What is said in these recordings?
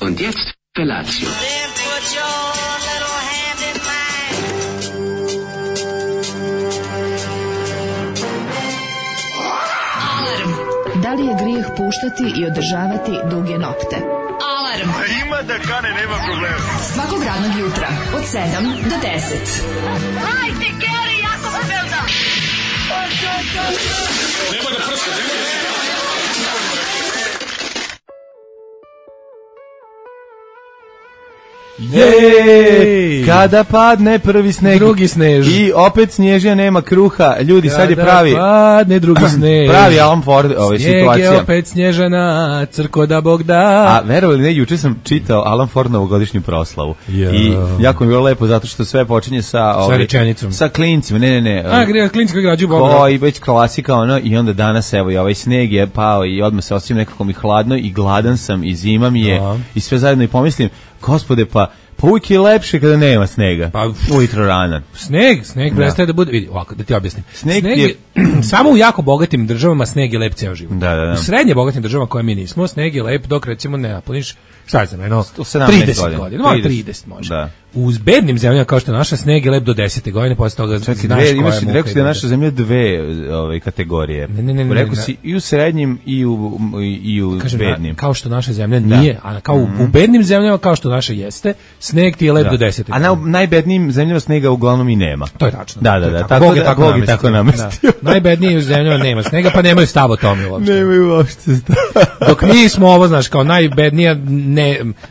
Und jetzt Felatio. Da li je grijeh puštati i održavati duge nokte? Alarm! Ima da kane, nema problema. Svakog radnog jutra, od 7 do 10. Hajde, Geri, jako se velda! Nema da prska, nema da prska. Jej! Kada padne prvi sneg, drugi snež. I opet snježija, nema kruha. Ljudi, sad je pravi... Kada padne drugi snež. Pravi Alan Ford situacija. Snijeg je opet snježana, crko da Bog da. A verovali ne, juče sam čitao Alan Ford novogodišnju proslavu. I jako mi je bilo lepo zato što sve počinje sa rečenicom. Sa klincima, ne. A, klinci koji građu Boga. Koji već klasika, ono, i onda danas, evo, i ovaj sneg je pao i odmah se osjećam nekako mi hladno i gladan sam i zima mi je i sve zajedno i pomislim, Gospode, pa uvijek je lepše kada nema snega. Pa ujutro rana. Sneg prestaje da bude, vidi, ovako, da ti objasnim. Sneg je samo u jako bogatim državama sneg je lep ceo život. Da. U srednje bogatim državama koje mi nismo, sneg je lep dok recimo ne napuniš, šta znam, 30 godina. 30 može. Da. U bednim zemljama kao što je naša, sneg je lep do 10. godine, posle toga znaš koja je muka. Rekao si da je naša zemlja dve kategorije. Ne. Rekao si i u srednjim i u bednim. Kao što naša zemlja nije, a kao u bednim zemljama kao što naša jeste, sneg ti je lep do 10. A na najbednijim zemljama snega uglavnom i nema. To je tačno. Da. Bog je tako namestio. Najbednijim zemljama nema snega, pa nemaju stav o tome uopšte. Nemaju uopšte stav. Dok mi smo ovo, znaš, kao najbednija,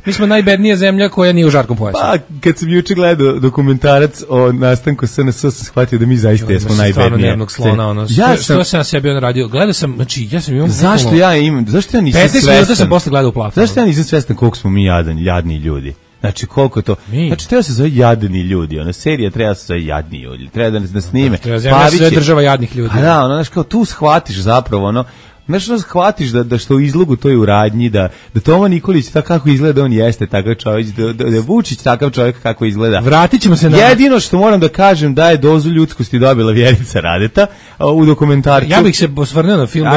mi smo najbednija zemlja koja nije u žarkom pojasu. Pa, kad sam juče gledao dokumentarac o nastanku SNS, sam shvatio da mi zaista jesmo najbednije. Stvarno nervnog slona, ono. Što sam ja sebi on radio? Gledao sam, znači, ja sam imao... Zašto ja nisam 15 svestan? minuta sam posle gledao u plafonu. Zašto ja nisam svestan koliko smo mi jadni ljudi? Znači, koliko je to... Znači, treba se zove jadni ljudi. Ona serija treba se zove jadni ljudi. Treba da snime. Treba zemlja se zove država jadnih ljudi. A da, ono, znaš, kao tu shvatiš zapravo, ono... Znaš, shvatiš da što u izlogu to je u radnji, da Toma Nikolić tako kako izgleda, on jeste takav čovjek, da je Vučić takav čovjek kako izgleda. Vratit ćemo se na... Jedino što moram da kažem da je dozu ljudskosti dobila Vjerica Radeta u dokumentarcu. Ja bih se osvrnuo na film,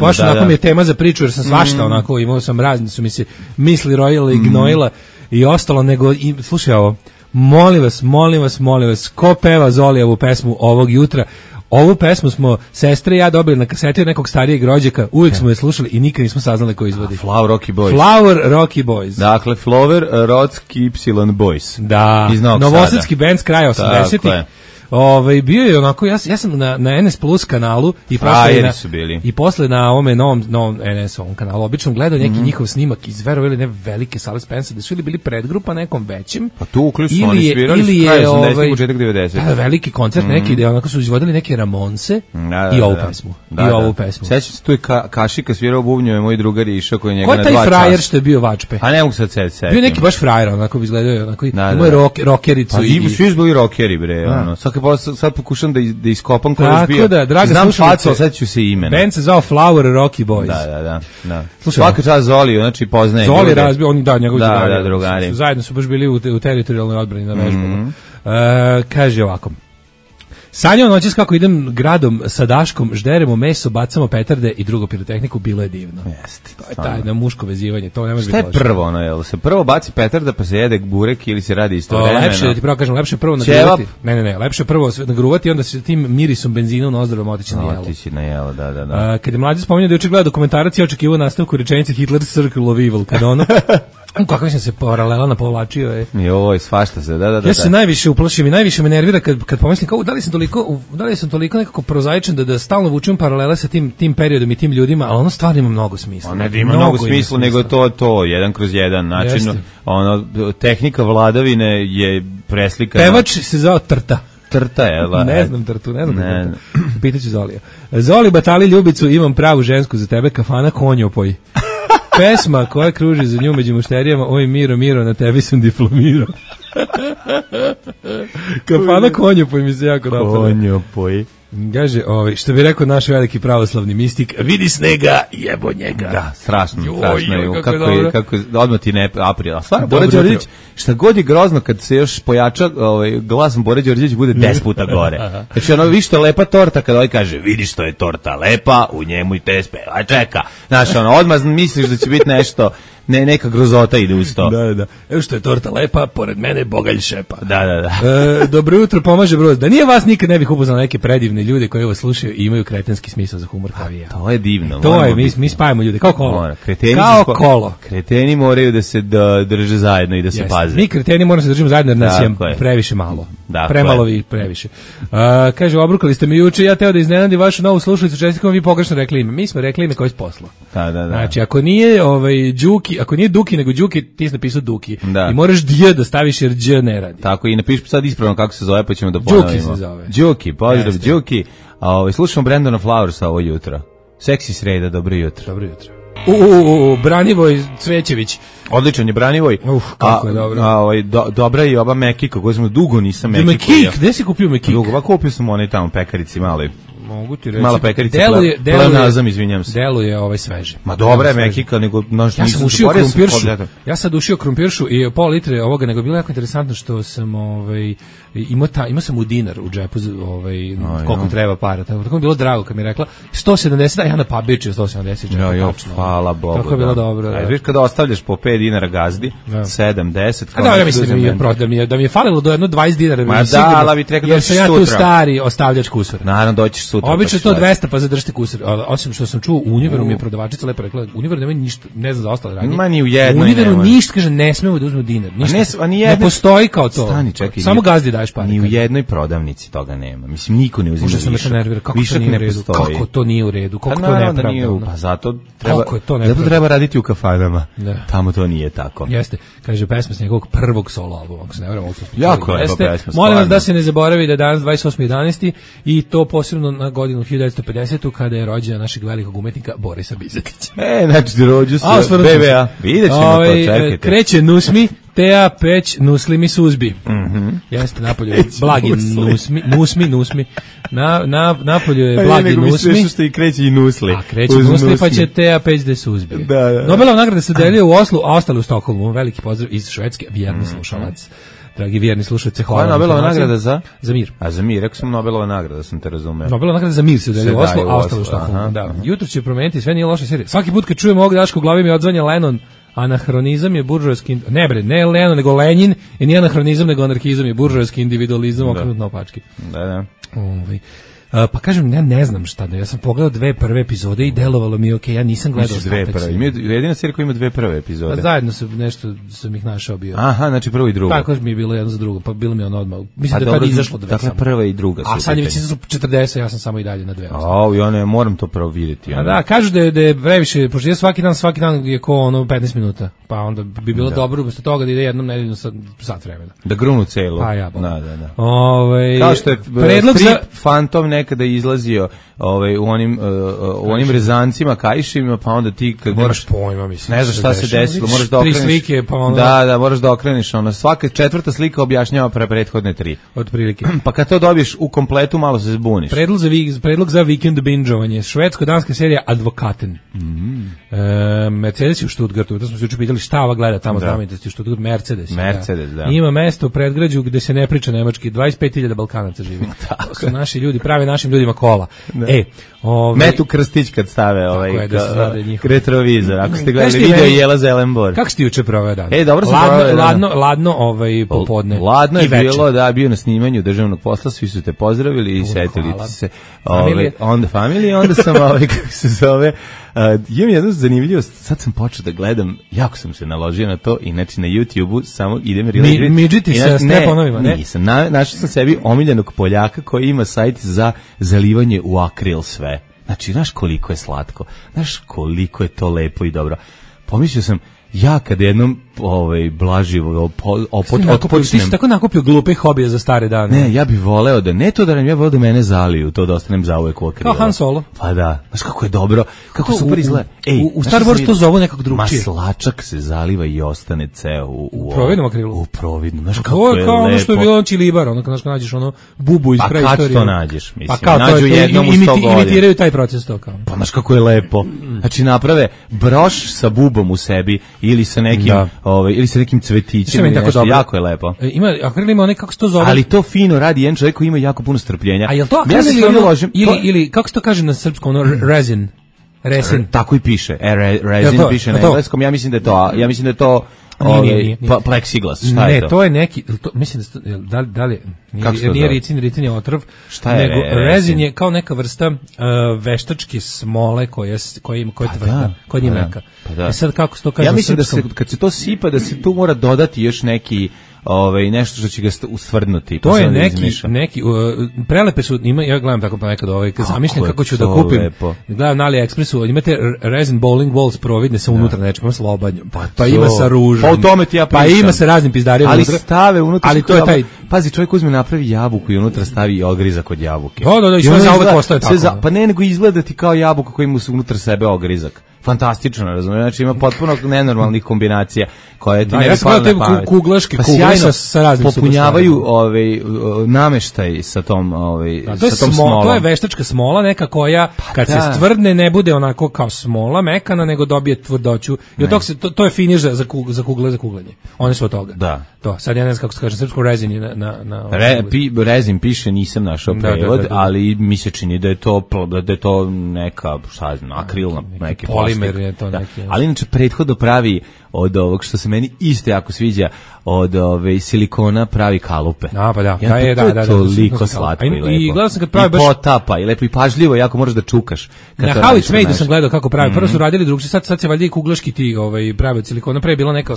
baš onako mi je tema za priču, jer sam svašta onako, imao sam razni su mi se misli rojile i gnojila i ostalo, nego, slušaj ovo, molim vas, ko peva Zolijevu pesmu ovog jutra? Ovu pesmu smo sestre i ja dobili na kaseti od nekog starijeg rođaka, uvijek smo je slušali i nikad nismo saznali ko izvodi. Flower Rocky Boys. Dakle, Flower Rocky Y Boys. Da, novosadski band s kraja 80-ih. Bio je onako, ja sam na NS Plus kanalu i posle na ovome novom NS-ovom kanalu obično gledao neki njihov snimak iz verovali ne velike sale Spensa, da su ili bili predgrupa nekom većim. Pa tu uključno oni svirali s kraja 80-ih, početak 90-ih. Da, veliki koncert neki gde onako su izvodili neke Ramonse i ovu pesmu. Sećam se, tu je Kašika svirao bubnjeve, moj drugar je išao koji njega na 2 časa. Ko je taj frajer što je bio Vačpe? A ne mogu sad setim. Bio neki baš frajer, onako bi izgledao, onako imao rockericu. Svi su bili rockeri, bre, ono. Sad pokušam da iskopam ko je bio. Znam facu, sad ću se imena. Band se zvao Flower Rocky Boys. Da. Svaka čast Zoliju, znači poznaje. Zoli razbio, oni njegovi drugari. Zajedno su baš bili u teritorijalnoj odbrani na vežbama. Kaže ovako. Sanjao noćas kako idem gradom sa daškom, žderemo meso, bacamo petarde i drugu pirotehniku, bilo je divno. Jeste. To je tajno muško vezivanje, to ne može biti loše. Šta je prvo, ono, jel se prvo baci petarda pa se jede burek ili se radi istovremeno? Lepše, da ti pravo kažem, lepše prvo nagruvati. Ne, lepše prvo nagruvati i onda se tim mirisom benzina u nozdravama otići na jelo. Da. Kad je mlađe spomenuo da je očigledao dokumentarac i očekivao nastavku rečenice Hitler's Circle of Evil, kada ono... Kako sam se paralela napovlačio je. Joj, svašta se, da. Ja se najviše uplašim i najviše me nervira kad pomislim kao da li sam toliko nekako prozaičan da stalno vučem paralele sa tim periodom i tim ljudima, ali ono stvarno ima mnogo smisla. Ne da ima mnogo smisla, nego to jedan kroz jedan način. Ono, tehnika vladavine je preslikana. Pevač se zvao Trta. Trta je, ne znam Trtu. Pitaću Zolija. Zoli, batali ljubicu, imam pravu žensku za tebe, kafana konjopoj. Pesma koja kruži za nju među mušterijama, oj Miro, na tebi sam diplomirao. Kafana konjopoj mi se jako dopala. Konjopoj. Kaže, što bi rekao naš veliki pravoslavni mistik, vidi snega, jebo njega. Da, strašno. Kako odmah ti ne aprila. Stvarno, Bora Đorđević, šta god je grozno kad se još pojača glasom Bora Đorđević bude 10 puta gore. Znači, ono, vi što je lepa torta, kada ovaj kaže, vidi što je torta lepa, u njemu i te speva čeka. Znaš, ono, odmah misliš da će biti neka grozota ide uz to. Da. Evo što je torta lepa, pored mene bogalj šepa. Da. Dobro jutro, pomaže Broz. Da nije vas nikad ne bih upoznao neke predivne ljude koji ovo slušaju i imaju kretenski smisao za humor kao i ja. To je divno. To je, mi spajamo ljude, kao kolo. Kolo. Kreteni moraju da se drže zajedno i da se paze. Mi kreteni moramo se držimo zajedno jer nas je previše malo. Premalo i previše. Kaže, obrukali ste mi juče, ja teo da iznenadim vašu novu slušalicu, čestitam, vi pogrešno rekli ime. Mi smo rekli ime koje je posla. Da. Znači, ako nije Đuki, ako nije Duki nego Đuki, ti si napisao Duki. Da. I moraš dj da staviš jer dž ne radi. Tako, i napiši sad ispravno kako se zove, pa ćemo da ponovimo. Đuki se zove. Đuki, pozdrav Đuki. Slušamo Brandona Flowersa ovo jutro. Seksi sreda, dobro jutro. Dobro jutro. Branivoj Cvećević. Odličan je Branivoj. Kako je dobro. Dobra je i ova Mekika, koju smo dugo nisam Mekiku. Mekik, gde si kupio Mekik? Dugo, kupio sam onaj tamo pekarici mali. Mogu ti reći. Mala pekarica, pleonazam, izvinjam se. Deluje sveže. Ma dobra je Mekika, nego ja sam ušio krumpiršu. Ja sad ušio krumpiršu i pol litre ovoga, nego bilo jako interesantno što sam imao sam u dinar u džepu, koliko treba para. Tako mi bilo drago kad mi je rekla 170, a ja na pabičio 170. Hvala Bogu. Tako je bilo dobro. A viš kada ostavljaš po 5 dinara gazdi, 7, 10. A da, ja mislim da mi je falilo do jedno 20 dinara. Ma da, ali bi rekao da ćeš sutra. Jer sam ja tu stari ostavljač kusura. Naravno, doćiš sutra. Obično to 200 pa zadržite kusur. Osim što sam čuo, u Univeru mi je prodavačica lepo rekla, Univer nema ništa, ne znam za ostale radnje. Ma ni u jednoj. U Univeru ništa, kaže, ne smemo da uzmemo dinar. Ništa. Ne postoji kao to. Stani, čekaj. Samo gazdi daješ pare. Ni u jednoj prodavnici toga nema. Mislim, niko ne uzima višak. Možda sam nervira, kako to nije u redu. Kako to nije u redu, kako to nepravda. Pa zato treba raditi u kafanama. Tamo to nije tako. Jeste, kaže pesma s njegovog prvog solo albuma, ako se ne varam. Jako lepa pesma. Molim vas da se ne zaboravi da je danas 28.11. i to posebno na godinu 1950. kada je rođena našeg velikog umetnika Borisa Bizetića. Znači rođu se BBA. Vidjet ćemo to, čekajte. Kreće Nusmi, Tea Peć, Nuslimi Suzbi. Jeste, napolju je blagi Nusmi. Napolju je blagi Nusmi. Nego što i kreće i Nusli. A kreće Nusli, pa će Tea Peć da Suzbi. Nobelova nagrada se deluje u Oslu, a ostale u Stokholmu. Veliki pozdrav iz Švedske, vjerni slušalac. Dragi vjerni slušalci, hvala. Koja je Nobelova nagrada za? Za mir. A za mir, rekao sam Nobelova nagrada, sam te razumeo. Nobelova nagrada za mir se daje u Oslu, a ostalo u Stokholmu. Da. Jutro će promeniti, sve nije loša serija. Svaki put kad čujem ovog Daška u glavi mi odzvanja Lennon. Anahronizam je buržoajski, ne Lenin, nego Lenin, i nije anahronizam, nego anarhizam je buržoajski individualizam okrenut naopačke. Da. Pa kažem, ja ne znam šta da, ja sam pogledao 2 prve epizode i delovalo mi ja nisam gledao ostatak. Jedina serija koja ima 2 prve epizode. Pa zajedno sam ih našao bio. Aha, znači prvo i drugo. Tako mi je bilo jedno za drugo, pa bilo mi ono odmah. Mislim da je tad izašlo 2. Dakle, prva i druga su. A sad je već 40, ja sam samo i dalje na 2. Ja ne moram to prvo vidjeti. Da, kažu da je previše, pošto je svaki dan je ko 15 minuta, pa onda bi bilo dobro umesto toga da ide jednom nedeljno sat vremena. Da grunu celu. Pa ja. Da. Kao što je Phantom nekada izlazio u onim rezancima kaišima, pa onda ti kad moraš pojma, mislim, ne znaš šta se desilo, moraš da okreneš 3 slike, pa onda da moraš da okreneš, svaka 4. slika objašnjava prethodne 3 otprilike. Pa kad to dobiješ u kompletu malo se zbuniš. Predlog za vikend bingeovanje, švedsko-danska serija Advokaten. Mercedes u Stuttgartu, to smo se juče pitali šta ova gleda tamo u Stuttgartu, Mercedes, da. Ima mesto u predgrađu gde se ne priča nemački, 25.000 Balkanaca živi. To su naši ljudi, prave našim ljudima kola. Metu krstić kad stave retrovizor. Ako ste gledali video Jela Zelenbor. Kako ste juče proveo dan? Dobro sam proveo dan. Ladno popodne. Ladno je bilo, bio na snimanju državnog posla, svi su te pozdravili i setili se. Onda familije, onda sam, kako se zove, imam jednu zanimljivost, sad sam počeo da gledam, jako sam se naložio na to, inače na YouTube-u samo idem midžiti sa steponovima, ne? Nisam, našao sam sebi omiljenog Poljaka koji ima sajt za zalivanje u akril sve. Znači, znaš koliko je slatko, znaš koliko je to lepo i dobro. Pomislio sam, ja kad jednom blaživo otpočnem. Ti si tako nakupio glupe hobije za stare dane. Ne, ja bih voleo da, ne to da nam, ja voleo da mene zaliju, to da ostanem zauvek u akrilo. Kao Han Solo. Pa da, znaš kako je dobro, kako super izgleda. U Star Wars to zovu nekako drugčije. Maslačak se zaliva i ostane ceo u providnom akrilu. U providnom, znaš kako je lepo. Kao ono što je bilo Čilibar, ono kad nađeš bubu iz preistorije. Pa kad to nađeš, mislim, nađu jednom u 100 godina. Imitiraju taj proces to kao. Pa znaš kako je lepo. Znači naprave broš sa bubom u sebi ili sa nekim cvetićem, jako je lepo. Akril ima kako se to zove. Ali to fino radi jedan čovjek koji ima jako puno strpljenja. A jel to akril ili kako se to kaže na srpskom, resin? Resin. Tako i piše. Resin piše na engleskom. Ja mislim da je to Nije. plexiglas. Šta je to? Ne, to je neki, mislim da li nije ricin je otrov, nego rezin je kao neka vrsta veštačke smole koja je tvrda, koja nije meka. Sad kako se to kaže? Ja mislim da kad se to sipa, da se tu mora dodati još neki nešto što će ga ustvrdnuti. To je neki prelepe su, ja gledam tako pa nekad zamišljam kako ću da kupim. Lepo. Gledam na AliExpressu, imate resin bowling balls providne sa unutra nečega, sa lobanjom. Pa ima sa ružom. Pa o tome ti ja pričam. Pa ima sa raznim pizdarijama unutra. Ali stave unutra. Ali to je taj. Pazi, čovjek uzme napravi jabuku i unutra stavi ogrizak od jabuke. Da, i sve zauvek postaje tako. Pa ne, nego izgleda ti kao jabuka koja ima unutra sebe ogrizak. Fantastično, razumiješ, znači ima potpuno nenormalnih kombinacija koje ti ne bi palo na pamet. Kuglaške kugle sa raznim popunjavaju nameštaj sa tom smolom. To je veštačka smola neka koja kad se stvrdne ne bude onako kao smola mekana, nego dobije tvrdoću. I od toga to je finiš za kuglanje. One su od toga. Da. To, sad ja ne znam kako se kaže, srpsko rezin je rezin piše, nisam našao prevod, ali mi se čini da je to neka, šta znam, akrilna neki polimer je to neki. Ali inače prethodno pravi od ovog što se meni isto jako sviđa, od silikona pravi kalupe. Pa da. Da. Toliko slatko i lepo. I gledao sam kad pravi baš potapa i lepo i pažljivo, jako možeš da čukaš. Na How It's Made sam gledao kako pravi. Prvo su radili drugčije, sad se valjda i kuglaški ti pravi od silikona. Pre je bilo neka pa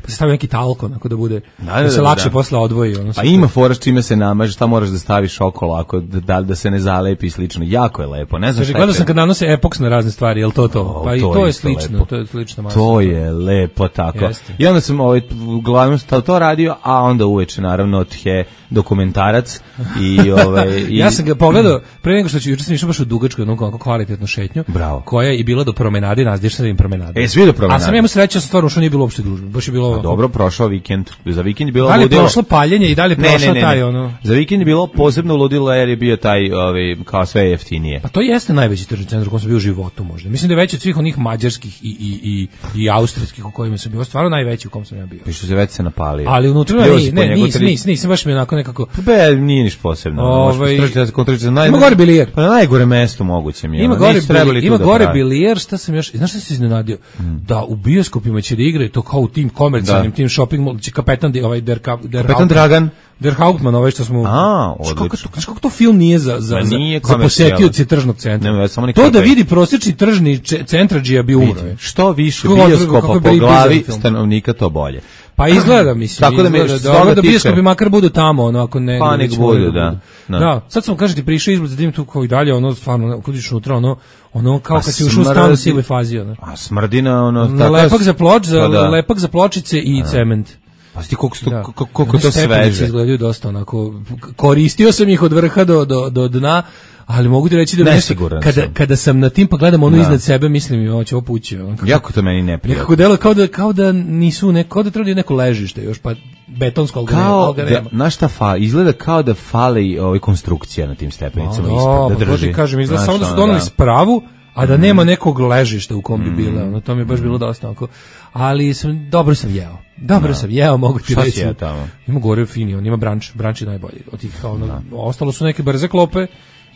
se stavio neki talko onako da bude da se lakše posle odvoji. Pa ima fora s čime se namaže, šta moraš da staviš okolo ako da se ne zalepi i slično. Jako je lepo. Ne znam šta. Gledao sam kad nanose epoks na razne stvari, jel to? Pa i to je slično, to je slična masa. To je lepo tako. I onda sam uglavnom to radio, a onda uveče naravno dokumentarac i ja sam ga pogledao pre nego što juče sam išao baš u dugačku jednu kvalitetnu šetnju. Bravo. Koja je bila do promenade, nazdiš sa promenade. Svi do promenade. A sam imao sreće, stvarno što nije bilo uopšte gužve. Baš je bilo dobro prošao vikend. Za vikend je bilo ludilo. Da li je prošlo paljenje i da li je prošao taj Za vikend je bilo posebno ludilo jer je bio taj kao sve jeftinije. Pa to jeste najveći tržni centar u kojem sam bio u životu možda. Mislim da je veći od svih onih mađarskih i austrijskih u kojima sam bio. Stvarno najveći u kom sam ja bio. Piše se već se napalio. Ali unutra nisam baš mi onako nekako. Nije niš posebno. Ima gore bilijer. Pa na najgore mesto moguće mi je. Ima gore bilijer, šta sam još, znaš šta se iznenadio? Da u bioskopima će da igraju to kao u tim komercijalnim, tim shopping mall, će kapetan Dragan Der Hauptmann, što smo. Kako to film nije za posetioce tržnog centra. To da vidi prosječni tržni centradžija bi umro. Što više bioskopa po glavi stanovnika, to bolje. Pa izgleda, mislim. Tako da bioskopi makar budu tamo, ako ne. Pa nek budu, da. Da, sad sam, kažem ti, prišao izgled, zadim tu kao i dalje, stvarno, kudiš unutra, ono kao kad si ušao u stanu sivoj fazi. A smrdina, lepak za pločice i cement. Pa sti koliko to sveže. Izgledaju dosta onako, koristio sam ih od vrha do dna, ali mogu ti reći da kada sam na tim pa gledam iznad sebe, mislim hoće opući. Jako to meni neprijatno. Nekako delo kao da nisu kao da trebaju neko ležište još, pa betonsko algarema. Znaš šta izgleda kao da fali konstrukcija na tim stepenicama ispred, da drži. Kažem, izgleda samo da su donali spravu, a da nema nekog ležišta u kom bi bila. To mi je baš bilo dosta onako. Ali dobro sam jeo, mogu ti reći. Šta si jeo tamo? Ima gore fini, on ima branč je najbolji. Od tih ostalo su neke brze klope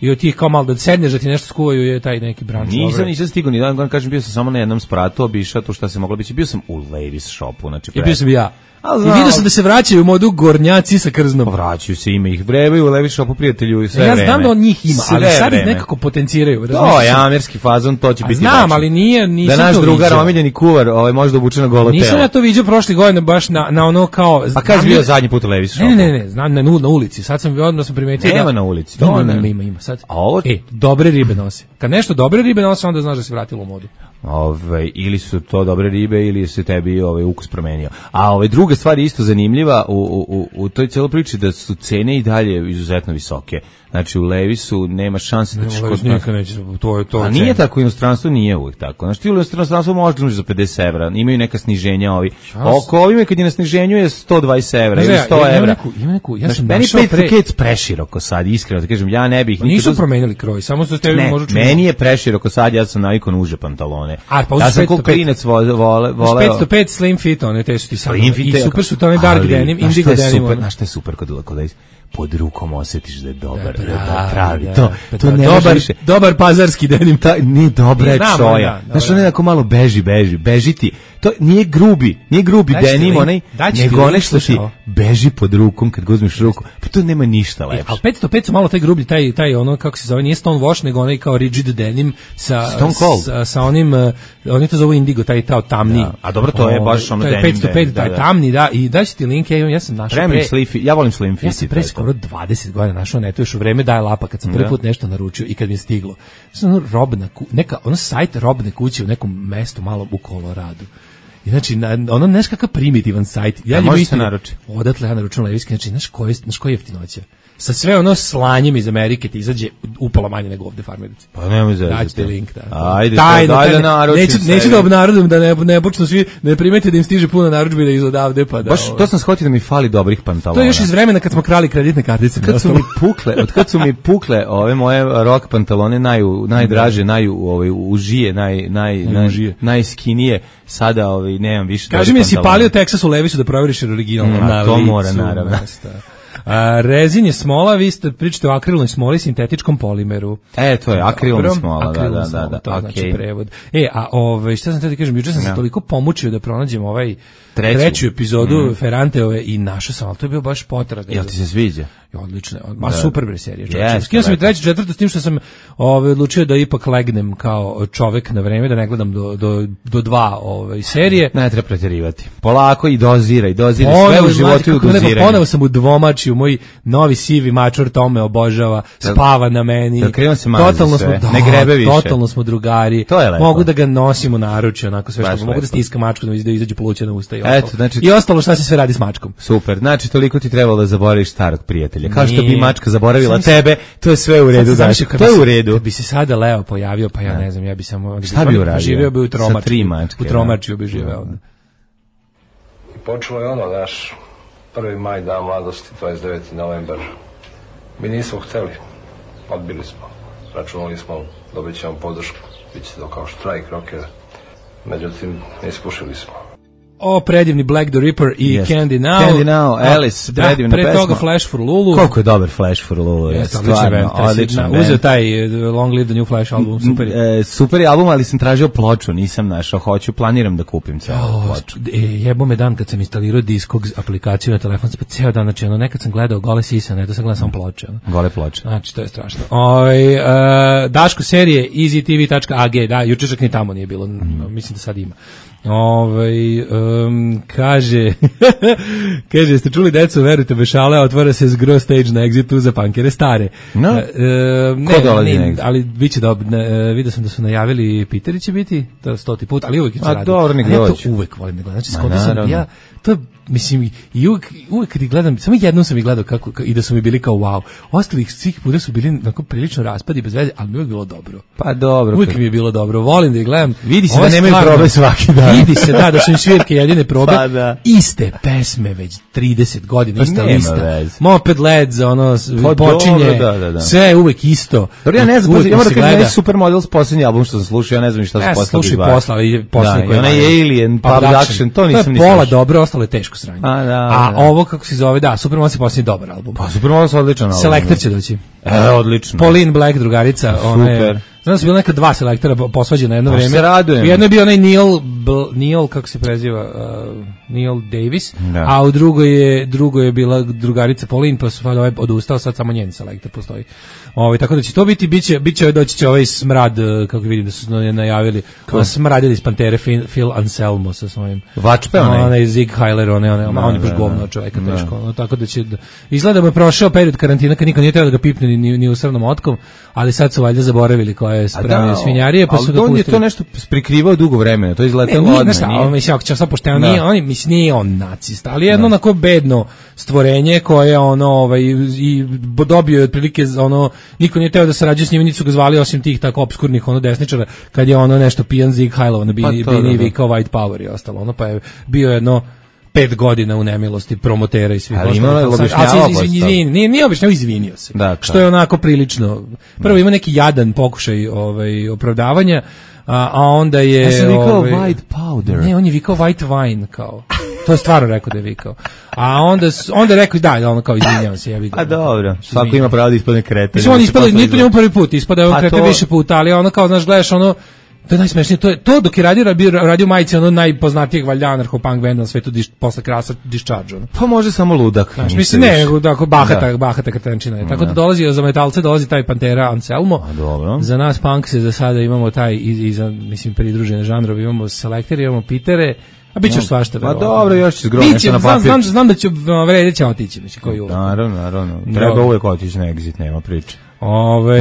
i od tih kao malo da sedneš da ti nešto skuvaju je taj neki branč. Nisam stigao ni dan, kažem, bio sam samo na jednom spratu, obišao tu šta se moglo biti. Bio sam u Levi's shopu, znači i bio sam ja. I vidio sam da se vraćaju u modu gornjaci sa krznom. Vraćaju se, ima ih, vrebaju u Levi's shopu prijatelju i sve vreme. Ja znam da on njih ima, ali sad ih nekako potenciraju. To je amerski fazon, to će biti. Znam, ali nisam da naš drugar omiljeni kuvar možda obuče na golo telo. Nisam ja to vidio prošle godine baš na ono kao. A kad je bio zadnji put u Levi's shopu? Ne, znam na ulici. Sad sam odmah primetio. Nema na ulici. Ima sad. Dobre ribe nose. Kad nešto dobre ribe nose, onda znaš da se vratilo u modu. Ili su to dobre ribe ili se tebi ukus promenio. A druga stvar je isto zanimljiva u toj cijeloj priči, da su cene i dalje izuzetno visoke. Znači u Levi'su nema šanse da ćeš kod nas. A nije tako, u inostranstvu nije uvijek tako. Znači ti u inostranstvu možeš za 50 evra, imaju neka sniženja ovi. Oko ovime kad je na sniženju je 120 evra ili 100 evra. Meni 5 kec preširoko sad, iskreno da kažem, ja ne bih. Nisu promenili kroj, samo što ste možda čuli. Meni je preširoko sad, ja sam navikao na uže pantalone. Ja sam kao klinac voleo. 505 slim fit, one te su ti sami. I super su to, one dark denim, indigo denim. Znaš šta je super kod pod rukom osjetiš da je dobar, da je pravi. To ne dobar pazarski denim. Nije dobra je čoja. Znaš, on nekako malo beži ti. To nije grubi denim, nego onaj što ti beži pod rukom kad ga uzmeš ruku. Pa to nema ništa lepše. Ali 505 su malo taj grublji, taj ono, kako se zove, nije Stonewash, nego onaj kao rigid denim sa onim, oni to zovu indigo, taj tamni. A dobro, to je baš ono denim. 505, taj tamni, da, i daći ti link, ja sam našao ja volim Slim Fit. Ja sam pre skoro 20 godina našao neto još u vreme daje lapa kad sam prvi put nešto naručio i kad mi je stiglo. Ono sajt robne kuće u nekom mestu malo u Koloradu. I znači, ono neš kakav primitivan sajt. Može se naruči. Odatle ja naručujem Levi'ski, znači, znaš koji je jeftinoća? Sa sve ono slanjem iz Amerike ti izađe upola manje nego ovde farmerici. Pa nemoj zezati. Daćete link, da. Ajde, daj da naručim. Neću da obnarodim, da ne počnu svi, ne primete da im stiže puno narudžbi da iz odavde, pa da... Baš to sam shvatio da mi fali dobrih pantalona. To je još iz vremena kad smo krali kreditne kartice. Od kad su mi pukle ove moje rock pantalone najdraže, užije, najskinije, sada nemam više. Kaži mi, jesi palio Texas u Levisu da proveriš originalno? To mora, naravno. Rezin je smola, vi ste pričate o akrilnoj smoli, sintetičkom polimeru. To je akrilna smola, da. To znači prevod. Šta sam te da kažem, juče sam se toliko pomučio da pronađem treću epizodu Ferranteove i našao sam, ali to je bio baš potraga. Jel ti se sviđa? Odlično, super bre serija. Skinuo sam i treću, četvrtu, s tim što sam odlučio da ipak legnem kao čovek na vreme, da ne gledam do dva serije. Ne treba pretjerivati. Polako i doziraj, sve u životu doziraj. Ponovo sam u dvomačiju, moj novi sivi mačor to me obožava, spava na meni. Totalno smo, ne grebe više. Totalno smo drugari. Mogu da ga nosim u naručju, onako sve što mogu da stiskam mačku da izađu pluća na usta i ostalo šta se sve radi s mačkom. Super, znači toliko ti trebalo da zaboraviš starog prijatelja. Kao što bi mačka zaboravila tebe, to je sve u redu. To je u redu. Kad bi se sada Leo pojavio, pa ja ne znam, ja bi samo... Šta bi uradio? Živio bi u Tromačiju bi živeo. I počelo je ono, naš 1. maj, dan mladosti, 29. novembar. Mi nismo hteli, odbili smo. Računali smo, dobit ćemo podršku, bit će to kao štrajk rockera. Međutim, ispušili smo. Predivni Black the Ripper i Candy Now. Alice, predivna pesma. Pre toga Flash for Lulu. Koliko je dobar Flash for Lulu. Odličan. Uzeo taj Long Live the New Flash album, super je. Super je album, ali sam tražio ploču, nisam našao, planiram da kupim celu ploču. Jebo me dan kad sam instalirao Discogs aplikaciju na telefon, pa ceo dan, znači nekad sam gledao gole sisane, to sam gledao samo ploče. Gole ploče. Znači, to je strašno. Daško serije easytv.ag, da, juče čak ni tamo nije bilo, mislim da sad ima. Kaže, jeste čuli deco, verujte, bešale, otvara se zgro stage na Exitu za punkere stare. Ko dolazi na Exit? Ali bit će vidio sam da su najavili Piteri će biti, to je 100. put, ali uvijek će raditi. Dobro, nek dođu. Ja to uvek volim da gledam, znači skontao sam, to mislim, i uvek kad ih gledam, samo jednom sam ih gledao i da su mi bili kao wow. Ostalih svih puta su bili onako prilično raspadi bez veze, ali mi uvek bilo dobro. Pa dobro. Uvek mi je bilo dobro, volim da ih gledam. Vidi se da nemaju probe svaki dan. Vidi se, da su im svirke jedine probe. Pa da. Iste pesme već 30 godina, ista lista. Moped Led za počinje, sve je uvek isto. Dobro, ja ne znam, ja moram da kažem Supermodels posljednji album što sam slušao, ja ne znam šta su poslali. Slušaj posla koji je Alien, Production, to nisam ni slušao. Pola dobro, ostalo je teško sranje. A ovo kako se zove, Supermodels je posljednji dobar album. Pa Supermodels je odličan album. Selektor će doći. Odlično. Pauline Black, drugarica, super. Znam da su bili neka dva selektora posvađena jedno vreme. Se radujem. Jedno je bio onaj Neil, kako se preziva, Neil Davis, a u drugoj je bila drugarica Pauline, pa su odustao, sad samo njen selektor postoji. Tako da će to biti, doći će ovaj smrad, kako vidim da su najavili, smradili iz Pantere Phil Anselmo sa svojim. Vačpe onaj Zig Heiler, on je baš govno čovjeka teško. Tako da će, izgleda da je prošao period karantina kad niko nije trebao da ga pipne ni u srnom otkom, ali sad su valjda zaboravili koja je spremio svinjarije, pa su ga pustili. Ali on je to nešto prikrivao dugo vremena, to je izletelo odmah. Mislim, ako će sad pošteno, nije on nacista, ali jedno onako bedno stvorenje koje i dobio je otprilike niko nije teo da sarađuje s njim, nisu ga zvali osim tih tako obskurnih desničara, kad je nešto pijan Zig Heilova na bini vikao White Power i ostalo, pa je bio jedno 5 godina u nemilosti promotera i svih ostalih. Nije objašnjavao, izvinio se. Što je onako prilično. Prvo ima neki jadan pokušaj opravdavanja, a onda je... Ja sam vikao White Powder. Ne, on je vikao White Wine, kao... To je stvarno rekao da je vikao. A onda je rekao da, ono kao izvinjavam se, ja vidim. A dobro, svako ima pravo da ispadne kreten. Mislim, on ispada, nije to njemu prvi put, ispada je kreten više puta, ali ono kao, znaš, gledaš ono, to je najsmešnije, to dok je radio majice ono najpoznatijeg valjda anarcho-punk benda na svetu posle Krasa Discharge. Ono. Pa može samo ludak. Znaš, mislim, ne, tako bahata kretenčina je. Tako da dolazi za metalce, dolazi taj Pantera Anselmo. Za nas punk se za sada imamo taj i za, mislim, pridružene žanrovi, imamo Selektere, imamo Pitere, a bit će svašta. Pa dobro, još će zgromiti nešto na papir. Znam da će vredeće otići, mislim, koji uvek. Naravno. Treba uvek otići na exit, nema priče.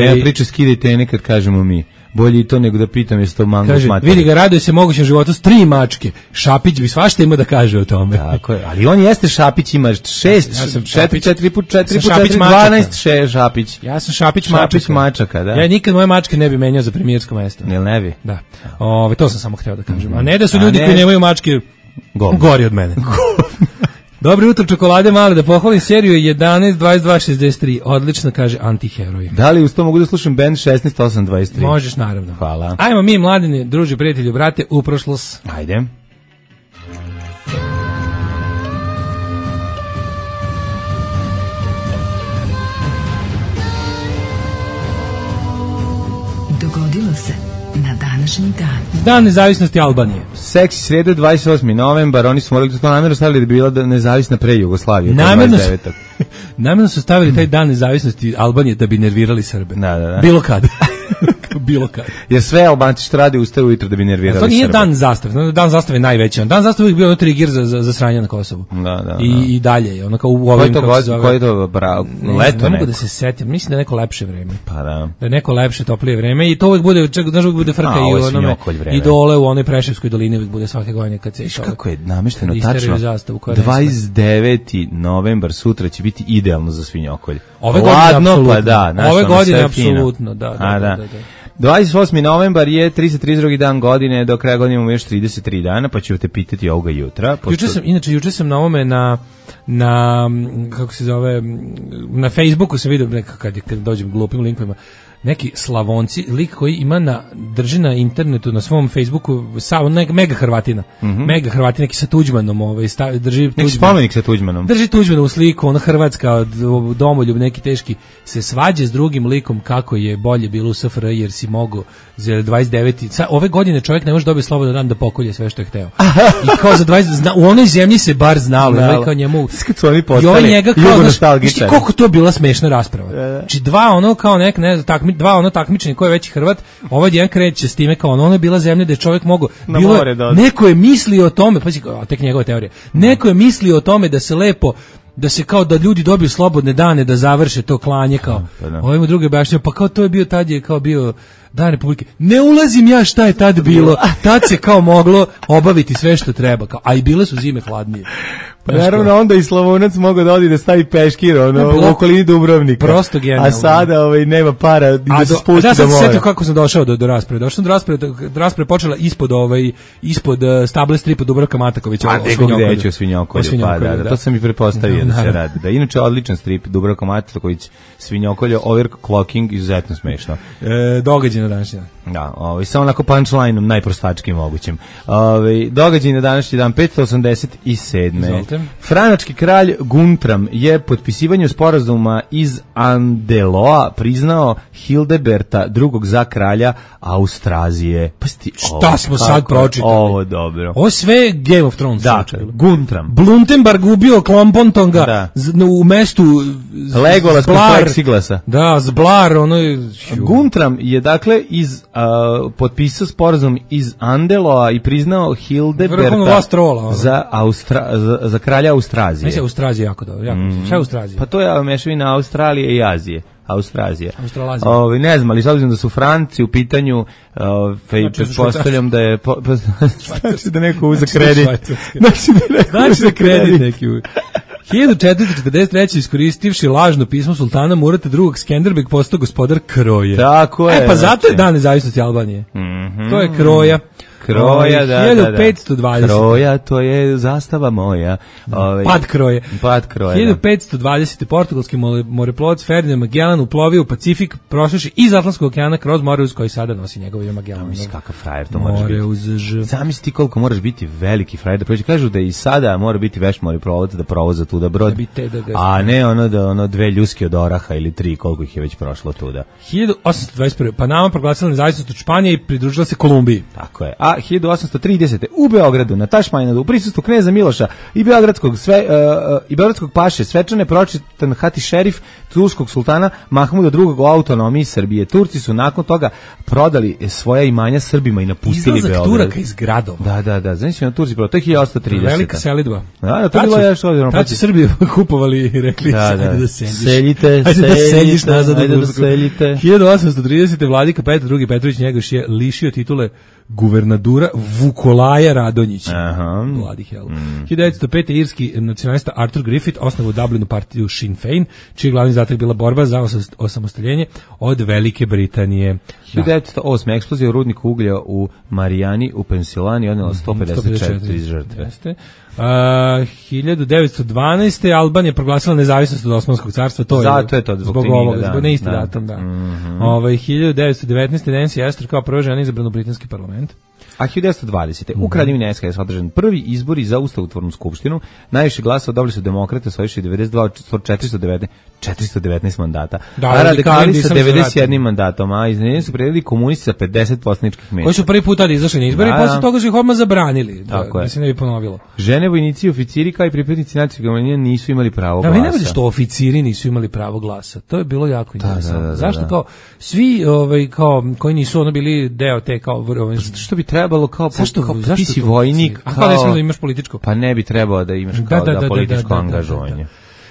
Nema priče, skidajte nekad kažemo mi. Bolje i to nego da pitam jesi to mango kaže, materija. Vidi ga, raduje se mogućem životu s 3 mačke. Šapić bi svašta ima da kaže o tome. Tako je, ali on jeste Šapić, ima 4 put 12 Šapić. Ja sam Šapić mačaka, da. Ja nikad moje mačke ne bi menjao za premijersko mesto. Jel ne bi? Da. To sam samo hteo da kažem. A ne da su ljudi koji nemaju mačke gori od mene. Dobro jutro, čokolade male, da pohvalim seriju 11, 22, 63. Odlično, kaže Antiheroj. Da li uz to mogu da slušam band 16, 8, 23? Možeš, naravno. Hvala. Ajmo mi, mladine, druži, prijatelju, brate, u prošlost. Ajde. Dogodilo se na današnji dan. Dan nezavisnosti Albanije. Seksi srede 28. novembar, oni su morali to namjerno stavili da bi bila nezavisna pre Jugoslavije. Namjerno su stavili taj dan nezavisnosti Albanije da bi nervirali Srbe. Da. Bilo kad. Bilo kad. Jer sve Albanci što rade ustaju ujutro da bi nervirali Srbe. To nije dan zastave. Dan zastave je najveći. Dan zastave je bio ono trigger za sranje na Kosovu. Da. I dalje. Ono kao u ovim Koji je to leto? Ne mogu da se setim. Mislim da je neko lepše vreme. Pa da. Da je neko lepše, toplije vreme. I to uvek bude, znaš, uvek bude frka i onome. I dole u onoj Preševskoj dolini uvek bude svake godine kad se išao. Kako je namešteno tačno? 29. novembar sutra će biti idealno za svinjokolj. Ove godine apsolutno. Da. 28. novembar je 332. dan godine, do kraja godine imamo još 33 dana, pa ću te pitati ovoga jutra. Juče sam na ovome na kako se zove, na Facebooku sam vidio kad dođem glupim linkovima, neki Slavonci, lik koji ima drži na internetu, na svom Facebooku, mega Hrvatina. Mega Hrvatina, neki sa Tuđmanom, drži Tuđman. Neki spomenik sa Tuđmanom. Drži Tuđmanovu sliku, ona Hrvatska, domoljub, neki teški, se svađa s drugim likom kako je bolje bilo u SFRJ jer si mogao za 29. Ove godine čovjek ne može dobiti slobodan dan da pokolje sve što je hteo. I kao za 20, u onoj zemlji se bar znalo, kao njemu. Kad su oni postali jugonostalgičari. Koliko to bila smešna rasprava. Znači dva ono takmičenje ko je veći Hrvat, ovaj jedan kreće s time kao ono je bila zemlja gde čovjek mogao, neko je mislio o tome, pa tek njegove teorije, neko je mislio o tome da se lepo, da se kao da ljudi dobiju slobodne dane da završe to klanje kao, ovim druge objašnjava, pa kao to je bio tad je kao bio Dan Republike. Ne ulazim ja šta je tad bilo, tad se kao moglo obaviti sve što treba, kao, a i bile su zime hladnije. Pa naravno onda i Slavonac mogao da odi da stavi peškir u okolini Dubrovnika. Prosto genijalno. A sada nema para da se spusti da more. Ja sam se setio kako sam došao do rasprave. Došao sam do rasprave počela ispod stable stripa Dubravka Matakovića. A gde o Svinjokolju. Pa da, to sam i pretpostavio da se radi. Da, inače odličan strip Dubravka Mataković, Svinjokolje, overclocking, izuzetno smešno. Događaj na današnji dan. Da, samo onako punchline-om, najprostačkim mogućim. Događaj na današnji dan, 587. Franački kralj Guntram je potpisivanjem sporazuma iz Andeloa priznao Hildeberta II za kralja Austrazije. Šta smo sad pročitali? Ovo dobro. Ovo sve Game of Thrones. Da, Guntram. Bluntenberg ubio Klompontonga u mestu Legolas kod Plexiglasa. Da, Zblar. Guntram je dakle potpisao sporazum iz Andeloa i priznao Hildeberta za kralja Austrazije. Mislim, Austrazija jako dobro. Šta je Austrazija? Pa to je mešavina Australije i Azije. Austrazija. Australazija. Ne znam, ali s obzirom da su Franci u pitanju, pretpostavljam da je znači da neko uza kredit. Znači da kredit neki 1443. iskoristivši lažno pismo sultana Murata II. Skenderbeg postao gospodar Kroje. Tako je. Pa zato je dan nezavisnosti Albanije. To je Kroja. Kroja, da. 1520. Kroja, to je zastava moja. Pad kroje. 1520. Portugalski moreplovac Ferdinand Magellan uplovio u Pacifik, prošavši iz Atlantskog okeana kroz more uz koji sada nosi njegovo ime Magellan. Misli kakav frajer to moraš biti. Zamisli ti koliko moraš biti veliki frajer da prođe. Kažu da i sada mora biti veš moreplovac da provoza tuda brod. A ne ono dve ljuske od oraha ili tri, koliko ih je već prošlo tuda. 1821. Panama proglasila nezavisnost od Španije i pridružila se Kolumbiji. Tako je. A 1830. u Beogradu na Tašmajnadu u prisustvu kneza Miloša i beogradskog paše svečane pročitan Hati šerif turskog sultana Mahmuda II o autonomiji Srbije. Turci su nakon toga prodali svoja imanja Srbima i napustili Beograd. Izlazak Turaka iz gradova. Da. Znači na Turci prodali. To je 1830. Velika selidba. Da, to je bilo još ovdje. Tad su Srbiju kupovali i rekli ajde da seljiš. Ajde da seljiš nazad u Tursku. 1830. Vladika Petar II Petrović Njegoš je lišio titule guvernadura Vukolaja Radonjića. Bloody hell. 1905. irski nacionalista Arthur Griffith osnovao u Dublinu partiju Sinn Féin, čiji glavni zadatak bila borba za osamostaljenje od Velike Britanije. 1908. eksplozija u rudniku uglja u Marijani u Pensilvaniji odnela 154 žrtve. 1912. Albanija proglasila nezavisnost od Osmanskog carstva. Zato je to zbog ovoga, zbog neisti datum, da. 1919. Nancy Astor kao prva žena izabrana u britanski parlament. A 1920. u Kraljevini SHS održan prvi izbori za ustavotvornu skupštinu. Najviše glasova dobili su demokrate, osvojivši 92 419 mandata. A radikali sa 91 mandatom, a iznenjeni su predili komunisti sa 50 poslaničkih mesta. Koji su prvi put tada izašli na izbori, posle toga su ih odmah zabranili, da se ne bi ponovilo. Žene, vojnici i oficiri kao i pripadnici nacionalnih manjina nisu imali pravo glasa. Da, ne što oficiri nisu imali pravo glasa. To je bilo jako interesantno. Zašto kao svi kao koji nisu bili deo te kao što bi trebalo kao ti si vojnik, a kao ne smiješ da imaš političko. Pa ne bi trebalo da imaš kao da političko angažovanje.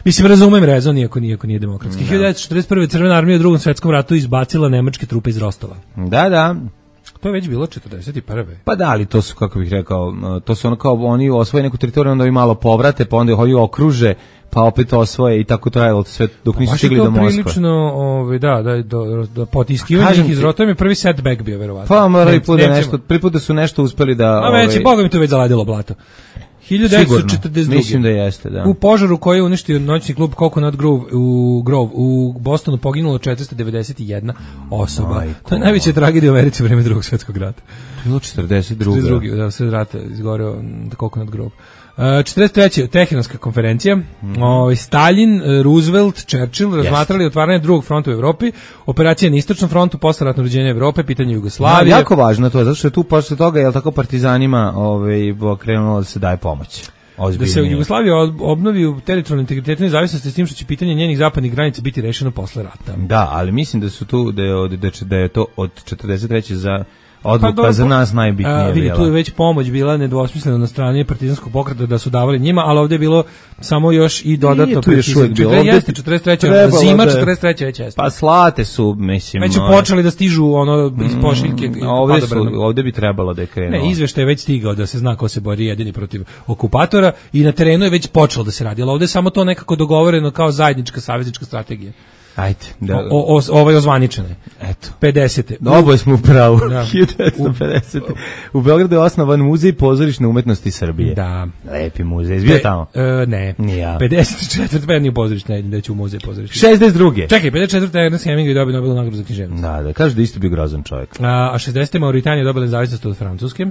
Mislim, razumem rezon, iako nije demokratski. 1941. Crvena armija u Drugom svetskom ratu izbacila nemačke trupe iz Rostova. Da. To je već bilo 41. Pa da, ali to su, kako bih rekao, to su ono kao oni osvoje neku teritoriju, onda i malo povrate, pa onda ih okruže, pa opet osvoje i tako trajalo sve dok nisu stigli do Moskve. Pa prilično, da potiskivanje iz Rostova je prvi setback bio, verovatno. Pa morali prvi put da su nešto uspeli da... A već, Boga mi to već zaladilo blato. 1942. Mislim da jeste, da. U požaru koji je uništio noćni klub Coconut Grove u Bostonu poginulo 491 osoba. To je najveća tragedija u Americi u vreme Drugog svjetskog rata. Bilo 42. Da, sred rata izgoreo Coconut Grove. 43. Teheranska konferencija. Stalin, Roosevelt, Churchill razmatrali otvaranje drugog fronta u Evropi, operacija na istočnom frontu, posleratno uređenje Evrope, pitanje Jugoslavije. Jako važno to, zato što je tu posle toga, jel tako, partizanima krenulo da se daje pomoć. Da se Jugoslavija obnovi u teritorijalnoj integritetu i nezavisnosti s tim što će pitanje njenih zapadnih granica biti rešeno posle rata. Da, ali mislim da su tu da je to od 43. za odluka za nas najbitnije. Vidi, tu je već pomoć bila nedvosmislena na strani partizanskog pokreta da su davali njima, ali ovdje je bilo samo još i dodatno pritisak. 43. zima, 43. već jeste. Pa slate su, mislim. Već su počeli da stižu iz pošiljke. Ovdje bi trebalo da je krenulo. Ne, izveštaj je već stigao da se zna ko se bori jedini protiv okupatora i na terenu je već počelo da se radi, ali ovdje je samo to nekako dogovoreno kao zajednička saveznička strategija. Ajde, da. Ozvaničene. Eto. 50. Oboje smo u pravu. 1950. U Beogradu je osnovan muzej pozorišne umetnosti Srbije. Da. Lepi muzej. Izbio tamo? Ne. Nija. 54. Pa nije pozorišne, da će u muzej pozorišne. 62. Čekaj, 54. Ernest Hemingway dobio Nobelovu nagradu za književnost. Da, kaže da isto bio grozan čovjek. A 60. Mauritanija dobila nezavisnost od Francuske.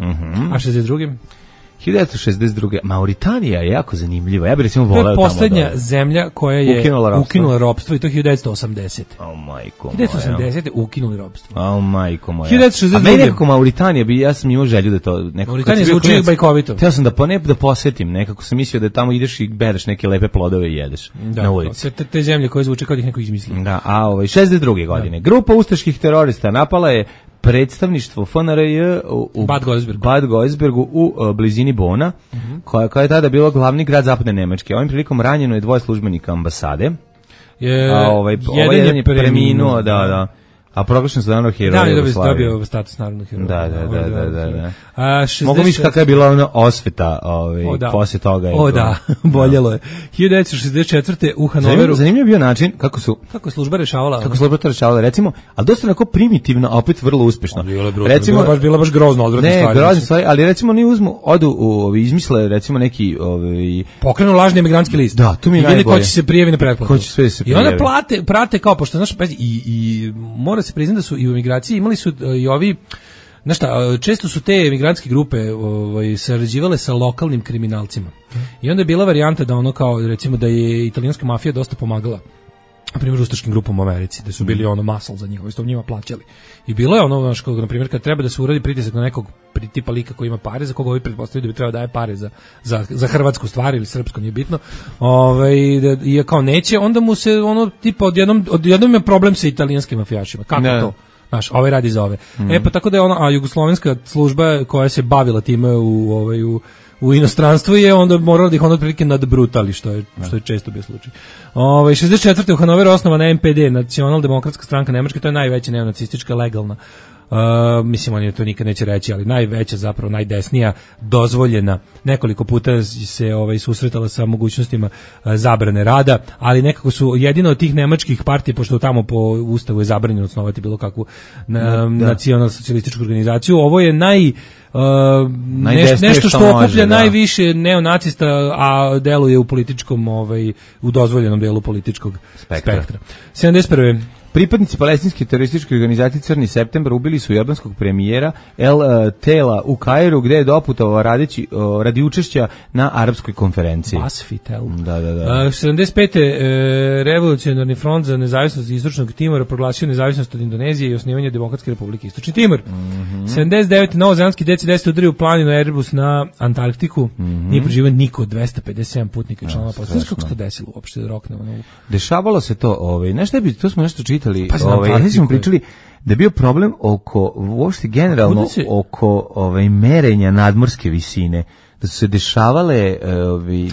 A 62. 1962. Mauritanija je jako zanimljiva. Ja bih recimo voleo tamo. To je poslednja zemlja koja je ukinula ropstvo i to 1980. Majko 1980. ukinuli ropstvo. Majko moja. 1962. A meni nekako Mauritanija ja sam imao želju da to nekako. Mauritanija zvuči bajkovito. Htio sam da posetim, nekako sam mislio da tamo ideš i bereš neke lepe plodove i jedeš na ulici. Te zemlje koje zvuče kao da ih neko izmislio. Da, a 62. godine. Grupa ustaških terorista napala je predstavništvo FNRJ u Bad Godesbergu u blizini Bona, koja je tada bilo glavni grad zapadne Nemačke. Ovim prilikom ranjeno je 2 službenika ambasade. Jedan je preminuo, da. A proglašen su narodnog heroja Jugoslavije. Da, dobio status narodnog heroja. Da. Mogu misliti kakva je bila ona osveta posle toga. Boljelo je. 1964. u Hanoveru. Zanimljiv bio način kako je služba rešavala. Kako služba to rešavala, recimo, ali dosta onako primitivno, a opet vrlo uspešno. Bila baš grozno odvratna stvar. Ne, grozna stvar, ali recimo oni izmisle recimo neki pokrenu lažni emigrantski list. Da, to mi je najbolje. Ko će se prijavi na pretplatu. I onda prate kao, pošto znaš, i mora se priznati da su i u emigraciji imali su i ovi, znaš šta, često su te emigrantske grupe sarađivale sa lokalnim kriminalcima. I onda je bila varijanta da ono kao, recimo da je italijanska mafija dosta pomagala, na primjer, ustaškim grupama u Americi, da su bili muscle za njih, što njima plaćali. I bilo je ono, na primjer, kad treba da se uradi pritisak na nekog tipa lika koji ima pare, za koga ovi pretpostavljaju da bi trebao daje pare za hrvatsku stvar ili srpsko, nije bitno, i kao neće, onda mu se tipa odjednom je problem sa italijanskim mafijašima. Kako to? Znaš, ovaj radi za ove. Pa tako da je a jugoslovenska služba koja se bavila time u inostranstvu je onda morala da ih otprilike nadbrutali, što je često bio slučaj. 64. u Hanoveru osnovana NPD, Nacionaldemokratska stranka Nemačke, to je najveća neonacistička legalna. Mislim, oni to nikad neće reći, ali najveća, zapravo najdesnija, dozvoljena. Nekoliko puta se susretala sa mogućnostima zabrane rada, ali nekako su jedino od tih nemačkih partija, pošto tamo po ustavu je zabranjeno osnovati bilo kakvu nacionalsocijalističku organizaciju. Ovo je nešto što okuplja najviše neonacista, a deluje u političkom, u dozvoljenom delu političkog spektra. 71. Pripadnici palestinske terorističke organizacije Crni septembar ubili su jordanskog premijera El Tela u Kairu, gde je doputovao radi učešća na arapskoj konferenciji. Basfitel. Da. 75. Revolucionarni front za nezavisnost Istočnog Timora proglasio nezavisnost od Indonezije i osnivanje Demokratske republike Istočni Timor. 79. Novozelandski DC-10 udario u planinu Airbus na Antarktiku. Nije preživio niko od 257 putnika i članova posade. Znaš kako se to desilo uopšte da roknemo? Dešavalo se to, to smo nešto čitali, smo pričali da je bio problem oko, uopšte generalno, oko merenja nadmorske visine, da su se dešavale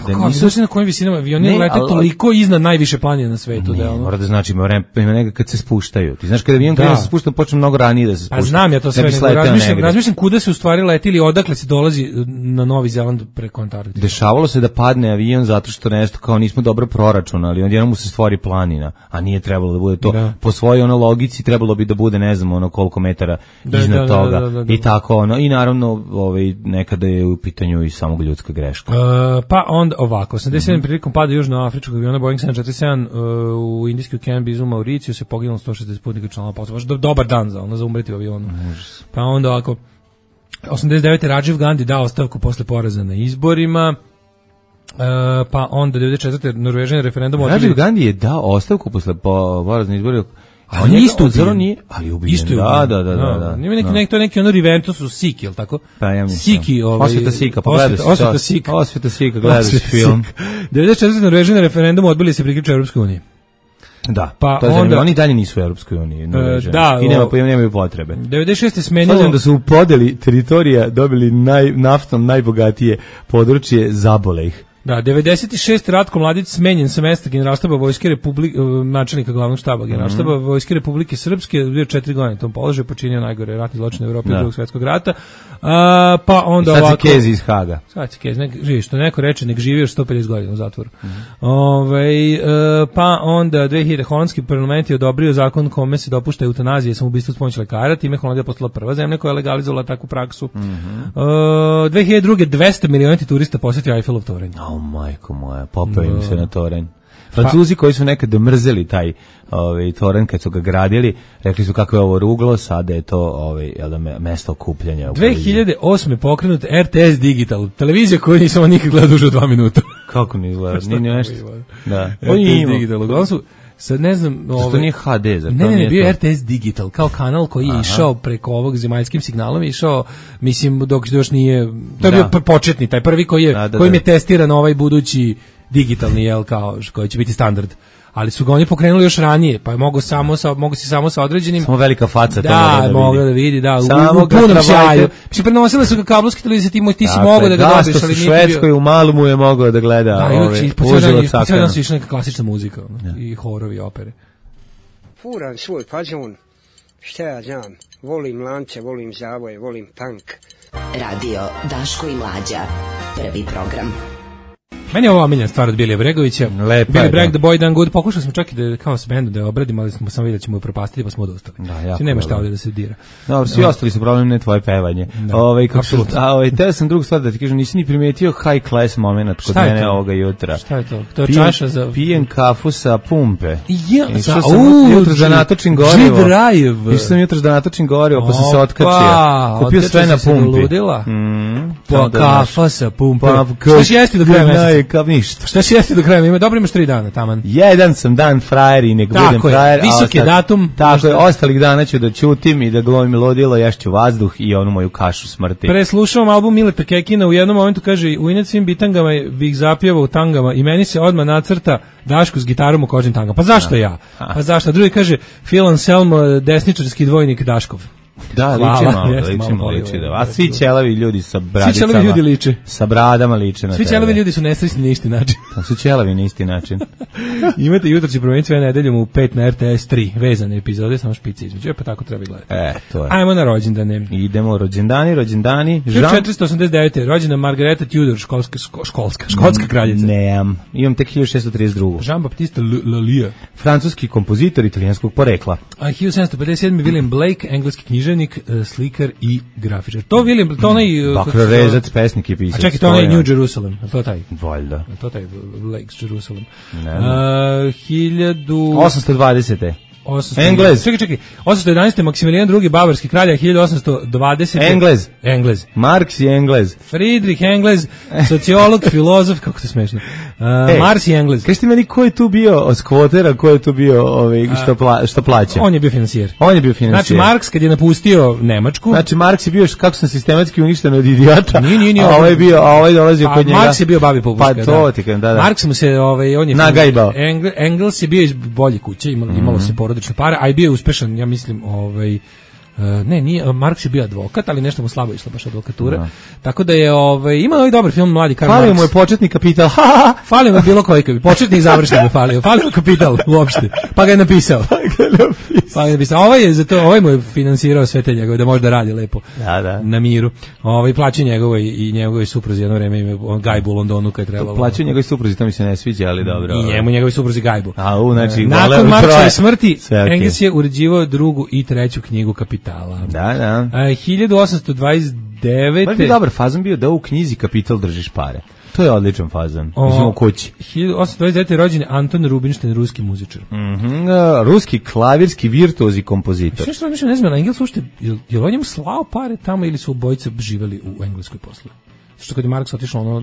da nisu na kojim visinama avioni lete toliko iznad najviše planine na svetu. Mora da znači ima neka kad se spuštaju. Ti znaš kada avion kada se spušta počne mnogo ranije da se spušta. Pa znam ja to sve, razmišljam kuda se u stvari leti ili odakle se dolazi na Novi Zeland preko Antarktike. Dešavalo se da padne avion zato što nešto kao nismo dobro proračunali, onda mu se stvori planina, a nije trebalo da bude to. Po svojoj logici trebalo bi da bude ne znam koliko metara iznad toga i tako i naravno nekada je u pitanju i samog ljudska greška. Pa onda ovako, 87. prilikom pada južnoafričkog aviona Boeing 747 u indijskoj Canberra u Mauriciju se poginulo 160 putnika članova posade. Dobar dan za umreti u avionu. Pa onda ovako, 89. Rajiv Gandhi dao ostavku posle poraza na izborima. Pa onda 94. Norvežani referendum odbili. Rajiv Gandhi je dao ostavku posle poraza na izborima. A on je isto ubijen. Ali ubijen. Da. To je neki Riventus u Siki, je li tako? Pa ja mislim. Siki, Osveta Sika, pogledaj se. Osveta Sika, gledaš film. 94. Norvežani referendum odbili se priključiti Europskoj uniji. Da, pa to je zanimljivo. Oni dalje nisu u Europskoj uniji. I nemaju potrebe. 96. smenilo... Svađam da su u podeli teritorija dobili naftom najbogatije područje, zabole ih. Da, 96. Ratko Mladić smenjen sa mesta generalštaba Vojske Republike, načelnika glavnog štaba generalštaba Vojske Republike Srpske, bio 4 godine na tom položaju, počinio najgore ratni zločin u Evropi Drugog svjetskog rata. Pa onda ovako... Sad si Kezi iz Haga. Sad si Kezi, živi, što neko reče, nek živi još 150 godina u zatvoru. Pa onda 2000. holandski parlament je odobrio zakon kome se dopušta eutanazija i samoubistvo s pomoću lekara, time Holandija postala prva zemlja koja je legalizovala takvu praksu. 2002. 200 miliona turista posjetio Eiffelov toranj. Majko moja, popeo im se na toranj. Francuzi koji su nekada mrzeli taj toranj kad su ga gradili, rekli su kako je ovo ruglo, sada je to mesto okupljanja. 2008. pokrenut RTS Digital, televizija koju nisam nikad gledao duže od 2 minuta. Kako ni gledao? Nije nešto. Da. RTS Digital, uglavnom su sad ne znam, to nije HD, zar ne, bio je RTS Digital, kao kanal koji je išao preko ovog zemaljskim signalom, išao, mislim, dok još nije, to je bio početni, taj prvi kojim je testiran ovaj budući digitalni, kao, koji će biti standard. Ali su ga oni pokrenuli još ranije, pa je mogu si samo sa određenim... Samo velika faca to mogla da vidi, u punom sjaju. Mislim, prenosile su ga kablovski televizije, ti si mogao da ga dobiš, ali u Švedskoj, u Malmu je mogao da gleda uživo cakana. Sve nas išla neka klasična muzika i horovi, opere. Furan svoj pađun, Šta ja znam, volim lance, volim zavoje, volim punk. Radio Daško i Mlađa, prvi program. Meni je ovo omiljen stvar od Bilija Bregovića. Billy Bragg, The Boy Done Good. Pokušali smo čak i da kao s bendom da je obradimo, ali smo samo vidjeli da ćemo je propastiti, pa smo odustali. Da, nema šta ovdje da se dira. Dobro, svi ostali su problem, ne tvoje pevanje. Teo sam drugu stvar da ti kažem, nisi ni primetio high class moment kod mene ovoga jutra. Šta je to? To je čaša za... Pijem kafu sa pumpe. Išao sam jutros da natočim gorivo. G-Drive. Išao sam jutros da natočim gorivo, pa sam se otkačio. Kupio sve na pumpi. Kafa sa pumpe. Šta si jesti do kraja meseca? Ništa. Šta si jesti do kraja? Dobro, imaš 3 dana, taman. Jedan sam dan frajer i nek budem frajer. Visok je datum. Tako je, ostalih dana ću da ćutim i da glumim ludilo, jašću vazduh i onu moju kašu smrti. Preslušavam album Mileta Kekina, u jednom momentu kaže, u inat svim bitangama bih zapjevao u tangama i meni se odmah nacrta Daško s gitarom u kožnim tangama. Pa zašto ja? Pa zašto? Drugi kaže, Phil Anselmo, desničarski dvojnik Daškov. Da, liči. A svi ćelavi ljudi sa bradicama. Svi ćelavi ljudi liče. Sa bradama liče na tebe. Svi ćelavi ljudi su nesrećni na isti način. Su ćelavi na isti način. Imate jutro će promeniti sve nedeljom u 5 na RTS 3. Vezane epizode, samo špice između. Pa tako treba gledati. To je. Ajmo na rođendane. Idemo rođendani. 1489. Rođena Margareta Tudor, škotska kraljica. Nemam. Imam tek 1632. Jean-Baptiste Lallieu. Francuski kompozitor italijanskog porekla. 1757. William Blake, engleski književnik, slikar i grafičar. To William, to onaj... Bakrorezac, pesnik i pisac. A čekaj, to onaj New Jerusalem. To taj? Valjda. To taj Blake's Jerusalem. 1820. Englez. Čekaj. 811. Maksimilijan II. Bavarski kralja, 1820. Englez. Marks i Englez. Friedrich Englez, sociolog, filozof, kako to smešno. Mars i Englez. Kaži ti meni ko je tu bio od skvotera, ko je tu bio što plaća? On je bio financijer. Znači, Marks kad je napustio Nemačku. Znači, Marks je bio kako sam sistematski uništen od idiota. Nije. A ovaj dolazio kod njega. Marks je bio babi popuška. Pa to ti kažem, da. Marks mu se, on je... Nagajbao. Engels je bio iz bolje kuće, imalo se porodične pare, a i bio je uspešan, ja mislim, nije, Marks je bio advokat, ali nešto mu slabo išla baš advokatura. Tako da je, ima ovaj dobar film Mladi Karl Marx. Falio mu je početni kapital. Falio mu je bilo koji kapital. Početni i završni mu falio. Falio kapital uopšte. Pa ga je napisao. Ovaj mu je finansirao sve te njegove, da može da radi lepo. Da. Na miru. Plaću njegovoj i njegovoj supruzi jedno vreme ime gajbu u Londonu kad je trebalo. Plaću njegovoj supruzi, to mi se ne sviđa, ali dobro. I njemu njegovoj supruzi gajbu. Nakon Marksove smrti, Engels je uređivao drugu i treću knjigu Kapitala. Da. 1829. Baš bi dobar fazon bio da u knjizi Kapital držiš pare. To je odličan fazon. Mislim u kući. 1829. rođen Anton Rubinstein, ruski muzičar. Ruski klavirski virtuoz i kompozitor. Što mislim, ne znam, na Engels uopšte, je li on njemu slao pare tamo ili su obojice živeli u Engleskoj posle? Što kad je Marks otišao,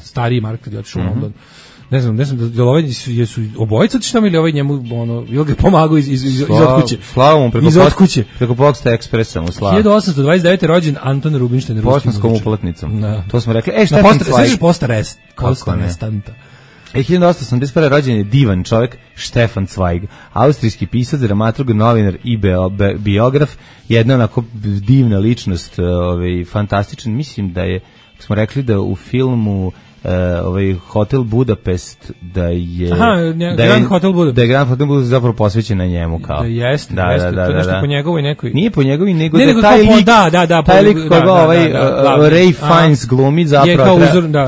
stariji Mark kad je otišao u London. Ne znam, da ovaj jesu obojica tamo ili ovaj njemu ili ga pomagao iz otkuće. Slava mu preko Pošta Ekspresa mu slava. 1829. rođen Anton Rubinstein, ruski muzičar. Poštanskom uplatnicom. To smo rekli. Štefan Cvajg. Svežiš Posta Restanta. 1881. rođen je divan čovjek Štefan Cvajg, austrijski pisac, dramaturg, novinar i biograf, jedna onako divna ličnost, fantastičan. Mislim da je, smo rekli da u filmu Hotel Budapest da je Grand Hotel Budapest. Da je Grand Hotel Budapest zapravo posvećen na njemu kao. Da jeste. To nešto po njegovoj nekoj. Nije po njegovoj nego da taj lik koga Ray Fiennes glumi zapravo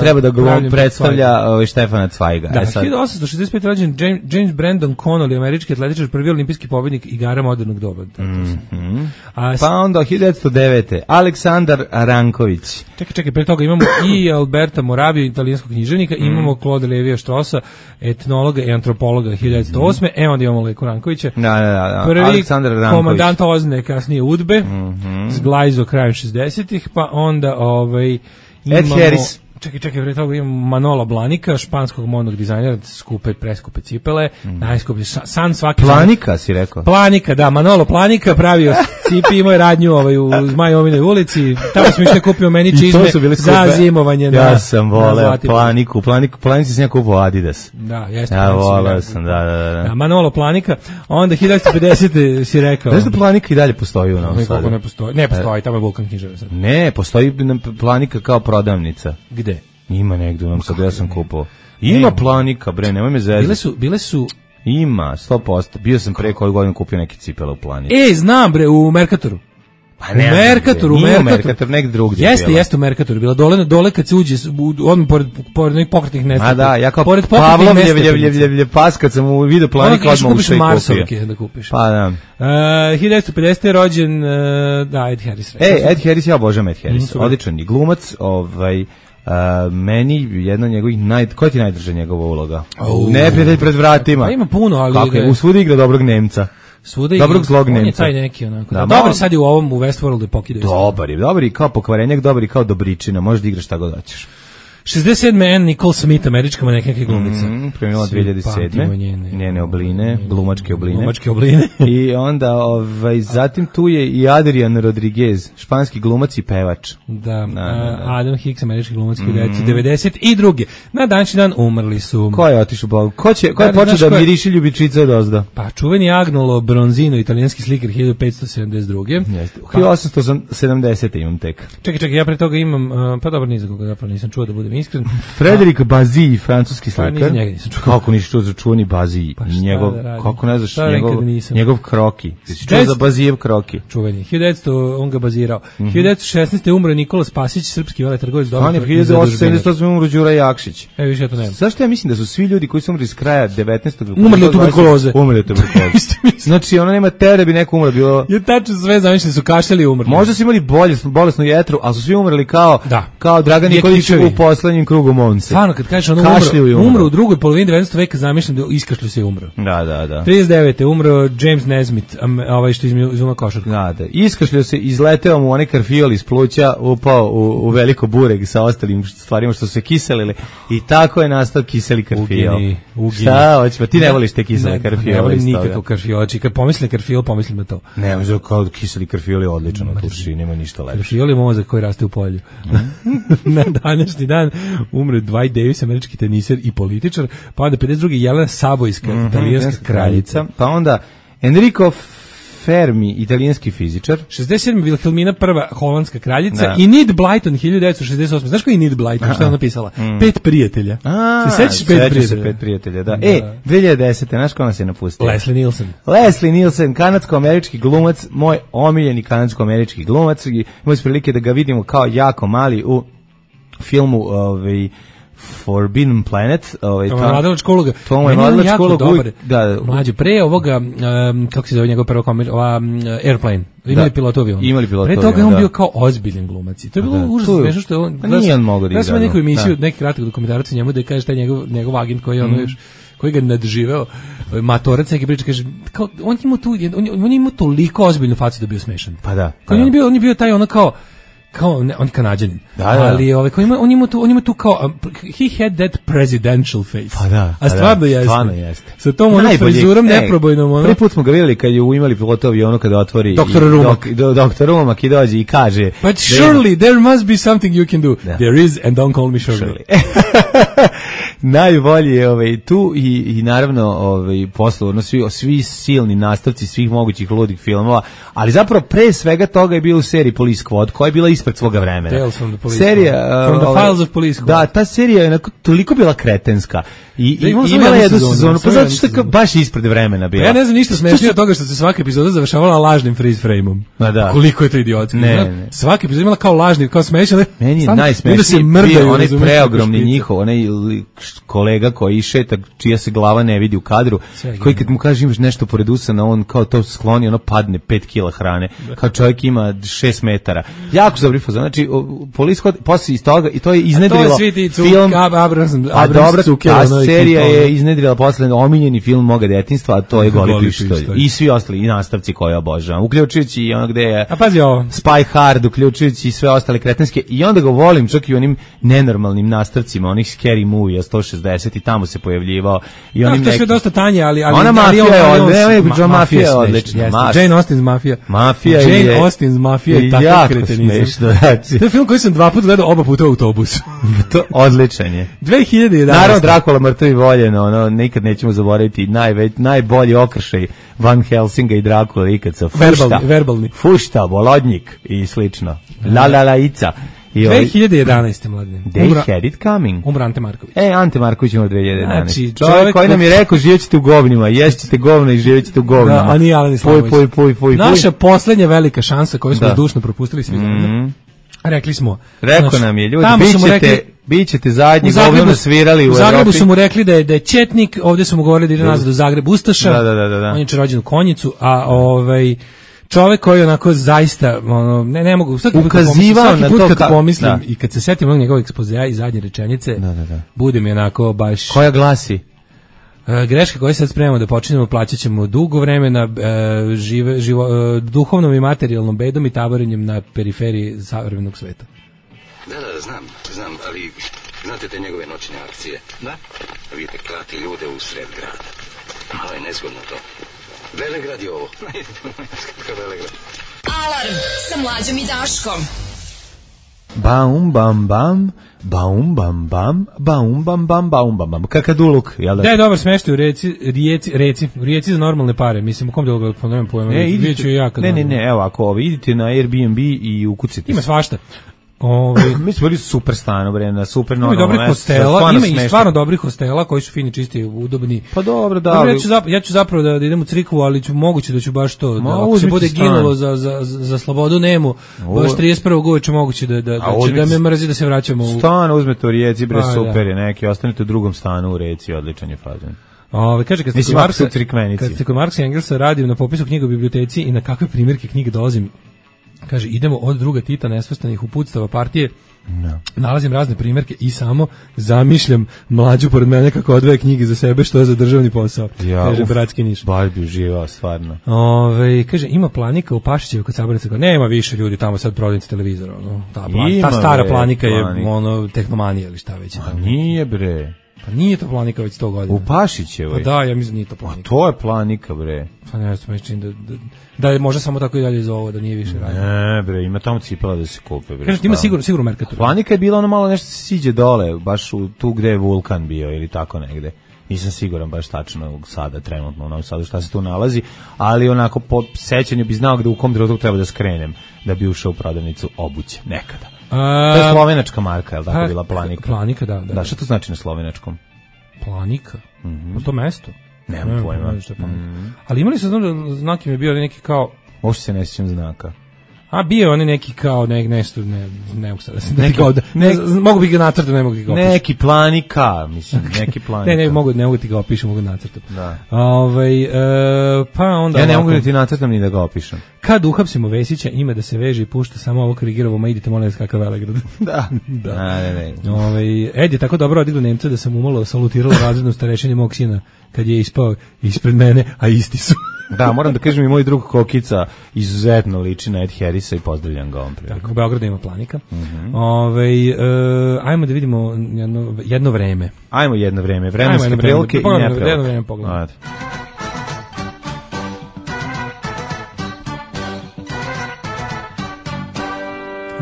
treba da predstavlja Štefana Cvajga. Da, 1865 rođen James Brandon Connolly, američki atletičar, prvi olimpijski pobednik igara modernog doba. Pa onda 1909. Aleksandar Ranković. Čekaj, pre toga imamo i Alberta Moraviju, italijanskog književnika, imamo Claude Lévi-Straussa, etnologa i antropologa 1908. Onda imamo Leku Rankovića. Prvi Aleksandar Ranković. Komandant Ozne, kasnije UDBE, zglajzo krajem 60-ih, pa onda Ed Harris. Čekaj, pre toga imamo Manolo Blahnika, španskog modnog dizajnera, preskupe cipele, najskuplji san svaki... Planika si rekao? Planika, da, Manolo Planika, pravio cipi, imao je radnju u Zmajovinoj ulici, tamo smo išli kupio meni čizme za zimovanje. Ja sam voleo Planici sam ja kupio Adidas. Da, jeste. Ja voleo sam, da. Manolo Planika, onda 1950 si rekao... Znaš da Planika i dalje postoji u Novom Sadu? Ne postoji, tamo je Vulkan knjižara sad. Ne, postoji Planika kao prodavnica. Gde? Ima negdje u Novom Sadu, ja sam kupao. Ima Planika, bre, nemoj me zezati. Bile su Ima, 100%. Bio sam pre koju godinu kupio neke cipele u Plani. Znam bre, u Merkatoru. Pa ne, u Merkator negdje drugdje. Jeste u Merkatoru bila. Dole kad se uđe, odmah pored nekih pokretnih nestaja. A da, ja kao Pavlovljev pas kad sam u video planika odmah ušao i kupio. Marsovke da kupiš. Pa da. 1950. je rođen Ed Harris. Ed Harris, ja obožavam Ed Harris. Odličan je glumac, meni jedna njegovih koja ti najdrža njegova uloga? Neprijatelj pred vratima. Pa ima puno, ali kako je, u svuda igra dobrog Nemca. Dobrog zlog Nemca. On je taj neki onako. Dobar sad je u Westworldu pokidaju. Dobar i kao pokvarenjak, dobar i kao dobričina, možeš da igraš šta god hoćeš. 67. Anne Nicole Smith, američka manekenka glumica. Premijela 2007. Njene obline, glumačke obline. I onda, zatim tu je i Adrian Rodriguez, španski glumac i pevač. Da. Adam Hicks, američki glumac, 1992. Na današnji dan umrli su. Ko je otišao Bogu? Ko je počeo da miriši ljubičica od ozda? Pa čuveni Agnolo Bronzino, italijanski slikar, 1572. 1870. imam tek. Čekaj, ja pre toga imam, pa dobro, ni za koga zapravo nisam čuo da budem iskren. Frederic Bazille, francuski slikar. Kako nisi čuo za čuveni Bazille? Kako ne znaš njegov kroki? Jesi čuo za Bazillev kroki? Čuveni. 1900 on ga bazirao. 1916. umro Nikola Spasić, srpski veletrgovac. On je 1878. umro Đura Jakšić. Više ja to nemam. Zašto ja mislim da su svi ljudi koji su umrli s kraja 19. umrli od tuberkuloze. Znači ona nema tere bi neko umro bilo. Je tačno sve zamišljeni su kašljali i umrli. Možda su imali bolesnu jetru, ali su svi umrli kao Dragan Nikolić u poslednjem krugu Monce. Stvarno, kad kažeš umro u drugoj polovini 19. veka, zamišljam da iskašlju se i umro. Da. 39. umro James Nesmith, što izuma košarku. Da. Iskašljio se, izleteo mu onaj karfiol iz pluća, upao u veliko bureg sa ostalim stvarima što su se kiselile i tako je nastao kiseli karfiol. Šta hoćeš, ti ne voliš te kisele karfiole? Ne volim nikakav karfiol. Kad pomislim karfiol, pomislim na to. Ne, možda kao kiseli karfiol je odličan od tuši, nema ništa lepše. Karfiol je mozak koji raste u polju. Na današnji dan umre Dwight Davis, američki teniser i političar, pa onda 52. Jelena Sabojska, italijanska kraljica. Pa onda Enrico Fermi, italijanski fizičar. 67. Wilhelmina prva, holandska kraljica. I Enid Blyton, 1968. Znaš ko je Enid Blyton? Što je ona napisala? 5 prijatelja. Se sećaš 5 prijatelja? Da. 2010. Znaš ko nas je napustio? Leslie Nielsen, kanadsko-američki glumac, moj omiljeni kanadsko-američki glumac. Imali smo prilike da ga vidimo kao jako mali u filmu Forbidden Planet. To je mladalačka uloga. To je mladalačka uloga. Mlađe, pre ovoga, kako se zove njegov prvo Airplane. Imali pilot avion. Pre toga je on bio kao ozbiljen glumac. To je bilo užasno smešno što je on... Nije on mogao da igra. Da smo neku emisiju, neki kratak dokumentarac njemu da kaže taj njegov agent koji je ono još koji ga nadživeo, matorac neki priča, kaže, kao, on je imao toliko ozbiljnu facu da bio smešan. Pa da. On je bio taj ono kao on je Kanađanin. Ali on ima tu kao he had that presidential face. Pa da. A stvarno jeste. Sa tom onom frizurom neprobojnom. Prvi put smo ga vidjeli kad je imali pilota avionu kada otvori Dr. Rumak i dođe i kaže But surely there must be something you can do. There is and don't call me Shirley. Najbolji je tu i naravno poslovno svi silni nastavci svih mogućih ludih filmova, ali zapravo pre svega toga je bio u seriji Police Squad koja je bila ispred svoga vremena. Serija From the Files of Police Squad. Da, ta serija je toliko bila kretenska i imala jednu sezonu, pa zato što je baš ispred vremena bila. Ja ne znam ništa smešnije od toga što se svaka epizoda završavala lažnim freeze frame-om. Koliko je to idiotski. Svaka epizoda imala kao lažni, kao smešan. Meni je najsmešniji bio onaj preogromni njihov, onaj kolega koji šeta, čija se glava ne vidi u kadru, koji kad mu kaže imaš nešto pored usana, on kao to skloni, ono padne 5 kila hrane, kao čovjek ima 6 metara. Jako zabri fazon, znači Police Squad, posle iz toga, i to je iznedrilo film, a dobra, ta serija je iznedrila posle omiljeni film moga detinjstva, a to je Goli pištolj. I svi ostali, i nastavci koje obožavam, uključujući i ono gde je Spy Hard, uključujući i sve ostale kretenske, i onda ga volim čak i onim nenormalnim nastavcima, onih Scary Movie 160 i tamo se pojavljivao. I onim to je sve dosta tanje, ali ona mafija je odlična. Jane Austen's Mafija. Jane Austen's Mafija je tako kretenizam. To je film koji sam 2 puta gledao, oba puta u autobusu. To odličan je. 2011. Naravno, Dracula mrtav i voljen, ono, nikad nećemo zaboraviti najbolji okršaj Van Helsinga i Dracula ikad sa verbalni. Fušta, Bolodnjik i slično. La Ica. 2011. mladine. They had it coming. Umro Ante Marković. Ante Marković umro 2011. Znači, čovjek koji nam je rekao živjećete u govnima, ješćete govna i živjećete u govnima. Da, a nije Alen Islamović. Puj. Naša poslednja velika šansa koju smo zdušno propustili svi zajedno. Rekli smo. Rekao nam je, ljudi, bićete zadnji govno svirali u Evropi. U Zagrebu su mu rekli da je četnik, ovdje su mu govorili da ide nazad u Zagreb Ustaša. Da. On je rođen u Konjicu, a čovjek koji onako zaista ne mogu svaki put kad pomislim i kad se setim onog njegovog ekspozea i zadnje rečenice, bude mi onako baš. Koja glasi? Greške koje sad spremamo da počinjemo, plaćat ćemo dugo vremena duhovnom i materijalnom bedom i taborenjem na periferiji savremenog sveta. Da, znam, ali znate te njegove noćne akcije? Da. Vidite, klati ljude u sred grada. Malo je nezgodno to. Velegrad je ovo. Velegrad. Alarm sa Mlađom i Daškom. Baum bam bam, baum bam bam, baum bam bam, baum bam bam. Kakaduluk, jel da? Da je dobar smeštaj u Rijeci za normalne pare. Mislim, u kom delu ga ponovim pojma? Ne, evo, ako idite na Airbnb i ukucite. Ima svašta. Mi smo bili super stano, bre, na super normalno mesto. Ima dobrih hostela, ima i stvarno dobrih hostela koji su fini, čisti, udobni. Pa dobro, da. Ja ću zapravo da idem u crikvu, ali moguće da ću baš to, ako se bude ginulo za slobodu nemu, baš 31. uveče moguće da me mrzi da se vraćamo u... Stan uzmete u Rijeci, bre, super je neki, ostanete u drugom stanu u Rijeci, odličan je fazon. Kaže, kad ste kod Marksa i Engelsa radim na popisu knjiga u biblioteci i na kakve primjerke knjige dolazim, kaže, idemo od druga Tita nesvrstanih uputstava partije, nalazim razne primjerke i samo zamišljam Mlađu pored mene kako odvaja knjige za sebe, što je za državni posao. Kaže, bratski Niš. Baš bi uživao, stvarno. Kaže, ima Planika u Pašićevu kod Sabornice, nema više ljudi tamo sad prodavnici televizora. Ta stara Planika je tehnomanija ili šta već. A nije, bre. Pa nije to Planika već 100 godina. U Pašićevoj? Pa da, ja mislim nije to Planika. A to je Planika, bre. Pa ne znam, da je možda samo tako i dalje zovu, da nije više radio. Ne, bre, ima tamo cipela da se kupe, bre. Kaže, ima sigurno Mercator. Planika je bila ono malo nešto se siđe dole, baš tu gde je vulkan bio ili tako negde. Nisam siguran baš tačno sada, trenutno u Novom Sadu šta se tu nalazi, ali onako po sećanju bi znao gde u kom trenutku treba da skrenem da bi ušao u prodavnicu obuće, nekada. To je slovenačka marka, je li tako bila Planika? Planika, da. Da, šta to znači na slovenačkom? Planika? To mesto? Nemam pojma. Ali imali se, znak im je bio neki kao... Možda se ne sjećam znaka. A bio oni neki kao nešto, ne mogu sada mogu bi ga nacrtati, ne mogu ga opišem. Neki Planika, mislim, neki Planika. Ne mogu ti ga opišem, mogu nacrtati. Da. Pa onda... Ja ne mogu da ti nacrtam ni da ga opišem. Kad uhapsimo Vesića, ima da se veže i pušta samo ovo Krigirovo, ma idite molim vas kakav Velegrad. Da. Ed je tako dobro odigrao Nemca da sam umalo salutirala razrednu starešini mog sina kad je ispao ispred mene, a isti su. Da, moram da kažem i moj drug Kokica izuzetno liči na Ed Harrisa i pozdravljam ga ovom prilikom. Tako, u Beogradu ima Planika. Ajmo da vidimo jedno vreme. Ajmo jedno vreme, vremenske prilike i neprilike. Jedno vreme pogledamo.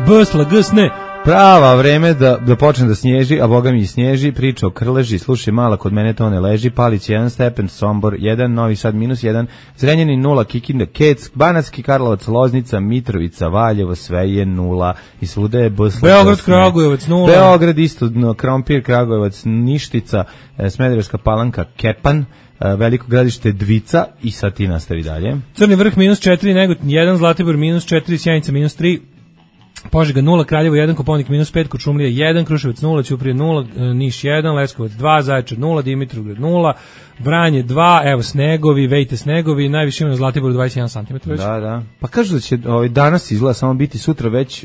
Bsla, gsne. Prava vreme da počne da snježi, a boga mi i snježi, priča o Krleži, slušaj mala, kod mene to ne leži, Palić 1 stepen, Sombor 1, Novi Sad -1, Zrenjanin 0, Kikinda, Kec, Banatski Karlovac, Loznica, Mitrovica, Valjevo, sve je 0 i svuda je Beograd, Kragujevac 0. Beograd isto, Krompir, Kragujevac, Ništica, Smederevska Palanka, Kepan, Veliko Gradište Dvica i sad ti nastavi dalje. Crni Vrh -4, Negotin 1, Zlatibor -4, Sjenica -3, Požega 0, Kraljevo 1, Koponik -5, Kočumlija 1, Kruševac 0, Ćuprija 0, Niš 1, Leskovac 2, Zaječar 0, Dimitrovgrad 0, Vranje 2, evo snegovi, vejte snegovi, najviše ima na Zlatiboru 21 cm već. Da. Pa kažu da će danas izgleda samo biti sutra već,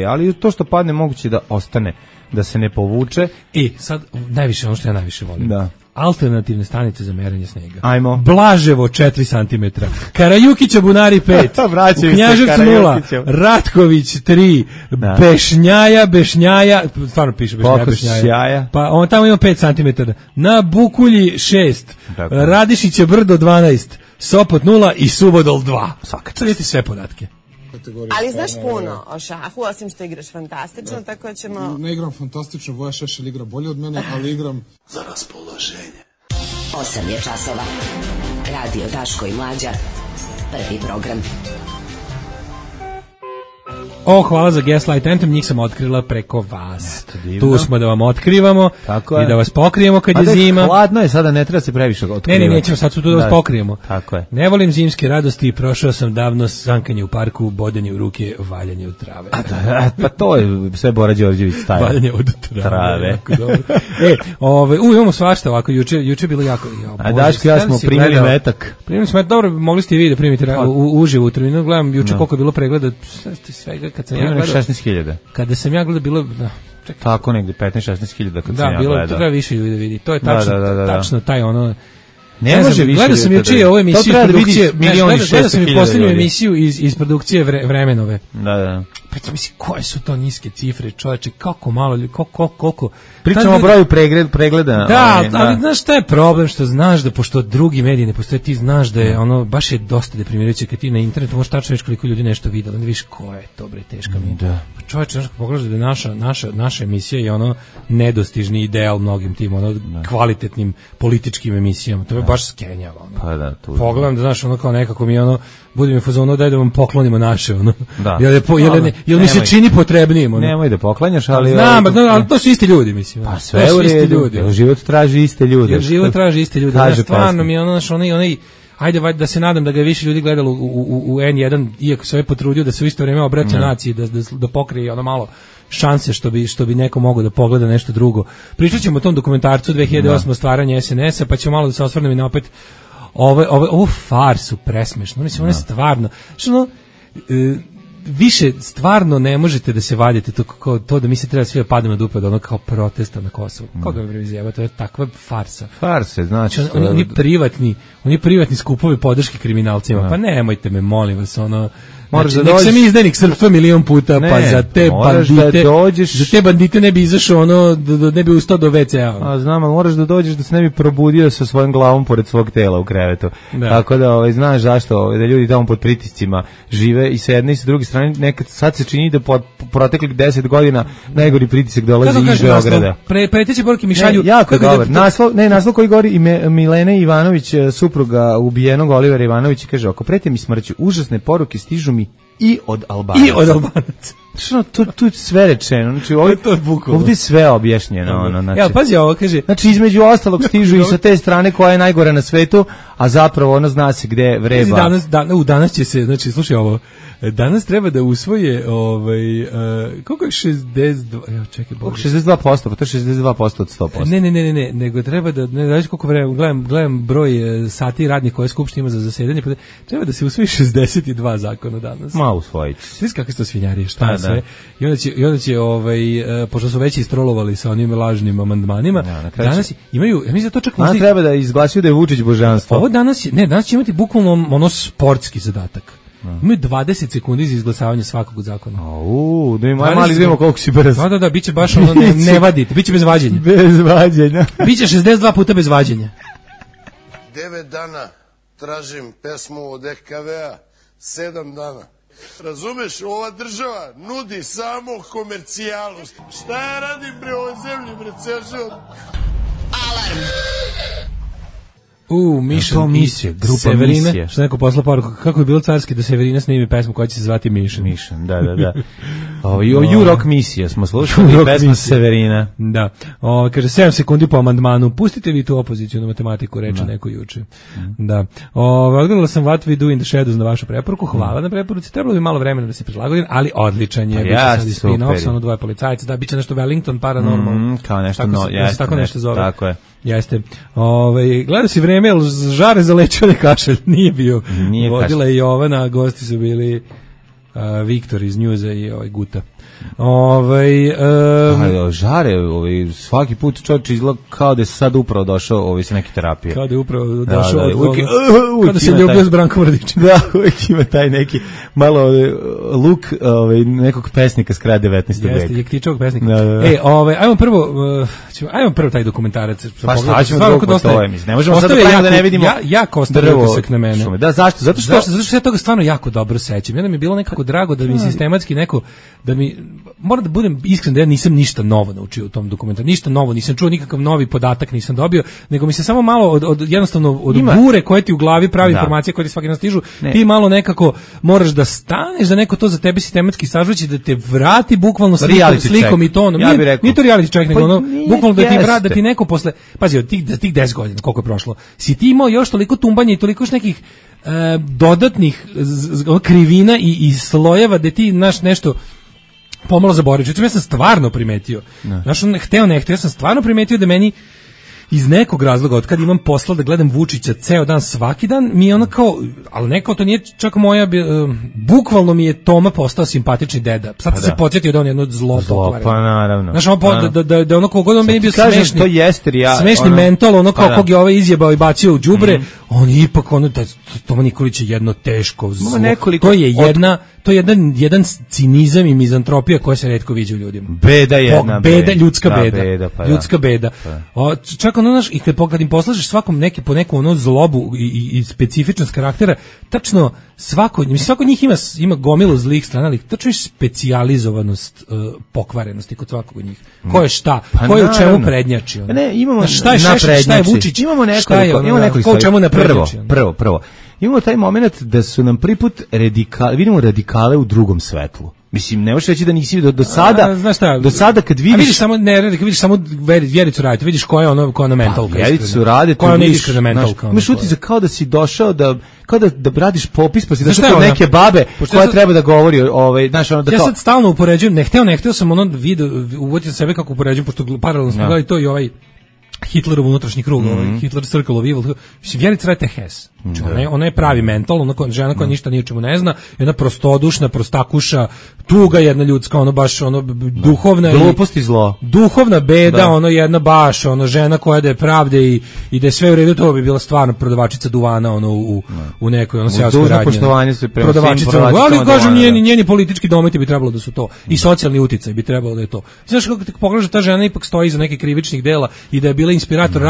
ali to što padne moguće da ostane, da se ne povuče. I sad najviše ono što ja najviše volim. Da. Alternativne stanice za merenje snega. Ajmo. Blaževo 4 cm, Karajukića Bunari 5, Knjaževcu 0, Ratković 3, Bešnjaja, stvarno piše Bešnjaja. Pa on tamo ima 5 cm. Na Bukulji 6, Radišiće Brdo 12, Sopot 0 i Suvodol 2. Svaka čast. Vidite sve podatke. Ali znaš puno o šahu, osim što igraš fantastično, tako ćemo... Ne igram fantastično, Voja Šešelj igra bolje od mene, ali igram za raspoloženje. 8 je časova. Radio Daško i Mlađa. Prvi program. hvala za Gaslight Anthem, njih sam otkrila preko vas. Tu smo da vam otkrivamo i da vas pokrijemo kad je zima. Hladno je sada, ne treba se previše otkrivati. Ne, nećemo sad su tu da vas pokrijemo. Tako je. Ne volim zimske radosti, prošao sam davno sankanje u parku, bodanje u ruke, valjanje od trave. Pa to je sve Bora Đorđević staje. Valjanje od trave. Imamo svašta ovako, juče bilo jako. A Daško, ja smo primili metak. Primili smo metak, dobro, mogli ste i vi da primite uživo u terminu. Gledam juče koliko je bilo pregleda svega kad sam ja gledao. 16.000. Kada sam ja gledao bilo tako negde 15-16.000 kad sam ja bilo, gledao. To treba više ljudi da vidi. To je tačno taj ono. Ne može više. Gledao sam juče ovu emisiju iz produkcije. Gledao sam i posljednju emisiju iz produkcije Vremenove. Da. Pa mislim, koje su to niske cifre, čoveče, kako malo, koliko... Pričamo o broju pregleda. Da, ali znaš šta je problem, što znaš da, pošto drugi mediji ne postoje, ti znaš da je ono, baš je dosta deprimirajuće kad ti na internetu možeš tačno reći koliko ljudi nešto vidjelo, onda vidiš ko je to, bre, teška mi. Da. Čoveče, znaš, pogledaš da je naša emisija je ono nedostižni ideal mnogim tim, ono kvalitetnim političkim emisijama, to je baš skenjava, ono. Pa da, tu. Pogledam da, znaš, ono kao nekako mi ono, budi mi fazonu, daj da vam poklonimo naše, ono. Da. Jel mi se čini potrebnijim, ono. Nemoj da poklanjaš, ali... Znam, ali to su isti ljudi, mislim. Pa sve u redu, život traži iste ljude. Stvarno mi je ono, znaš, onaj, ajde da se nadam da ga je više ljudi gledalo u N1, iako se ovaj potrudio da se u isto vrijeme obraća naciji, da pokrije ono malo šanse što bi neko mogao da pogleda nešto drugo. Pričat ćemo o tom dokumentarcu 2008. stvaranje SNS-a, pa ćemo malo da se osvrnemo i na opet ovu farsu presmešno. Mislim, ono je stvarno, što više stvarno ne možete da se vadite to da mi se treba svi padamo na dupe od ono kao protesta na Kosovu. Koga mi izjeva, to je takva farsa. Farse, znači. Oni privatni skupovi podrške kriminalcima. Pa nemojte me, molim vas, ono... Znači, nek sam izdanik srpstva milion puta, pa za te bandite ne bi izašao ono, ne bi ustao do WC-a. A znam, ali moraš da dođeš da se ne bi probudio sa svojom glavom pored svog tela u krevetu. Da. Tako da znaš zašto, da ljudi tamo pod pritiscima žive i sa jedne i sa druge strane, nekad sad se čini da po proteklih 10 godina najgori pritisak dolazi iz Beograda. Preteći poruke mi šalju. Jako je dobar. Naslov koji govori i Milene Ivanović, supruga ubijenog Olivera Ivanovića, kaže, ako prete mi smrću, užasne poruke stižu mi i od Albanaca. Tu je sve rečeno, znači ovdje je sve objašnjeno. Ja, pazi ovo, kaže. Znači između ostalog stižu i sa te strane koja je najgora na svetu, a zapravo ono zna se gde vreba. Danas će se, znači slušaj ovo, danas treba da usvoje koliko je 62, evo čekaj, 62%, pa to je 62% od 100%. Ne, nego treba da, ne znaš koliko vremena, gledam broj sati radnih koje Skupština ima za zasedanje, pa treba da se usvoji 62 zakona danas. Ma usvojiti. Svi kakve su to svinjarije, šta sve. I onda će pošto su već istrolovali sa onim lažnim amandmanima, danas imaju, ja mislim da to čak možda treba da izglasaju da je Vučić božanstvo. Ovo danas će imati bukvalno ono sportski zadatak. Imaju 20 sekundi za izglasavanje svakog zakona. Da ima mali vidimo koliko si brz. Da, biće baš ono ne vadite, biće bez vađenja. Bez vađenja. Biće 62 puta bez vađenja. 9 dana tražim pesmu od EKV-a, 7 dana. Razumeš, ova država nudi samo komercijalu. Šta ja radim pri ovoj zemlji, bre, ceo život? Alarm! Misija, grupa Severine, Misija. Što neko posla poruku, kako je bilo carski da Severina snimi pesmu koja će se zvati Mišan. Mišan, da. U-Rock Misija smo slušali, pesma Severina. Da. Kaže, 7 sekundi po amandmanu, pustite vi tu opoziciju na matematiku, reče neko juče. Da. Odgledala sam What We Do in the Shadows na vašu preporuku, hvala na preporuci, trebalo bi malo vremena da se prilagodim, ali odličan je. Ja, biće sad spin-off, ono dvoje policajca, da, biće nešto Wellington Paranormal. Kao nešto, tako nešto zove. Tako je. Jeste. Gledao si vreme, jel žare zalećao kašalj? Nije bio. Vodila je Jovana, gosti su bili Viktor iz Njuza i Guta. Žare, svaki put čovječ izgleda kao da je sad upravo došao sa neke terapije. Kao da je upravo došao kao da se ljubio s Brankom Radićem. Da, uvijek ima taj neki malo luk nekog pesnika s kraja 19. veka. Jeste, Jektičovog pesnika. Ajmo prvo taj dokumentarac. Pa šta ćemo drugo po tome, ne možemo sad da ne vidimo jako ostavio utisak na mene. Da, zašto? Zato što se ja toga stvarno jako dobro sećam. Jedno mi je bilo nekako drago da mi sistematski neko, da mi moram da budem iskren da ja nisam ništa novo naučio u tom dokumentaru, ništa novo, nisam čuo nikakav novi podatak, nisam dobio, nego mi se samo malo jednostavno od bure koje ti u glavi pravi informacije koje ti svaki dan stižu, ti malo nekako moraš da staneš, da neko to za tebe sistematski sažvaći, da te vrati bukvalno slikom i tonom. Ja nije to reality check, nego ono, bukvalno da ti vrati, da ti neko posle, pazi, od tih 10 godina koliko je prošlo, si ti imao još toliko tumbanja i toliko još nekih dodatnih krivina i slojeva da ti nešto pomalo zaboravio. Ja sam stvarno primetio, hteo ne hteo, ja sam stvarno primetio da meni iz nekog razloga, od kad imam posla da gledam Vučića ceo dan, svaki dan, mi je ono kao, ali neko, to nije čak moja, bukvalno mi je Toma postao simpatični deda. Sad se podsjetio da on je jedno zlo pokvareno. Pa naravno. Znaš, da ono kogod on meni bio smešni, to jeste, smešni mental, ono kao kog je ovaj izjebao i bacio u đubre, on je ipak, ono, Toma Nikolić je jedno teško zlo. To je jedan cinizam i mizantropija koja se retko viđa u ljudima. Beda jedna. Ljudska beda. Ljudska beda. Čak ono, znaš, i kad im poslažeš svakom po neku ono zlobu i specifičnost karaktera, tačno svako njih ima gomilu zlih strana, ali tačno je specijalizovanost pokvarenosti kod svakog od njih. Ko je šta? Ko je u čemu prednjači? Ne, imamo šta je Šešelj, šta je Vučić? Imamo nekoliko ko u čemu naprednjači? Prvo. Imamo taj moment da su nam prvi put vidimo radikale u drugom svetlu. Mislim, ne možeš reći da nisi do sada. Do sada kad vidiš, vidiš samo Vjericu Radeta, vidiš koja je ona mentalka. Vjericu Radeta, koja je neiskrena mentalka. Imaš utisak kao da si došao kao da radiš popis, pa si došao kod neke babe koja treba da govori, znaš, ono da ja sad stalno upoređujem, ne hteo sam ono video, uvodio sebe kako upoređujem, pošto paralelno smo gledali to i ovaj Hitlerov unutrašnji krug, Hitler Circle of Evil. Mislim, Vjerica Radeta je Hess. Ona je pravi mental, žena koja ništa ni o čemu ne zna, jedna prostodušna, prostakuša, tuga jedna ljudska, ono baš ono duhovna glupost i zlo. Duhovna beda, ono jedna baš, ono žena koja da je pravde i da je sve u redu, to bi bila stvarno prodavačica duvana ono u nekoj ono seoskoj radnji. Poštovanje se prema prodavačica, ali kažem njeni politički dometi bi trebalo da su to i socijalni uticaj bi trebalo da je to. Znaš kako te pogledaš, ta žena ipak stoji iza nekih krivičnih dela i da je bila inspirator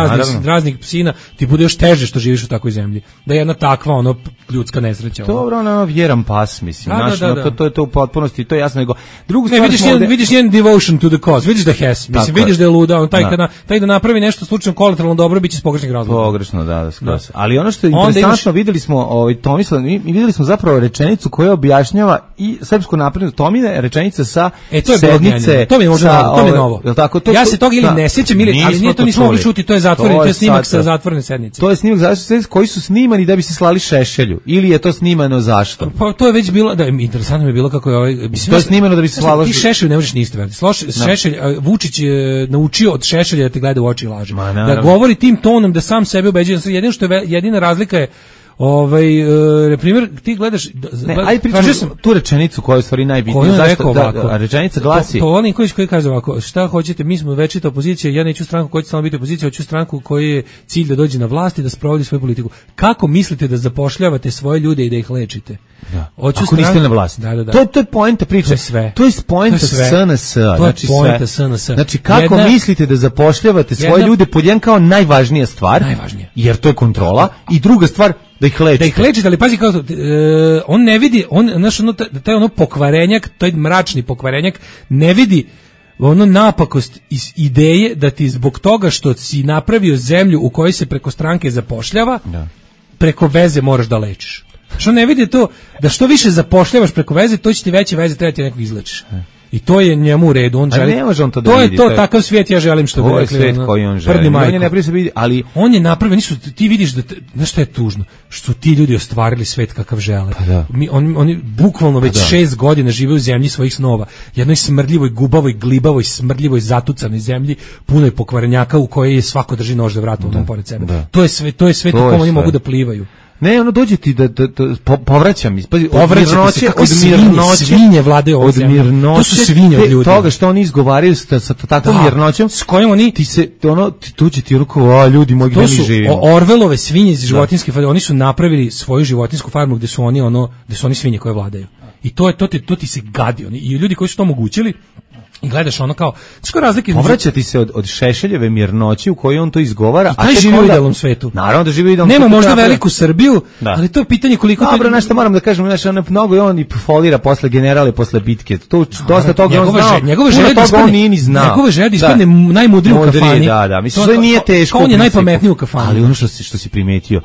raznih psina, ti bude još teže što živiš u takvoj zemlji. Da je jedna takva ono ljudska nesreća. Dobro, ono vjeran pas, mislim. To je to u potpunosti, to je jasno. Nego drugu stvar vidiš njen devotion to the cause, vidiš da Hess, mislim, vidiš da je luda, on taj da napravi nešto slučajno kolateralno dobro, biće iz pogrešnih razloga. Pogrešno, da. Ali ono što je interesantno, videli smo Tomislav, videli smo zapravo rečenicu koja objašnjava i srpsku naprednu Tomine, rečenica sa sednice. To mi je možda novo. Ja se toga ili ne sjećam, ali nije to nismo mogli čuti, to je zatvoreni, to je snimak sa zatvorene sednice. To je snimak koji su snimani da bi se slali Šešelju, ili je to snimano zašto? Pa to je već bilo, da, interesantno mi je bilo kako je to je snimano da bi se slalo. Ti Šešelju ne možeš ništa veriti. Šešelj, Vučić je naučio od Šešelja da te gleda u oči i laže. Da govori tim tonom, da sam sebe ubeđuje. Jedina razlika je primjer, ti gledaš, ajde pričam tu rečenicu koja je u stvari najbitnija. Zašto? Rečenica glasi. To Nikolić koji kaže ovako, šta hoćete, mi smo večita opozicija, ja neću stranku koja će samo biti opozicija, hoću stranku koji je cilj da dođe na vlast i da sprovodi svoju politiku. Kako mislite da zapošljavate svoje ljude i da ih lečite? Ako niste na vlasti. To je poenta priče. To je poenta SNS. Znači kako mislite da zapošljavate svoje ljude, pod jedan kao najvažnija stvar, jer to je kontrola, i druga stvar da ih lečite. Da ih lečite, ali pazi kako on ne vidi, taj ono pokvarenjak, taj mračni pokvarenjak ne vidi ono napakost iz ideje da ti zbog toga što si napravio zemlju u kojoj se preko stranke zapošljava, preko veze moraš da lečiš. Što ne vidi to da što više zapošljavaš preko veze, to će ti veće veze, treba ti nekog izlečiš. I to je njemu u redu, on želi. To je to, takav svijet ja želim, što bi rekli. To je svijet koji on želi. On je napravio se vidi, ali on je napravio, ti vidiš da, znaš šta je tužno, što ti ljudi ostvarili svet kakav žele. Oni bukvalno već 6 godina žive u zemlji svojih snova, jednoj smrdljivoj, gubavoj, glibavoj, smrdljivoj, zatucanoj zemlji, punoj pokvarenjaka u kojoj je svako drži nož za vratom tom pored sebe. To je svet u kojem oni mogu da plivaju. Ne, ono dođe ti da povraćam iz od mirnoće, svinje vladaju ovom zemljom. To su svinje od ljudi. Toga što oni izgovaraju sa takvom mirnoćom, s kojom oni tu će ti ruko, ljudi moji, gde mi živimo. To su Orvelove svinje iz životinjske farme, oni su napravili svoju životinsku farmu gde su oni svinje koje vladaju. I to ti se gadi, i ljudi koji su to omogućili I gledaš ono kao, skoro razlike između... Povraćati se od Šešeljeve mirnoći u kojoj on to izgovara. I taj živi u idealnom svetu. Naravno da živi u idealnom svetu. Nema možda napravi... veliku Srbiju, ali to je pitanje koliko... Dobro, nešto moram da kažem, znači on mnogo i on i folira posle generale, posle bitke. To dosta toga on znao. Njegove želje da ispadne najmudriji u kafani. Da, mislim, to nije teško. On je najpametniji u kafani. Ali ono što si primetio,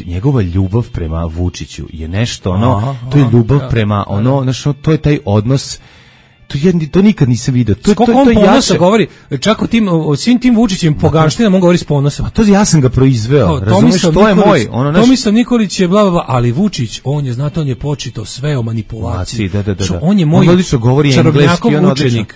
njegova ljubav prema Vučiću je nešto ono, to je ljubav prema ono, znači to je taj odnos. To nikad nisam vidio. To on ponosa govori, čak o svim tim Vučićim poganštinama on govori s ponosom. A to ja sam ga proizveo, razumiješ, to je moj. Tomislav Nikolić je bla, ali Vučić, on je počito sve o manipulaciji. Da. On je moj čarobnjakov učenik.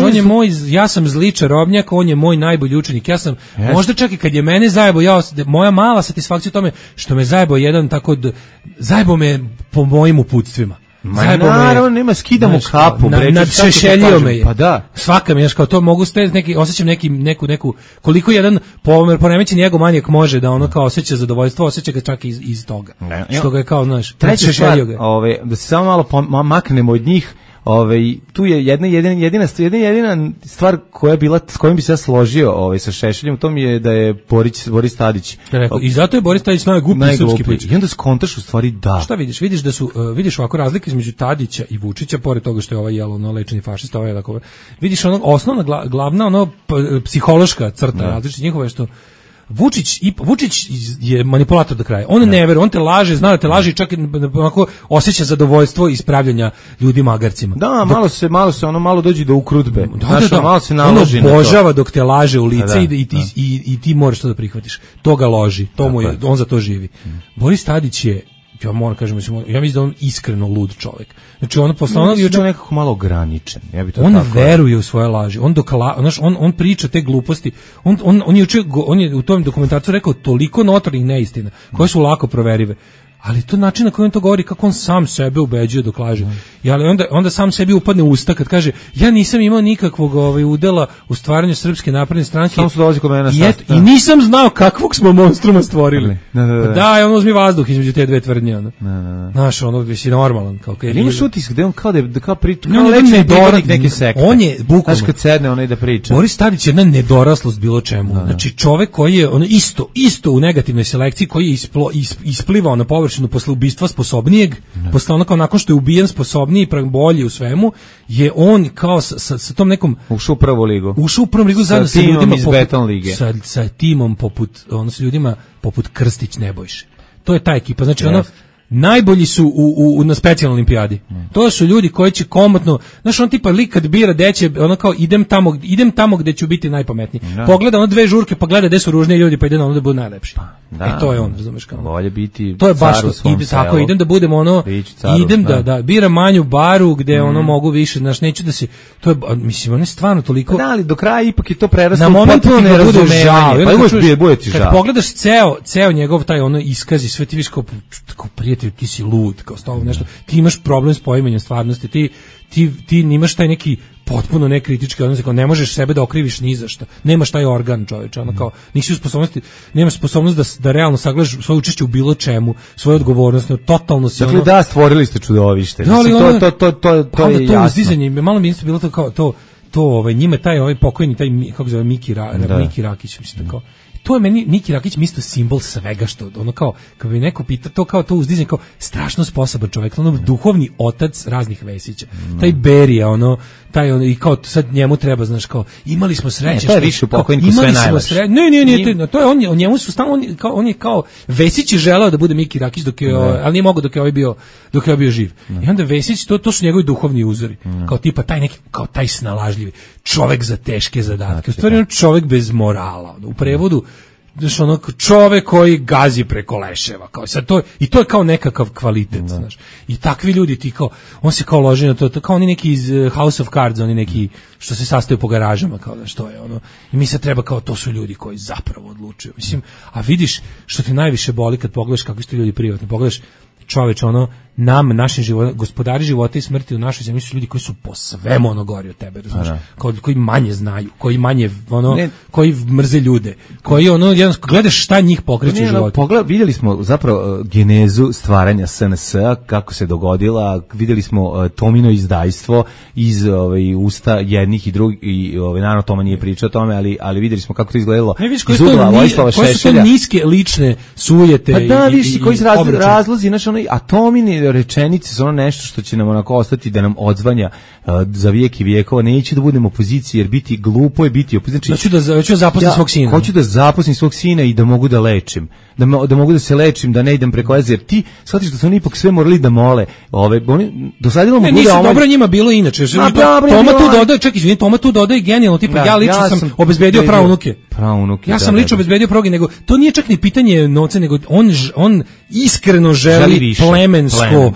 On je moj, ja sam zli čarobnjak, on je moj najbolji učenik. Ja sam, možda čak i kad je mene zajebao, moja mala satisfakcija u tome što me zajebao jedan tako, zajebao me po mojim uputstvima. Naravno, nema, skidam u kapu. Nad Šešeljio me je. Pa da. Svaka mi je, kao to mogu ste, osjećam neku, koliko jedan poremećen egomanijak može da ono kao osjeća zadovoljstvo, osjeća ga čak iz toga. Što ga je kao, znaš, treća stvar, da se samo malo maknemo od njih. Tu je jedina stvar koja je bila, s kojom bi se ja složio sa Šešeljem, to mi je da je Boris Tadić. I zato je Boris Tadić najgluplji srpski političar. I onda skontaš u stvari da. Šta vidiš? Vidiš da su ovako razlike između Tadića i Vučića, pored toga što je ovaj lečeni fašista, ovaj tako. Vidiš osnovna glavna psihološka crta različitih njihova je što Vučić je manipulator do kraja. On ne veruje, on te laže, zna da te laže i čak onako osjeća zadovoljstvo ispravljanja ljudi magarcima. Da, malo dođe do ukrutbe. Malo se naloži na to. On obožava dok te laže u lice i ti moraš to da prihvatiš. To ga loži, on za to živi. Boris Tadić je, ja moram kažem, ja mislim da on iskreno lud čovjek. Znači on posle je nekako malo ograničen. Ja bi to on veruje u svoje laži. On priča te gluposti. On je u tom dokumentarcu rekao toliko notornih neistina koje su lako proverive. Ali to način na koji on to govori, kako on sam sebe ubeđuje dok laže. Ali onda sam sebi upadne u usta kad kaže ja nisam imao nikakvog udela u stvaranju Srpske napredne stranke. Samo su dolazi kod mene i nisam znao kakvog smo monstruma stvorili. Da, on uzmi vazduh između te dve tvrdnje. Znaš, ono je normalan. Imaš utisak da on kao priča, kao lečni govornik neke sekte. On je bukvalno. Znaš kad sedne onaj da priča. Boris Tadić je jedna nedoraslost bilo čemu. Znači čovek koji je isto u negativnoj selekciji, koji je isplivao na površinu posle ubistva sposobnijeg, posle onako nakon što je ubijen sposobniji, bolji u svemu, je on kao sa tom nekom ušao u prvu ligu zajedno sa ljudima iz Beton lige. Sa timom s ljudima poput Krstić Nebojše. To je ta ekipa, znači najbolji su na specijalnoj olimpijadi. To su ljudi koji će komotno, znaš, on tipa lik kad bira deće, ono kao idem tamo gde ću biti najpametniji. Pogleda ono dve žurke, pa gleda gde su ružniji ljudi, pa ide na ono da bude najlepši. To je on, razumeš kao. Bolje biti. To je baš to, tako idem da budem ono, idem da biram manju baru gde ono mogu više, znaš, neću da se, to je, mislim, on je stvarno toliko. Da, ali do kraja ipak je to preraslo u potpuno nerazumevanje. Pa bude ti žao. Kad pogledaš ceo njegov taj ono iskaz i sve ti viš kao prijatelj, ti si lud, kao stavom nešto, ti imaš problem s poimanjem stvarnosti, ti nimaš taj neki potpuno nekritički odnos, kao ne možeš sebe da okriviš ni za šta, nemaš taj organ, čoveče, ono kao, nisi u sposobnosti, nemaš sposobnost da realno sagledaš svoje učešće u bilo čemu, svoju odgovornost, totalno si dakle, da, stvorili ste čudovište, to je jasno. Uzdizanje, malo mi isto bilo to kao, njima taj pokojni, taj, kako zove, Miki Rakić, mislim, tako. To je meni Miki Rakić isto simbol svega što ono kao kad bi neko pita to kao to uzdizanje kao strašno sposoban čovjek, ono duhovni otac raznih Vesića. Taj Berija i kao sad njemu treba, znaš, kao imali smo sreće što je više pokojniku sve najlakše. Ne, to je on njemu su stalno on je kao Vesić je želeo da bude Miki Rakić ali nije mogao dok je bio živ. I onda Vesić to su njegovi duhovni uzori. Kao tipa taj neki kao taj snalažljivi čovjek za teške zadatke. U stvari on čovjek bez morala. U prevodu znaš, ono čovek koji gazi preko leševa, kao sad to je kao nekakav kvalitet, znaš. I takvi ljudi ti kao on se kao loži na to kao oni neki iz House of Cards, oni neki što se sastaju po garažama, kao da što je ono. I mi se treba kao to su ljudi koji zapravo odlučuju. Mislim, a vidiš što ti najviše boli kad pogledaš kakvi su ljudi privatni, pogledaš čoveč, ono, našim životom, gospodari života i smrti u našoj zemlji su ljudi koji su po svemu ono gori od tebe, razumiješ? Koji manje znaju, koji manje koji mrze ljude, koji gledaš šta njih pokreće u životu. Vidjeli smo zapravo genezu stvaranja SNS-a, kako se dogodila, vidjeli smo Tomino izdajstvo iz usta jednih i drugih, i naravno Toma nije pričao o tome, ali vidjeli smo kako to izgledalo iz ugla Vojislava Šešelja. Koje su to niske lične sujete pa da, viš, koji su razlozi, znači a Tomini rečenice su nešto što će nam onako ostati da nam odzvanja za vijek i vijekova. Neću da budem opozicija, jer biti glupo je biti opozicija. Hoću da zaposlim svog sina. Hoću da zaposlim svog sina i da mogu da lečim. Da mogu da se lečim, da ne idem preko veze, jer ti shvatiš da su oni ipak sve morali da mole. Oni dosadilo mu bude nisu dobro njima bilo inače. Toma tu dodaje genijalno, tipa ja lično sam obezbedio praunuke. Ja sam lično obezbedio progi, nego to nije čak ni pitanje novca, nego on iskreno želi plemensko,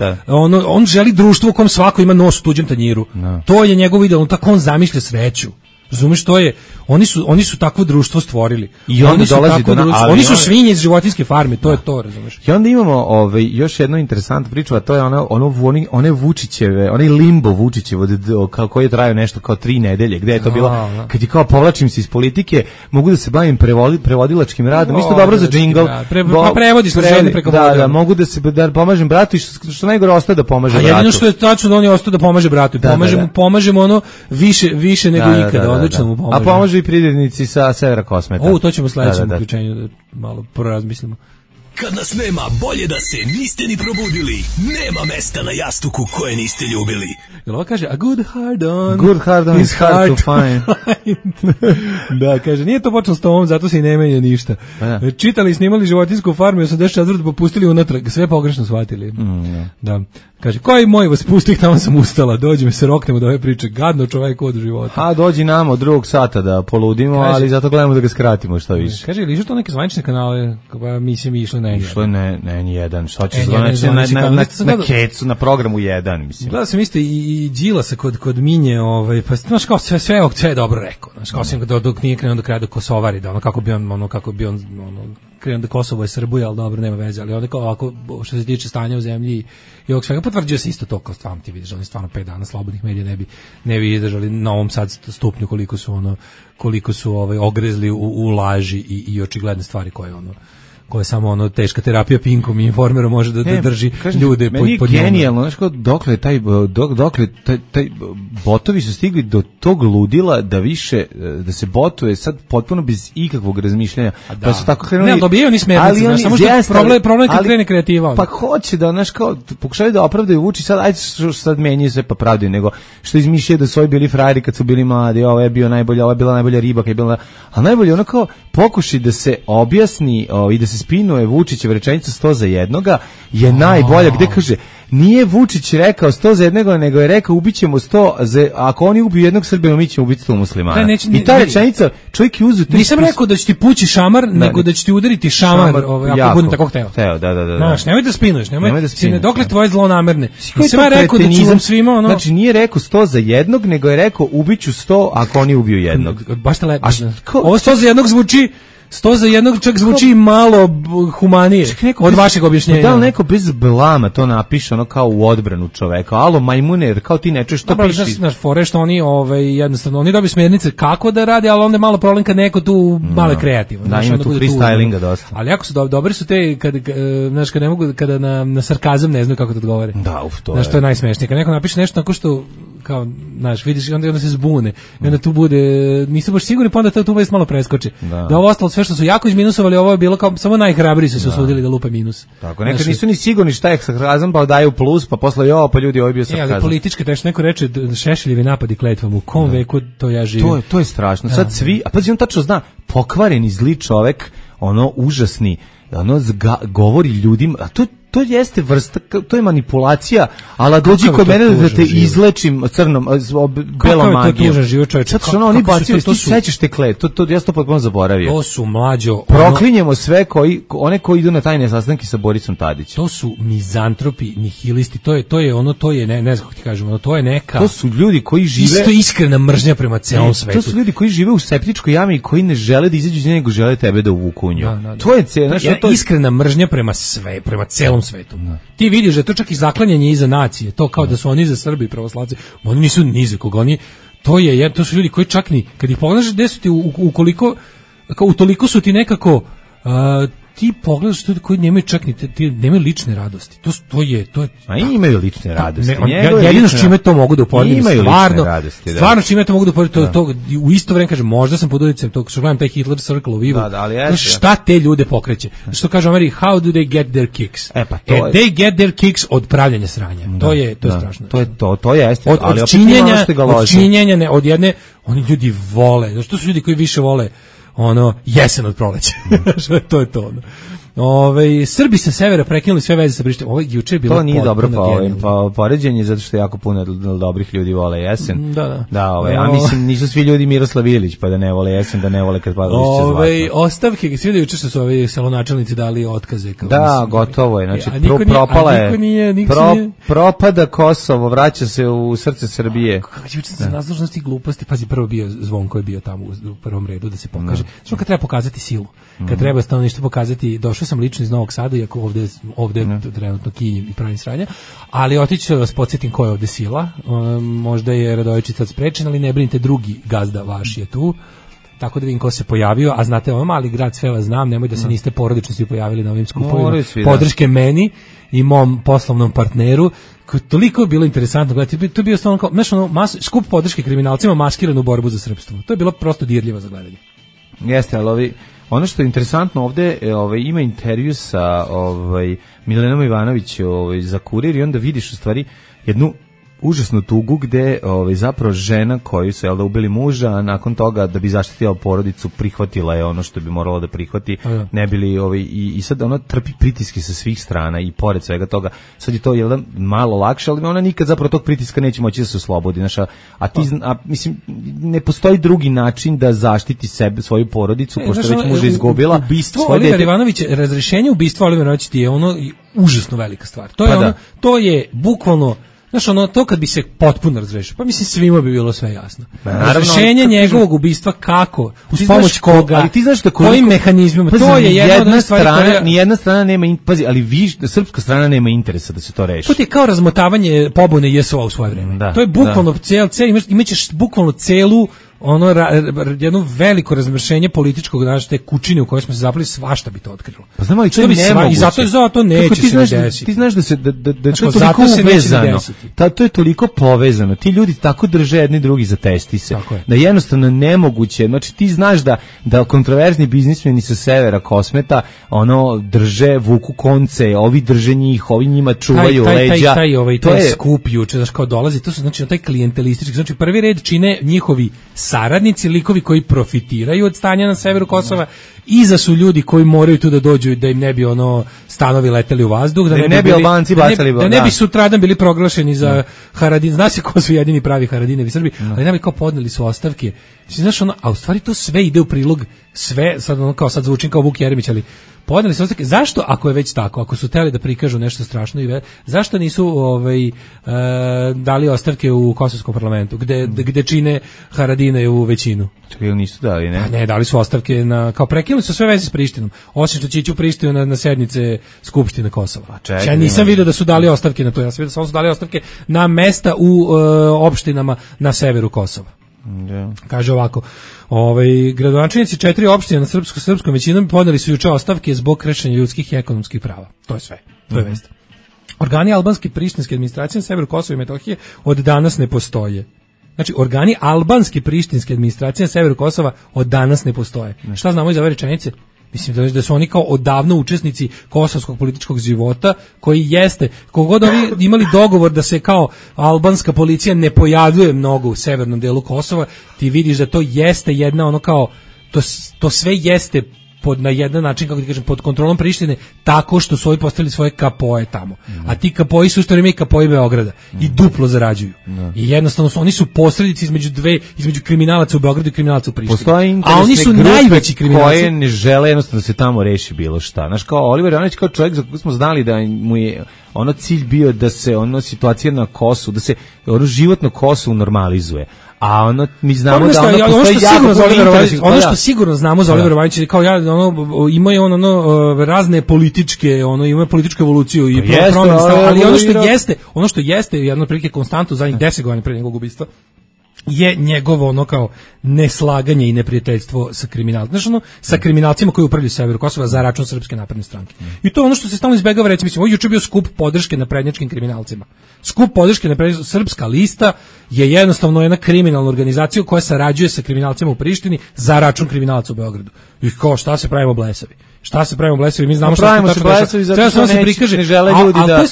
on želi društvo u kom svako ima nos u tuđem tanjiru. To je njegov ideal, tako on zamišlja sreću. Razumeš, to je, oni su takvo društvo stvorili. I onda oni su svinje iz životinjske farme, to je to, razumeš. I onda imamo još jednu interesantnu priču, a to je one Vučićeve, onaj limbo Vučićevo, koji je trajao nešto kao 3 nedelje, gde je to bilo, kad je kao povlačim se iz politike, mogu da se bavim prevodilačkim radom, isto dobro za džingl. Prevodiš žene preko voda. Da, mogu da pomažem bratu i što najgore ostaje da pomaže bratu. A jedino što je tačno da on je ostao da pomaže bratu. Pomažemo ono više nego ikada. A pomožu i pridjednici sa Severa Kosmeta. To ćemo sledećem uključenju da malo porazmislimo. Kad nas nema, bolje da se niste ni probudili. Nema mesta na jastuku koje niste ljubili. Jel ovo kaže, a good hard on is hard to find. Da, kaže, nije to počelo s tomom, zato se i ne menja ništa. Čitali i snimali životinjsku farmu i 84. popustili unatrag, sve pogrešno shvatili. Da. Kaže, koji moj vas pustih, tamo sam ustala, dođi me se roknemo da ove priče, gadno čovjek od života. A dođi nam od 2 sata da poludimo, ali zato gledamo da ga skratimo što više. Kaže, ili išlo to neke zvanične kanale, pa mislim mi išlo na Išlo je N1, što će zvanične na Kecu, na programu 1, mislim. Gledao sam isto i Đilasa kod Minje, pa znaš kao sve je dobro rekao, znaš kao sam dok nije krenuo do kraja do Kosovari, da kako bi on krenuo da Kosovo je Srbija, ali dobro, nema veze, ali onda kao ovako, što se tiče stanja u zemlji i ovog svega, potvrđuje se isto to kao stvarno, ti vidiš, oni stvarno 5 dana slobodnih medija ne bi izdržali na ovom sad stupnju koliko su ogrezli u laži i očigledne stvari koje samo teška terapija Pinkom i Informerom može da drži ljude pod njom. Meni je genijalno, znaš kao, dokle taj botovi su stigli do tog ludila da više, da se botuje sad potpuno bez ikakvog razmišljanja. Pa su tako krenuli. Ne, dobijaju ni smernice, znaš, samo što problem kad krene kreativa. Pa hoće da, znaš kao, pokušaju da opravdaju Vuči, ajde što sad menjaju sve pa pravdaju, nego što izmišljaju da su ovi bili frajeri kad su bili mladi, ovo je bio najbolja, ovo je bila najbolja riba, a najbolje ono kao pokušaj da se objasni i da se spinuje Vučićeva rečenica 100 za jednoga je najbolja, gde kaže nije Vučić rekao 100 za jednoga, nego je rekao ubićemo 100 ako oni ubiju jednog Srbina, mi ćemo ubiti 100 muslimana. I ta rečenica, čovjek je uzeo... Nisam rekao da će ti pući šamar, nego da će ti udariti šamar ako budem tako hteo. Da. Znaš, nemoj da spinuješ, dokle tvoje zlonamerne. Nisam ja rekao da ću vam svima Znači nije rekao 100 za jednog, nego je rekao ubiću 100 ako oni ubiju jednog. Baš te lepo. Ovo 100 za jednog zvuči 100 za jednog čak zvuči malo humanije od vašeg objašnjenja. Da li neko bez blama to napiše ono kao u odbranu čoveka? Alo majmune, kao ti ne čuješ što piši. Znaš, fore što oni jednostavno, oni dobiju smjernice kako da radi, ali onda je malo problem kad neko tu malo je kreativan. Da, ima tu freestylinga dosta. Ali jako su dobri su te, znaš, kad ne mogu, kada na sarkazam ne znaju kako da odgovore. Da, to je. Znaš, to je najsmešnije. Kad neko napiše nešto tako što kao, znaš, vidiš, onda se zbune. I onda tu bude, nisu baš sigurni, pa onda tu već malo preskoči. Da ovo ostalo sve što su jako izminusovali, ovo je bilo kao samo najhrabriji su se usudili da lupe minus. Tako, nekad nisu ni sigurni šta je sarkazam, pa daju plus, pa posle pa ljudi ovo je bio sarkazam. Ali politički, teško neko reče Šešeljevi napadi kletvom, u kom veku to ja živim. To je strašno. Sad svi, a pazi, on tačno zna, pokvareni zli čovek, užasni, govori ljudima, a to jeste vrsta, to je manipulacija, ali dođi kod mene da te izlečim crnom, belom magijom. Kako je to tužan život, čovječe? Sad što oni bacio, ti sećaš te kle, ja sam to potpuno zaboravio. To su mlađo... Proklinjemo sve one koji idu na tajne sastanke sa Borisom Tadićem. To su mizantropi, nihilisti, ne znam kako ti kažem, to je neka... To su ljudi koji žive... Isto iskrena mržnja prema celom svetu. To su ljudi koji žive u septičkoj jami i koji ne žele da izađu iz nje, nego žele tebe da uvuku u nju. To je iskrena mržnja prema celom svetu. Ti vidiš da je to čak i zaklanjanje iza nacije, to kao da su oni za Srbi i pravoslavci, oni nisu ni za koga, to su ljudi koji čak ni, kad ih pogledaš gde su ti, utoliko su ti nekako, ti pogledaš ljudi koji nemaju čak ni nemaju lične radosti. To je. A imaju lične radosti. Jedino s čime to mogu da uporedim, stvarno s čime to mogu da uporedim, to u isto vreme kažem, možda sam pod uticajem tog što gledam taj Hitler Circle of Evil. Šta te ljude pokreće? Što kaže Ameri, how do they get their kicks? They get their kicks od pravljanja sranja. To je strašno. To jeste. Od činjenja, od jedne, oni ljudi vole. Zašto su ljudi koji više vole jesen od proleća. To je to. Srbi sa severa prekinuli sve veze sa Prištinom. Ovo juče je bilo. To nije dobro poređenje, zato što jako puno dobrih ljudi vole jesen. A mislim nisu svi ljudi Miroslav Ilić, pa da ne vole jesen, da ne vole kad pada lišće zlatno. Ostavke, svi da juče što su ovi salonačelnici dali otkaze. Gotovo je. Znači propala je. Propada Kosovo, vraća se u srce Srbije. Kako će se razložnosti gluposti, pazi, prvo bio Zvon koji je bio tamo u prvom redu da se pokaže. Što kad treba pokazati silu, kad treba stanovništvo pokazati, došao sam lično iz Novog Sada, iako ovde trenutno kinjim i pravim sranja, ali otići ću da vas podsjetim ko je ovde sila. Možda je Radojičić sad sprečen, ali ne brinite, drugi gazda vaš je tu, tako da vidim ko se pojavio, a znate, ovo mali grad, sve vas znam, nemoj da se niste porodično svi pojavili na ovim skupovima, podrške meni i mom poslovnom partneru, toliko je bilo interesantno gledati, to je bio stvarno kao, skup podrške kriminalcima maskiranu borbu za srpstvo, to je bilo prosto dirljivo za gledanje. Jeste, ali ono što je interesantno ovde, ima intervju sa Milenom Ivanović za Kurir i onda vidiš u stvari jednu užasnu tugu gde zapravo žena koju su ubili muža, a nakon toga da bi zaštitila porodicu prihvatila je ono što bi morala da prihvati, ne bili i sad ona trpi pritiske sa svih strana i pored svega toga, sad je to malo lakše, ali ona nikad zapravo tog pritiska neće moći da se oslobodi, mislim, ne postoji drugi način da zaštiti sebe, svoju porodicu, pošto već muža izgubila. Ubistvo Olivera Ivanovića, razrešenje ubistva Olivera Ivanovića ti je užasno velika stvar. To je bukvalno, to kad bi se potpuno razrešio, pa mislim svima bi bilo sve jasno. Razrešenje njegovog ubistva kako, uz pomoć koga, ali ti znaš da kojim mehanizmima, to je jedna stvar koja... Nijedna strana nema, ali srpska strana nema interesa da se to reši. To ti je kao razmotavanje pobune JSO-a u svoje vreme. To je bukvalno imaćeš bukvalno celu jedno veliko razmršenje političkog, te kućine u kojoj smo se zapali, svašta bi to otkrilo. Pa znam, ali to je nemoguće. I zato neće se desiti. Ti znaš da je to toliko uvezano. To je toliko povezano. Ti ljudi tako drže jedni drugi za testi se. Da jednostavno nemoguće. Znači ti znaš da kontroverzni biznismeni sa severa Kosmeta drže, vuku konce, ovi drže njih, ovi njima čuvaju leđa. Taj skup juče, znaš, kao dolazi, to su znači taj klijentelistički, znači prvi red čine njihovi saradnici, likovi koji profitiraju od stanja na severu Kosova, iza su ljudi koji moraju tu da dođu i da im ne bi stanovi leteli u vazduh, da ne bi Albanci bacali, da ne bi sutradan bili proglašeni za Haradin, zna se ko su jedini pravi Haradinevi Srbi, ali ne bi kao podneli su ostavke. Znaš, a u stvari to sve ide u prilog, sve, sad zvučim kao Vuk Jeremić, ali podneli su ostavke. Zašto, ako je već tako, ako su hteli da prikažu nešto strašno zašto nisu dali ostavke u kosovskom parlamentu, gde čine Haradine u većinu? Čekaj, nisu dali, ne? Ne, dali su ostavke kao prekinuli su sve veze s Prištinom, osim što će ići u Prištinu na sednice Skupštine Kosova. Ja nisam vidio da su dali ostavke na to, ja sam vidio da su dali ostavke na mesta u opštinama na severu Kosova. Kaže ovako, gradonačelnici 4 opštine na srpskom većinom podneli su juče ostavke zbog kršenja ljudskih i ekonomskih prava. To je sve. To je vest. Organi albanske prištinske administracije na severu Kosova i Metohije od danas ne postoje. Znači, organi albanske prištinske administracije na severu Kosova od danas ne postoje. Šta znamo iz ove rečenice? Mislim da su oni kao odavno učesnici kosovskog političkog života, koji jeste, kogod oni imali dogovor da se kao albanska policija ne pojavljuje mnogo u severnom delu Kosova, ti vidiš da to jeste jedna to sve jeste na jedan način, kako ti kažem, pod kontrolom Prištine, tako što su ovi postavili svoje kapoje tamo. A ti kapoji su isto i kapoji Beograda i duplo zarađuju. I jednostavno oni su posrednici između kriminalaca u Beogradu i kriminalaca u Prištini. A oni su najveći kriminalci koje ne žele jednostavno da se tamo reši bilo šta. Znaš, kao Oliver Ivanović, kao čovjek za koga smo znali da mu je cilj bio da se situacija na Kosovu, da se život na Kosovu normalizuje. A ono mi znamo da ono postoji ono što sigurno znamo za Olivera Vajnića, kao ima je razne političke, ima političku evoluciju i promjene stava, ali ono što jeste jedno prilike konstantno zadnjih 10 godina pre njegovog ubistva je njegovo kao neslaganje i neprijateljstvo sa kriminalcima, sa kriminalcima koji upravljaju severu Kosova za račun Srpske napredne stranke. I to je ono što se stalno izbegava reći, mislim, juče bio skup podrške naprednjačkim kriminalcima. Skup podrške naprednjačkim, Srpska lista je jednostavno jedna kriminalna organizacija koja sarađuje sa kriminalcima u Prištini za račun kriminalaca u Beogradu. I kao, šta se pravimo blesavi? Mi znamo šta se blesavi, zato što se prikaže, ne žele ljudi da...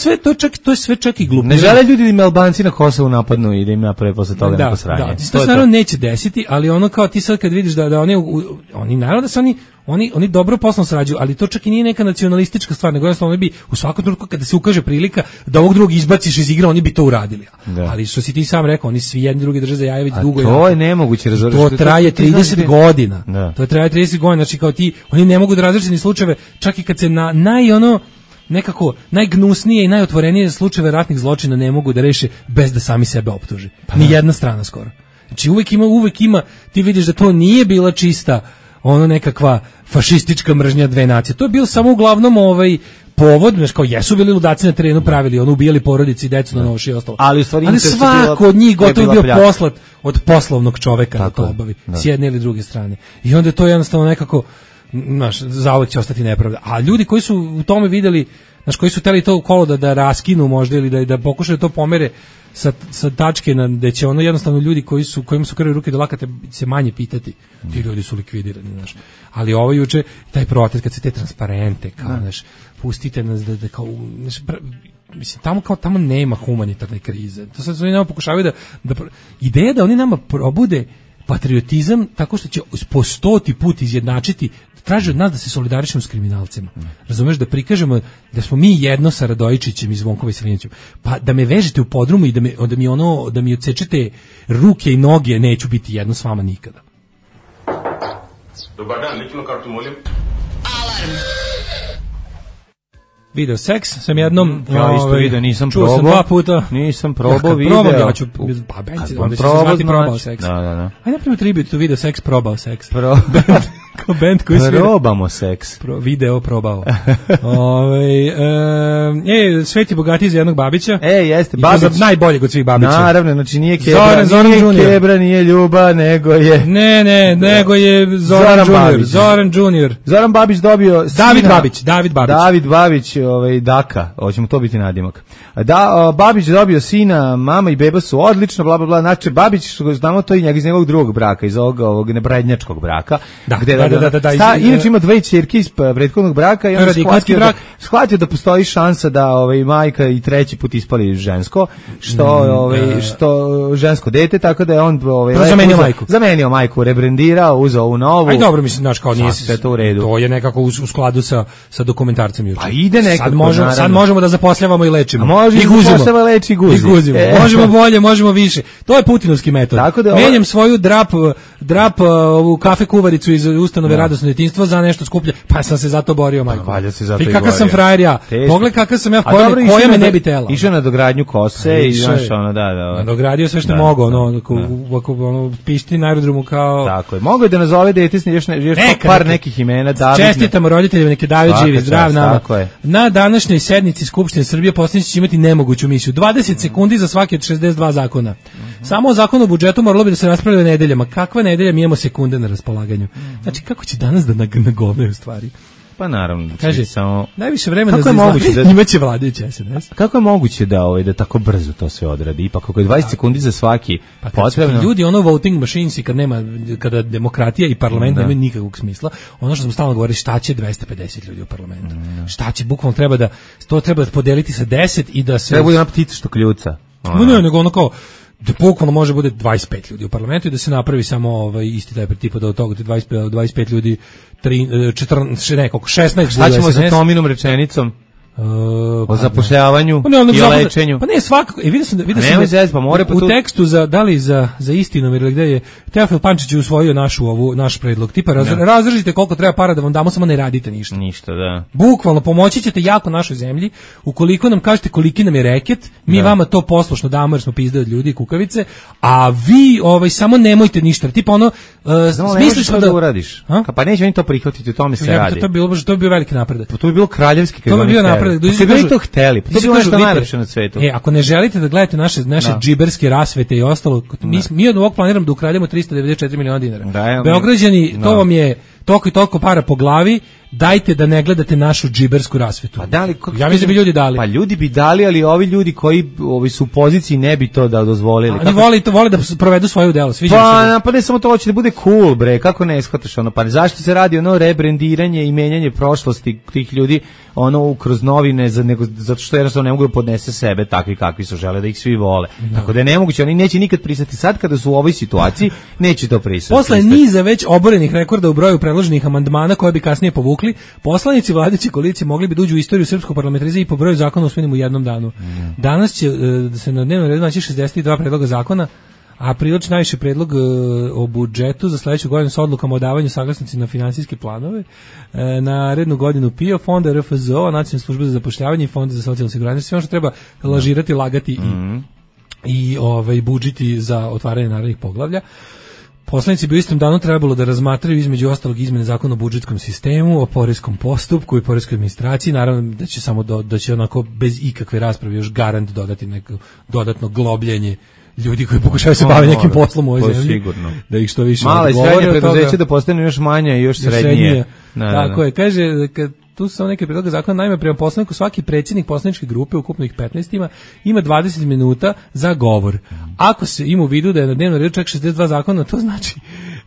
To je sve čak i glupo. Ne žele ljudi da im Albanci na Kosovu napadnu i da im naprave posle toga neko sranje. Da, to se naravno neće desiti, ali ono kao ti sad kad vidiš da oni naravno da se oni dobro poslovno sarađuju, ali to čak i nije neka nacionalistička stvar, nego jednostavno oni bi u svakom trenutku kada se ukaže prilika da ovog drugog izbaciš iz igre, oni bi to uradili. Da. Ali što si ti sam rekao, oni svi jedni drugi drže za jaje već dugo. To je nemoguće razumjeti. To traje 30 godina. Da. To traje 30 godina, znači kao ti, oni ne mogu da razreše ni slučajeve, čak i kad se na nekako najgnusnije i najotvorenije slučajeve ratnih zločina ne mogu da reše bez da sami sebe optuže. Ni jedna strana skoro. Znači uvek ima, ti vidiš da to nije bila čista nekakva fašistička mržnja dve nacije. To je bio samo uglavnom povod, znači kao jesu bili ludaci na terenu, pravili, ubijali porodici i decu na noši i ostalo. Ali svako od njih gotovo bio poslat od poslovnog čoveka da to obavi, s jedne ili druge strane. I onda je to jednostavno nekako, zauvek će ostati nepravda. A ljudi koji su u tome videli, koji su hteli to kolo da raskinu možda ili da pokušaju to pomere sa tačke gde će jednostavno ljudi kojima su krve ruke do lakata se manje pitati. Ti ljudi su likvidirani, Ali ovo juče, taj protest kad se te transparente, kao, pustite nas da kao, mislim, tamo nema humanitarne krize. To sad oni nama pokušavaju da ideja da oni nama probude patriotizam tako što će po 100. put izjednačiti, traže od nas da se solidarišemo s kriminalcima. Razumeš, da prikažemo da smo mi jedno sa Radojičićem i Zvonkom Veselinovićem. Pa da me vežete u podrumu i da mi odsečete ruke i noge, neću biti jedno s vama nikada. Dobar dan, ličnu kartu molim. Alarm. Video seks sam jednom, ja isto video, nisam čuo probao. Sam 2 puta. Nisam probao video. Ja ću, onda će se zvati probao seks. Da. Ajde napravimo tribut to video seks, probao seks. Kao band koji svira. Probamo seks. Video probao. Sveti bogatiji za jednog Babića. Jeste, Babić. Najboljeg od svih Babića. Naravno, znači nije Kebra, Zoran nije Kebra, nije Ljuba, nego je... nego je Zoran Junior. Zoran Babić dobio... David Babić, Daka, hoćemo to biti nadimak. Babić dobio sina, mama i beba su odlično, bla bla bla. Znači Babić, znamo to iz njegovog drugog braka, iz ovog neprednjačkog braka. Da. Inače ima 2 ćerke iz prethodnog braka i on shvatio da postoji šansa da majka i 3. put ispali žensko, što žensko dete, tako da je on zamenio majku, rebrendirao, uzeo ovu novu. Aj dobro, mislim, znaš, kao nije sve to u redu. To je nekako u skladu sa dokumentarcem juče. Pa ide nekako. Sad možemo da zapošljavamo i lečimo. I guzimo. Leči, guzi. Možemo bolje, možemo više. To je putinovski metod. Menjam svoju drap ovu kafe kuvaricu iz ustanove Radosno djetinjstvo za nešto skuplje, pa sam se zato borio, majko. I kakav sam frajer ja. Pogledaj kakav sam ja, koja me ne bi tela. Išao na dogradnju kose i znaš da. Dogradio sve što mogo, pišti na aerodromu kao... Tako je. Mogu da nazove dete još par nekih imena. Čestitamo roditeljima, neki David živi, zdrav nama. Na današnjoj sednici Skupštine Srbije poslanici će imati nemoguću misiju. 20 sekundi za svaki od 62 zakona. Samo o zakonu o budžetu moralo bi da se raspravlja nedeljama. Kakva nedelja, mi imamo sekunde na raspolaganju. Znači, kako će danas da nagovnaju stvari? Pa naravno. Kaže, samo... najviše vremena za izlaganje njima će vladajući SNS. Kako je moguće da tako brzo to sve odradi? Ipak ako je 20 sekundi za svaki potrebno... Ljudi, voting machines i kada demokratija i parlament nemaju nikakvog smisla, ono što smo stalno govorili, šta će 250 ljudi u parlamentu? Šta će, bukvalno treba da podeliti sa 10 i da se... Treba bude ona ptica što kljuca. Ne, nego ono kao... da bukvalno može bude 25 ljudi u parlamentu i da se napravi samo isti taj tipa da od toga 25 ljudi 16 šta ćemo sa Tominom rečenicom? o zapošljavanju i o lečenju. Pa ne, svakako. Vidio sam u tekstu za istinom, ili gde je Teofil Pančić usvojio naš predlog. Tipa, razržite koliko treba para da vam damo, samo ne radite ništa. Ništa, da. Bukvalno, pomoći ćete jako našoj zemlji. Ukoliko nam kažete koliki nam je reket, mi vama to poslušno damo, jer smo pizde od ljudi, kukavice, a vi samo nemojte ništa. Tipa ono, smisliš da uradiš. Pa neće oni to prihvatiti, o tome se radi. To bi bio veliki napredak. To bi bilo kraljevski. To bi bio napredak. Ste vi to hteli? To bi bilo nešto najlepše na svetu. Ako ne želite da gledate naše džiberske rasvete i ostalo, mi od ovog planiramo da ukrademo 394 miliona dinara. Beograđani, to vam je toliko i toliko para po glavi, dajte da ne gledate našu džibersku rasvetu. Pa da li, ja mislim da bi ljudi dali. Pa ljudi bi dali, ali ovi ljudi koji su u poziciji ne bi to da dozvolili. Oni vole da provedu svoje delo. Pa ne samo to, hoće da bude cool, bre, kako ne shvataš ono, pa zašto se radi ono rebrendiranje i menjanje prošlosti tih ljudi kroz novine, nego zato što jednostavno ne mogu da podnese sebe takvi kakvi su, žele da ih svi vole. Tako da je nemoguće, oni neće nikad pristati. Sad kada su u ovoj situaciji, neće to pristati. Posle niza već oborenih rekorda u broju predloženih amandmana koje bi kasnije povukli, poslanici vladajuće koalicije mogli bi da uđu u istoriju srpskog parlamentarizma i po broju zakona usvojenim u jednom danu. Danas će se na dnevnom redu naći 62 predloga zakona, a prilično najviše predlog o budžetu za sledeću godinu sa odlukama o davanju saglasnosti na finansijske planove, na rednu godinu PIO, fonda RFZO, Nacionalne službe za zapošljavanje i fonda za socijalno osiguranje, sve ono što treba lažirati, lagati i budžeti za otvaranje narednih poglavlja. Poslanici bi u istom danu trebalo da razmatraju između ostalog izmene zakona o budžetskom sistemu, o poreskom postupku i poreskoj administraciji, naravno da će da će onako bez ikakve rasprave još garant dodati neko dodatno globljenje ljudi koji pokušavaju se baviti nekim poslom u ovoj zemlji. Sigurno. Da ih što više mala i srednja preduzeća da postanu još manja i još srednije. Tako je, kaže, tu su samo neke predloge zakona, naime prema poslaniku svaki predsjednik poslaničke grupe, ukupno ih 15 ima 20 minuta za govor. Ako se ima u vidu da je na dnevnom redu čak 62 zakona, to znači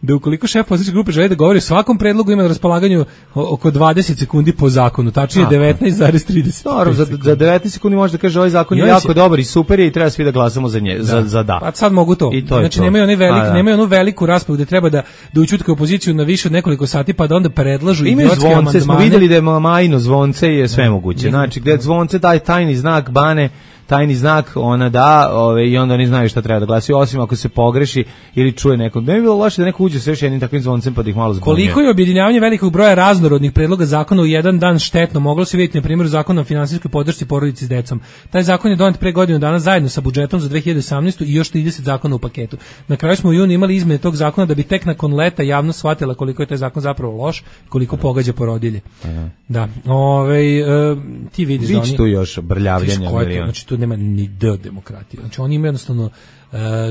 da ukoliko šef poslaničke grupe želi da govori o svakom predlogu, ima na raspolaganju oko 20 sekundi po zakonu, tačnije 19,30. Dobro, za 19 sekundi može da kaže ovaj zakon je jako dobar i super je i treba svi da glasamo za da. Pa sad mogu to. Znači nemaju onu veliku raspravu gde treba da ućutkaju opoziciju na više od nekoliko sati pa da onda predlažu idiotske amandmane. Smo vidjeli da je Majino zvonce je sve moguće. Znači gde zvonce daj tajni znak bane, tajni znak ona da, i onda oni znaju šta treba da glasi, osim ako se pogreši ili čuje neko. Ne bi bilo loše da neko uđe sa još jednim takvim zvoncem pa da ih malo zbunjuje. Koliko je objedinjavanje velikog broja raznorodnih predloga zakona u jedan dan štetno, moglo se vidjeti na primjeru zakona o finansijskoj podršci porodici s decom. Taj zakon je donet pre godinu dana zajedno sa budžetom za 2018. i još 30 zakona u paketu. Na kraju smo u junu imali izmene tog zakona da bi tek nakon leta javnost shvatila koliko je taj zakon zapravo loš, koliko pogađa porodilje. Da. Ti vidiš da oni tu još brljavljanja, znači tu nema ni demokratije. Znači oni imaju jednostavno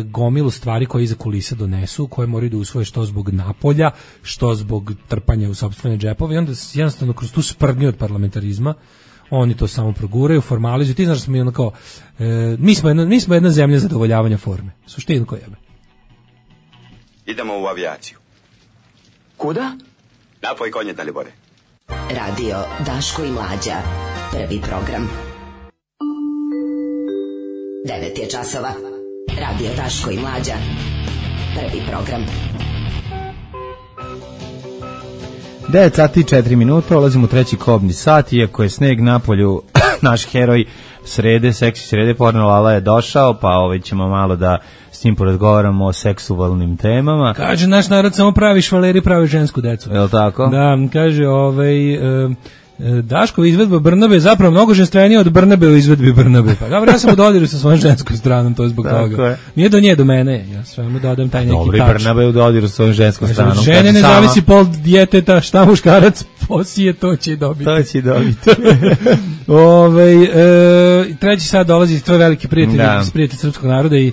gomilu stvari koje iza kulisa donesu, koje moraju da usvoje što zbog napolja, što zbog trpanja u sopstvene džepove i onda jednostavno kroz tu sprdnju od parlamentarizma oni to samo proguraju, formalizuju. Ti znaš da smo ono kao mi smo jedna zemlja zadovoljavanja forme. Suštinu koja jebe. Idemo u avijaciju. Kuda? Napoj konje, Dalibore. Radio Daško i Mlađa. Prvi program. 9 je časova. Radio Daško i Mlađa. Prvi program. 9 sati i 4 minuta, ulazimo u treći kobni sat, iako je sneg na polju, naš heroj seksi srede, Porno Lala je došao, pa ćemo malo da s njim porazgovaramo o seksualnim temama. Kaže, naš narod samo pravi švaleri, pravi žensku decu. Je li tako? Da, kaže, Daškova izvedba Brnabe je zapravo mnogo ženstvenija od Brnabe u izvedbi Brnabe. Pa dobro, ja sam u dodiru sa svojom ženskom stranom, to je zbog toga. Nije do nje, do mene. Ja svemu dodam taj neki tač. Dobro, i Brnabe je u dodiru sa svojom ženskom stranom. Žene ne zavisi pol djeteta, šta muškarac posije, to će dobiti. To će dobiti. Treći sad dolazi tvoj veliki prijatelj srpskog naroda i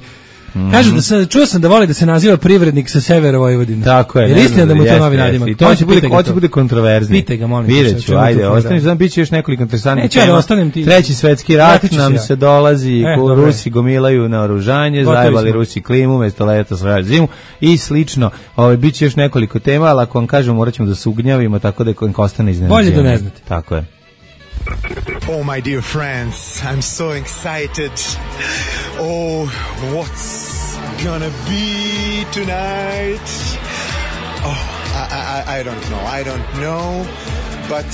kažu čuo sam da voli da se naziva privrednik sa severa Vojvodine. Tako je. Jer istina da mu to novi nadimak. I to će bude kontroverzni. Pitaj ga, molim. Vidjet ću, ajde, ostaniš, znam, bit će još nekoliko interesantnih tema. Treći svetski rat nam se dolazi, Rusi gomilaju na oružanje, zajebali Rusi klimu, mesto leta svoja zimu i slično. Bit će još nekoliko tema, ali ako vam kažem, morat ćemo da se ugnjavimo, tako da ostane iznenađenje. Bolje da ne znate. Tako je. Oh, my dear friends, I'm so excited. Oh, what's gonna be tonight? Oh, I don't know, but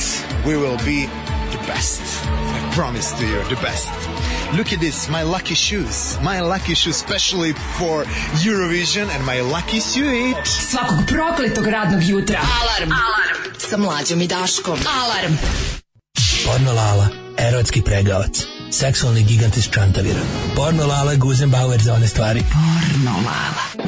we will be the best. promise to you the best. Look at this, my lucky shoes. My lucky shoes specially for Eurovision and my lucky suit. Svakog prokletog radnog jutra. Alarm. Sa Mlađom i Daškom. Alarm. Porno Lala, erotski pregavac. Seksualni gigant iz Čantavira. Porno Lala, Guzenbauer za one stvari. Porno Lala.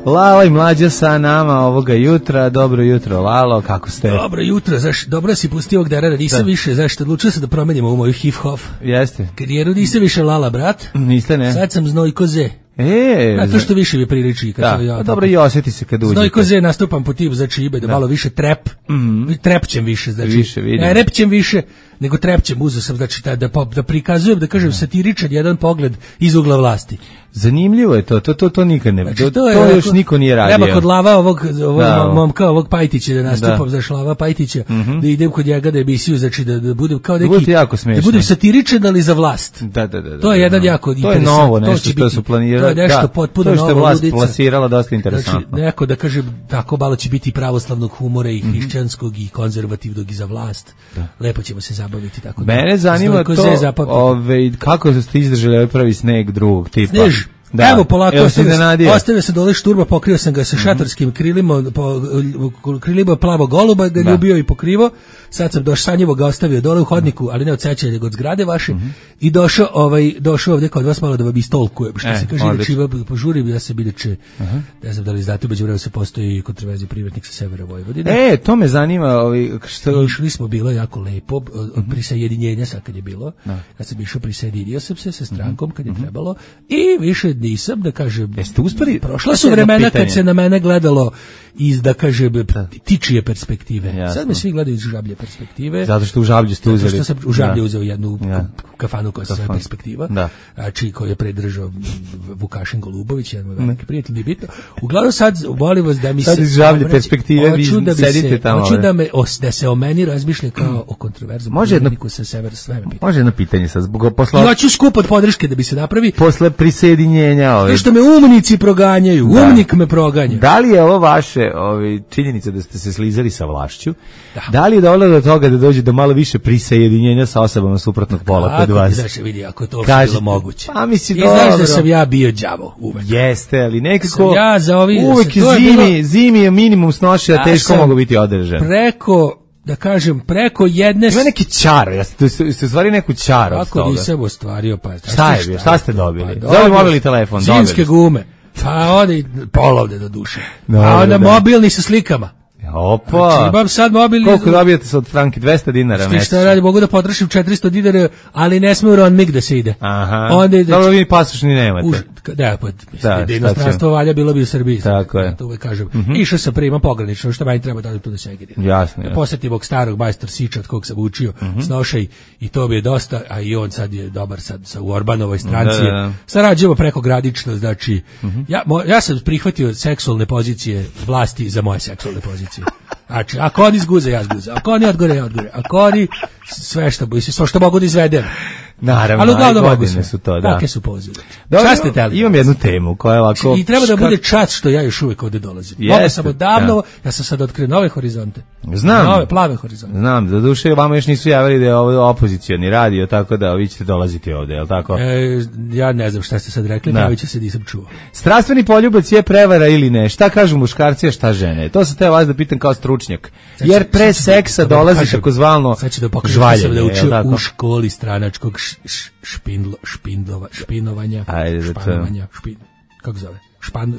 Lala i Mlađa sa nama ovoga jutra. Dobro jutro, Lalo, kako ste? Dobro jutro, dobro si pustio ovog dara, nisam više, zašto odlučio sam da promenimo u moju hip-hop. Jeste. Karijeru nisam više Lala, brat. Niste, ne. Sad sam Znojko Z. To što više mi priliči kad sam ja. Dobro i osjeti se kad uđete. Znojko Z nastupam po tip za čibe, da malo više trap. Trepćem više, znači. Ne repćem više, nego trepćem, uzeo sam, znači da prikazujem, da kažem satiričan jedan pogled iz ugla vlasti. Zanimljivo je to nikad ne. Znači, to još niko nije radio. Treba kod Lava ovog momka, ovog Pajtića da nastupam, za Lava Pajtića, da idem kod njega da emisiju, znači da budem kao neki, da budem satiričan, ali za vlast. Da. To je jedan jako interesant. To je novo nešto što su planirali. To je nešto potpuno novo. To što je vlast plasirala dosta interesantno. Znači, neko da kažem, tako malo će biti pravoslavnog humora i hrišćanskog i konzervativnog i za vlast. Lepo ćemo se zabaviti tako. Mene zanima to, kako ste izdržali ovaj prvi sneg drugog tipa. Snež. Da. Evo polako, ostavio sam dole šturba, pokrio sam ga sa šatorskim krilima plavog goluba, ga ljubio i pokrivo. Sad sam sanjivo ga ostavio dole u hodniku, ali ne od sećanja, nego od zgrade vaše. I došao ovdje kod vas malo da vam istolkujem, što se kaže, inače požurim, ja sam inače, ne znam da li znate, među vremenu se postoji kontraverziji privatnik sa severa Vojvodine. To me zanima. Išli smo, bilo jako lepo, od prisajedinjenja sad kad je bilo. Ja sam išao, prisjedinio sam se sa strankom kad je trebalo i više nisam, da kažem, prošla su vremena kad se na mene gledalo iz, da kažem, tičije perspektive. Sad me svi gledaju iz žablje perspektive. Zato što u žablju ste uzeli. Zato što sam u žablju uzeo jednu kafanu koja se zove Perspektiva, znači koju je predržao Vukašin Golubović, jedan moj veliki prijatelj, nije bitno. Uglavnom sad, molim vas da mi se... Sad iz žablje perspektive vi sedite tamo. Hoću da se o meni razmišlja kao o kontroverzom politiku sa severa, sve me pitanje. Može jedno pitanje sad. I hoću skup od podrške da bi se napravi. Posle prisjedinjenja. Što me umnici proganjaju, umnik me proganja. Da li je ovo vaše činjenica da ste se slizali sa vlašću? Da li je dovoljno do toga da dođe do malo više prisjedinjenja sa osobama suprotnog pola kod vas? Znaš, vidi, ako je to bilo moguće. Pa misli, i znaš da sam ja bio đavo uvek. Jeste, ali nekako uvek zimi je minimum snoše, a teško mogu biti održan. Preko jedne... Ima neki čar, ste stvari neku čar od toga. Kako nisam ostvario, pa... Šta ste dobili? Zove mobilni telefon. Zimske gume. Pa polovne do duše. A onda mobilni sa slikama. Opa. Znači, imam sad mobilni... Koliko dobijete od Franki? 200 dinara mesečno. Šta radi, mogu da potrošim 400 dinara, ali ne smiju Ronmig da se ide. Aha. Dobro, vi pasošni nemate. Da, inostranstvo valja bilo bi u Srbiji. Tako je. To uvek kažem. Išao sam prima pogranično, što meni treba da odem tu da se egediram. Jasno. Posjetim ovog starog majstor Siča, od kog sam učio snošaj, i to bi je dosta, a i on sad je dobar sad u Orbanovoj stranci. Sarađujemo preko gradično, znači, ja sam prihvatio seksualne pozicije vlasti za moje seksualne pozicije. Znači, ako oni zguze, ja zguze. Ako oni odgore, ja odgore. Ako oni sve što mogu da izvedem. Naravno, ali godine su to, da. Kakve su pozive? Šta ste teli? Imam jednu temu koja je ovako... I treba da bude čast što ja još uvijek ovdje dolazim. Mogu sam odavno, ja sam sad otkrio nove horizonte. Znam. Nove, plave horizonte. Znam, za duše vama još nisu javili da je ovo opozicioni radio, tako da vi ćete dolaziti ovdje, je li tako? Ja ne znam šta ste sad rekli, pravi će se, nisam čuo. Strastveni poljubac je prevara ili ne? Šta kažu muškarci, a šta žene? To se te vas da pitam kao stručnjak. Jer pre seksa dolazi takozvano žvaljenje, je li tako? U školi stranačkog špinovanja. Kako zove?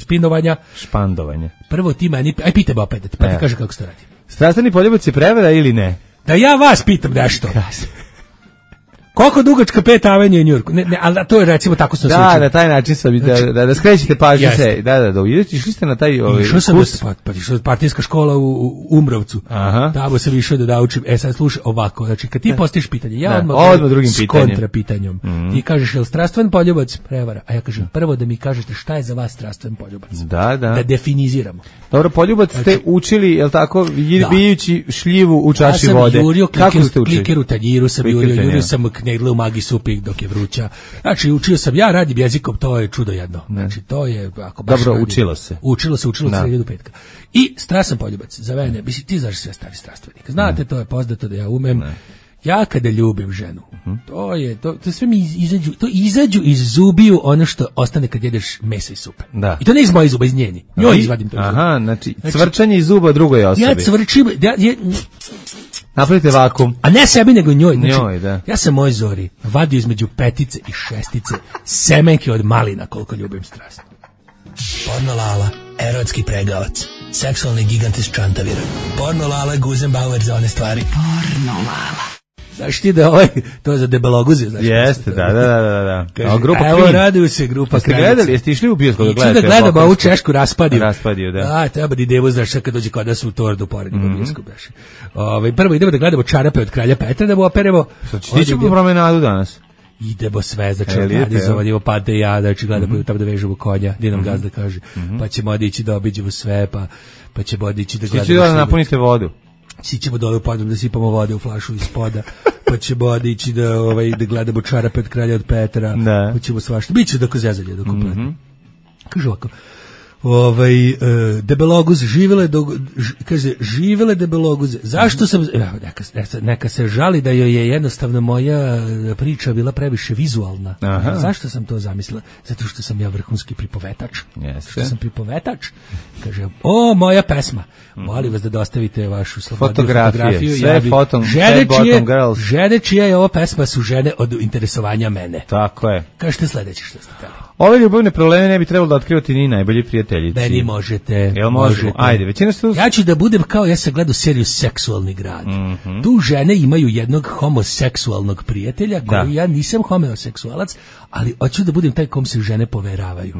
Špinovanja. Špandovanje. Prvo ti meni, pitaj me opet, pa ti kaže kako se to radi. Strastveni poljubac je prevara ili ne? Da ja vas pitam nešto. Koliko dugačka Pet Avenue u Njujorku? Ne, ali to je recimo tako sam se učio. Na taj način sam da skrećete pažnju se. Da, išli ste na taj kurs. Išao sam partijska škola u Umrovcu. Tamo sam išao da učim. Sad slušaj ovako, znači kad ti postaviš pitanje, ja odmah drugim pitanjem. Kontrapitanjem. Ti kažeš je li strastven poljubac prevara? A ja kažem prvo da mi kažete šta je za vas strastven poljubac. Da definiziramo. Dobro, poljubac ste učili, je li tako, bijući šljivu u čaši vode. Kako ste učili? Kliker u tanjiru sam jurio sam ne idle u magi supi dok je vruća. Znači, učio sam, ja radim jezikom, to je čudo jedno. Znači, to je, ako baš dobro, radim, učilo se sredi do petka. I strasan poljubac, za mene, ti znaš sve stari strastvenik. Znate, to je poznato da ja umem. Ja kada ljubim ženu, to sve mi izađu iz zubiju ono što ostane kad jedeš mesa i supe. Da. I to ne iz mojih zuba, iz njeni. Njoj izvadim to iz zuba. Aha, znači cvrčanje iz zuba drugoj osobi. Ja cvrčim, napravite vakum. A ne sebi, nego njoj. Znači, njoj, da. Ja sam moj Zori vadio između petice i šestice semenke od malina, koliko ljubim strast. Porno Lala, erotski pregavac, seksualni gigant iz Čantavira. Porno Lala, Guzenbauer za one stvari. Porno Lala. Znaš ti da to je za debeloguze, znaš? Jeste, da. Kaže, grupa evo raduju se grupa. Ste gledali, jeste išli u bioskop da gledate? Da gledamo ovu češku raspadiju. Da. Treba da idevo, znaš, kad dođe kod nas u Tordu poredimo bioskop. Prvo idemo da gledamo Čarape od kralja Petra, da mu operemo. Ti ćemo po promenadu danas? Idemo sve, znači organizovanje, Pate i ja, znači gledamo tamo da vežemo konja, gdje nam gazda kaže, pa ćemo odići da obiđemo sve, pa ćemo odići da gledamo. Svi ću da napunite vodu. Svi ćemo dole u podrum da sipamo vode u flašu iz poda, pa ćemo odići da gledamo Čarape od kralja od Petra, pa ćemo svašta. Biće dok zezalje, dok kompletno. Kaže ovako, debeloguze, živele debeloguze. Zašto sam, neka se žali da joj je jednostavno moja priča bila previše vizualna. Zašto sam to zamislila? Zato što sam ja vrhunski pripovetač. Što sam pripovetač, kaže, moja pesma. Molim vas da dostavite vašu fotografiju. Sve žene čija je ova pesma su žene od interesovanja mene. Tako je. Kažete sledeće što ste teli. Ove ljubavne probleme ne bi trebalo da otkrivati ni najbolji prijateljici. Meni možete. Jel možemo? Ajde, većina su... Ja ću da budem kao, ja sam gledao seriju Seksualni grad. Tu žene imaju jednog homoseksualnog prijatelja, koji ja nisam homoseksualac, ali hoću da budem taj kom se žene poveravaju.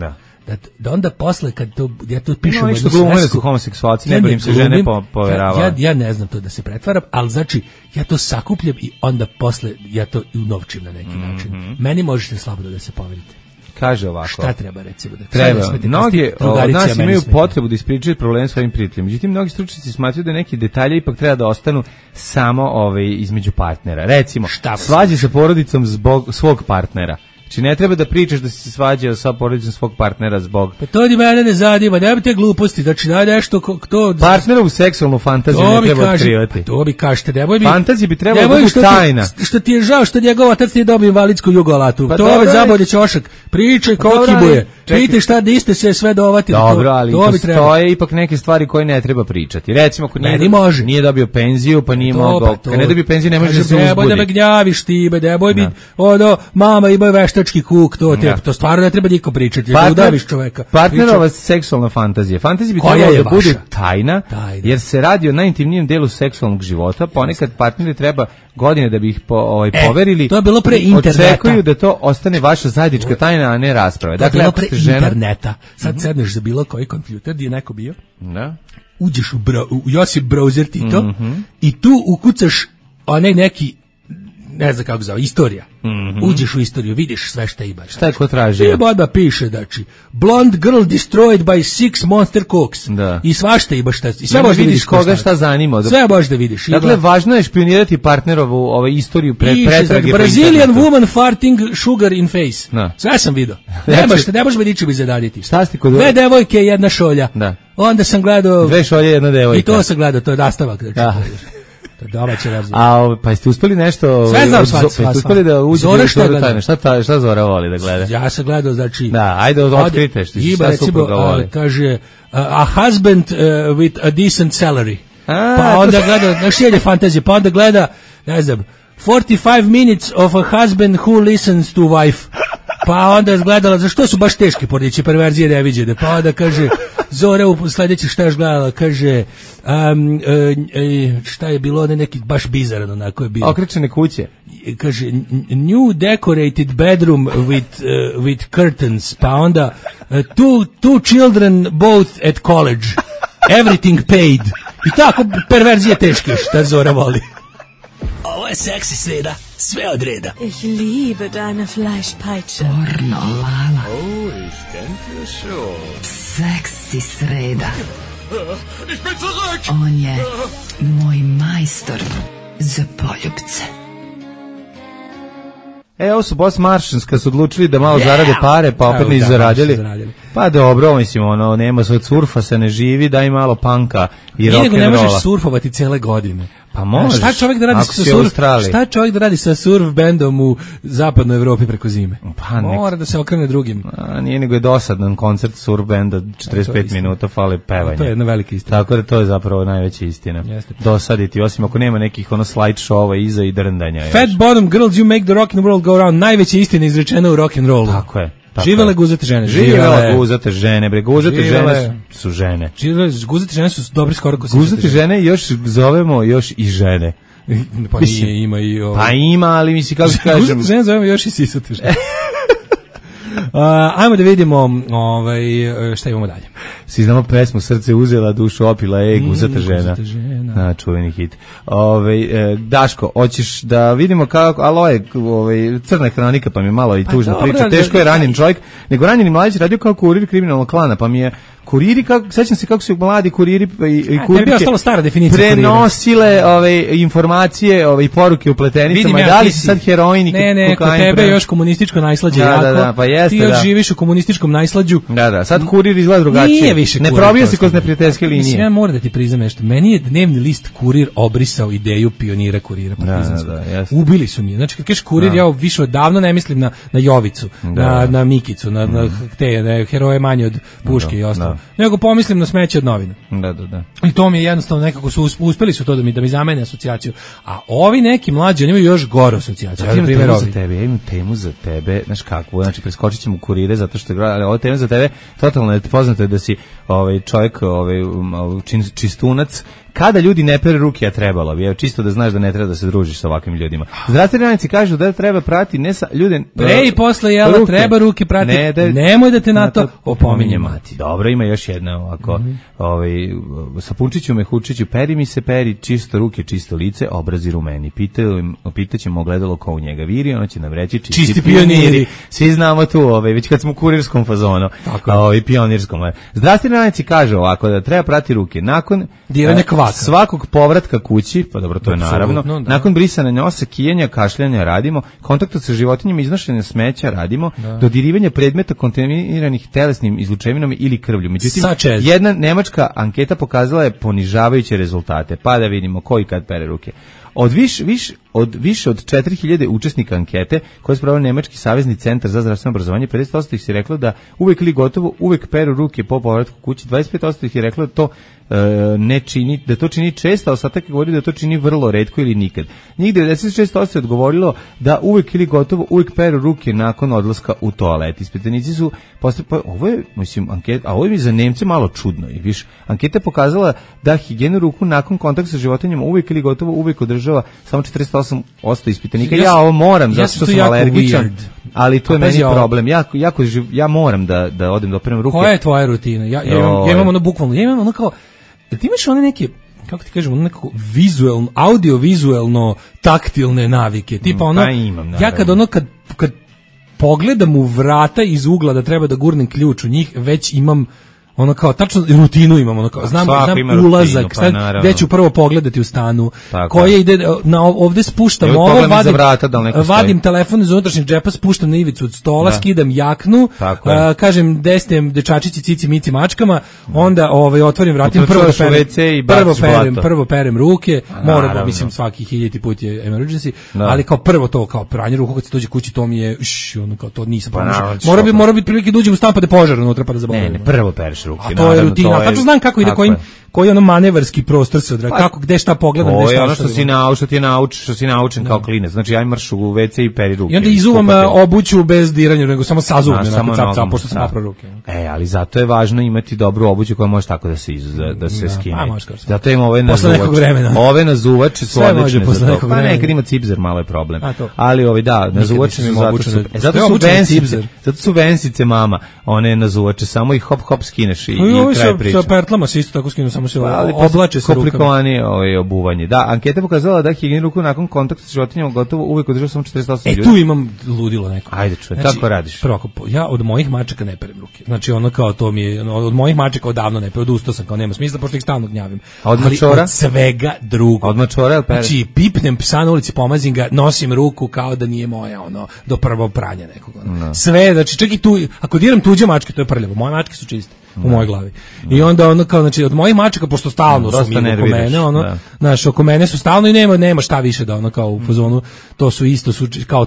Da onda posle, kad to, ja to pišem... Što glume da su homoseksualci, ne im se žene poveravaju. Ja ne znam to da se pretvaram, ali znači, ja to sakupljam i onda posle, ja to unovčim na neki način. Meni možete slabo da se poverite. Kaže ovako. Šta treba, recimo? Treba. Mnogi od nas imaju potrebu da ispričaju problem svojim prijateljima. Međutim, mnogi stručnjaci smatraju da neki detalji ipak treba da ostanu samo između partnera. Recimo, svađa sa porodicom zbog svog partnera. Znači ne treba da pričaš da si se svađao sa porodicom svog partnera zbog... Pa to ni mene ne zanima, nema te gluposti, znači da nešto... Partnerovu seksualnu fantaziju ne treba otkrivati. To bi kažete, nemoj mi... Fantazija bi trebalo da bude tajna. Što ti je žao što njegov otac nije dobio invalidsku jugolatu. Pa to je zabolje ćošak. Pričaj kokibuje. Pitaj šta niste se sve dovatili. Dobro, ali postoje ipak neke stvari koje ne treba pričati. Recimo, ako nije dobio penziju, pa nije mogao... Kad ne dobio penziju, ne može da se uzbudi. Nemoj da me gnjaviš ti, nemoj mi... Mama ima veštački kuk, to stvarno ne treba niko pričati. Udaviš čoveka. Partnerova seksualna fantazija. Fantazija bi trebalo da bude tajna, jer se radi o najintimnijem delu seksualnog života. Ponekad partneri treba godine da bi ih poverili. To je bilo pre interneta. Očekuju da to ostane vaša zajednička tajna, a ne rasprave. Dakle, ako ste žena... interneta. Sad sedneš za bilo koji kompjuter, gdje je neko bio, uđeš u Josip browser Tito i tu ukucaš onaj neki, ne znam kako zove, istorija. Uđeš u istoriju, vidiš sve šta ima. Šta je ko traži? I odmah piše, znači, blonde girl destroyed by 6 monster cooks. I svašta ima šta. I sve možda vidiš koga šta zanima. Sve možda vidiš. Dakle, važno je špionirati partnerovu istoriju pretrage. Brazilian woman farting sugar in face. Sve sam vidio. Ne možeš me ničim izadaditi. Šta ste kod... Dve devojke, jedna šolja. Onda sam gledao... Dve šolje, jedna devojka. I to sam gledao, to je nastavak. Domaća verzija. Pa jeste uspeli nešto... Sve znam, sva. Uspeli da uđe u Zora tajne. Šta Zora voli da gleda? Ja sam gledao, znači... Da, ajde otkrite šta supruga voli. Kaže, a husband with a decent salary. Pa onda gleda, znaš je fantazija, pa onda gleda, ne znam, 45 minutes of a husband who listens to wife. Pa onda je gledala, zašto su baš teške porodične perverzije neviđene, pa onda kaže, Zora u sljedeći šta još gledala, kaže, šta je bilo, neki baš bizaran onako je bio. Okrečene kuće. Kaže, new decorated bedroom with curtains, pa onda, two children both at college, everything paid. I tako perverzije teške, šta Zora voli. Ovo je seksi sreda, sve od reda. Ich liebe deine Fleischpeitsche. Pornolala. Oh, ich denke schon. Seksi sreda. Ich bin zurück. On je moj majstor za poljubce. Ovo su Boss Martians kad su odlučili da malo zarade pare, pa opet nisu zaradili. Pa dobro, mislim, nema se od surfa se ne živi, daj malo panka i rock'n'rolla. Ne možeš surfovati cele godine. Pa može. Šta čovjek da radi sa surf bandom u zapadnoj Evropi preko zime? Pa mora da se okrene drugim. Nije nego je dosadan koncert surf banda 45 minuta fali pevanje. To je jedna velika istina. Tako da to je zapravo najveća istina. Dosaditi, osim ako nema nekih slide showa iza i drndanja. Fat bottom girls you make the rock and roll go round. Najveća istina izrečena u rock and rollu. Tako je. Živele guzate žene. Živele guzate žene, bre. Guzate žene su žene. Guzate žene su dobri skoro ko se. Guzate žene još zovemo još i žene. Pa nije, ima i ovo. Pa ima, ali misli kako kažem. Guzate žene zovemo još i sisate žene. Ajmo da vidimo šta imamo dalje. Svi znamo pesmu Srce uzela, dušu opila, guzata žena. Na, čuveni hit. Daško, hoćeš da vidimo kako, ali crna hronika, pa mi je malo i tužna priča. Teško je ranjen čovjek, nego ranjeni mladić radio kao kurir kriminalnog klana, pa mi je kuriri, sećam se kako su mladi kuriri i kurirke prenosile informacije i poruke u pletenicama, da li su sad heroin i kokain. Ne, kod tebe je još komunističko najslađe jako, ti još živiš u komunističkom najslađu. Da, sad kurir izgleda drugačije. Nije više ne probija se kroz neprijateljske linije. Mislim, ja moram da ti priznam nešto, meni je dnevni list Kurir obrisao ideju pionira kurira partizanskog. Ubili su mi. Znači, kad kažeš kurir, ja više odavno ne mislim na Jovicu, na Mikicu, na te heroje manje od Puške i ostalo. Nego pomislim na smeće od novina. Da. I to mi je jednostavno nekako uspeli su to da mi zamene asocijaciju. A ovi neki mlađi, oni imaju još goru asocijaciju. Ja imam temu za tebe, znaš kakvu, znači preskočit ćemo kurire zato što ali ova tema za tebe totalno je poznato je da si čovjek čistunac. Kada ljudi ne pere ruke, a trebalo bi, čisto da znaš da ne treba da se družiš sa ovakvim ljudima. Zdravstveni radnici kažu da treba prati ne sa ljude pre i posle jela ruke. Treba ruke prati. Nemoj da te na to opominje mati. Dobro, ima još jedna ovako. Sapunčiću me hučiću, peri čisto ruke, čisto lice, obrazi rumeni. Pitaćemo ogledalo ko u njega viri, ono će nam reći čisti pioniri. Svi znamo tu, već kad smo u kurirskom fazonu, pionirskom. Zdravstveni radnici kažu ovako da treba prati ruke nakon diranja kvaka. Svakog povratka kući, pa dobro, to je naravno. Nakon brisanja nosa, kijanja, kašljanja radimo, kontakta sa životinjama, iznošenja smeća radimo, dodirivanja predmeta kontaminiranih telesnim izlučevinama ili krvlju. Međutim, jedna nemačka anketa pokazala je ponižavajuće rezultate. Pa da vidimo ko i kad pere ruke. Od više od 4000 učesnika ankete koje je sproveo Nemački savezni centar za zdravstveno obrazovanje, 50% ih je reklo da uvek ili gotovo uvek peru ruke po povratku kući, 25% ih je reklo da to ne čini, da to čini često, a ostatak je govorio da to čini vrlo retko ili nikad. Njih 96% je odgovorilo da uvek ili gotovo uvek peru ruke nakon odlaska u toalet. Ispitanici su ovo je, mislim, anketa, a ovo je za Nemce malo čudno. I više, anketa je pokazala da higijenu ruku nakon kontakta sa životinjama uvek ili gotovo uvek održava samo 48% ispitanika. Ja ovo moram, zato što sam alergičan, ali to je meni problem. Ja moram da odem da operem ruke. Koja je tvoja rutina? Ja imam ono bukvalno, ja imam ono kao, da ti imaš one neke, kako ti kažemo, nekako vizualno, audio-vizualno taktilne navike. Tipa ono, ja kad pogledam u vrata iz ugla da treba da gurnem ključ u njih, već imam ono kao tačno rutinu imam, ono kao znam ulazak, rutinu, gde ću prvo pogledati u stanu, koje ide na ovde spuštam ovo, vadim telefon iz unutrašnjeg džepa, spuštam na ivicu od stola, skidam jaknu, kažem destem dečačići cici mici mačkama, onda otvorim vratim, prvo perem ruke, moram, mislim svaki 1000 put je emergency, ali kao prvo to, kao pranje ruku kad se dođe kući, to mi je ono kao to nisam pomožao. Mora biti prilike da uđem u stan pa da požar unutra pa da zaboravim. Ne, prvo pereš ruke. A to je rutina, tačno znam kako ide, koji ono manevarski prostor se odradi, kako, gde šta pogledam, gde šta. Ono što si naučen kao klinac, znači ja marš u WC i peri ruke. I onda izuvam obuću bez diranja, nego samo sazuvim, pošto sam napravo ruke. Ali zato je važno imati dobru obuću koja može tako da se skine. Zato ima ove nazuvače su odlične za to. Pa nekad ima cipzer, malo je problem. Ali nazuvače su zato su vensice mama, one nazuvače, samo ih hop skineš i kraj priče. Sa pertlama se isto tako skinu, samo se oblače sa rukama. Komplikovanije obuvanje. Da, anketa pokazala da higijenu ruku nakon kontakta sa životinjama gotovo uvek održava samo 48 ljudi. Tu imam ludilo neko. Ajde čuj, znači, kako radiš? Prvo, ja od mojih mačaka ne perem ruke. Znači ono kao to mi je, od mojih mačaka odavno ne perem, odustao sam, kao nema smisla, pošto ih stalno gnjavim. A od mačora? Od svega drugo. Od mačora, znači, pipnem psa na ulici, pomazim ga, nosim ruku kao da nije moja, do prvog pranja nekog. Sve, znači, čak i tu, ako diram tuđe mačke, to je prljavo. Moje mačke su čiste. U mojoj glavi. I onda kao, znači, od mojih mačaka, pošto stalno su mi oko mene, znaš, oko mene su stalno i nema šta više da kao u fazonu, to su isto, kao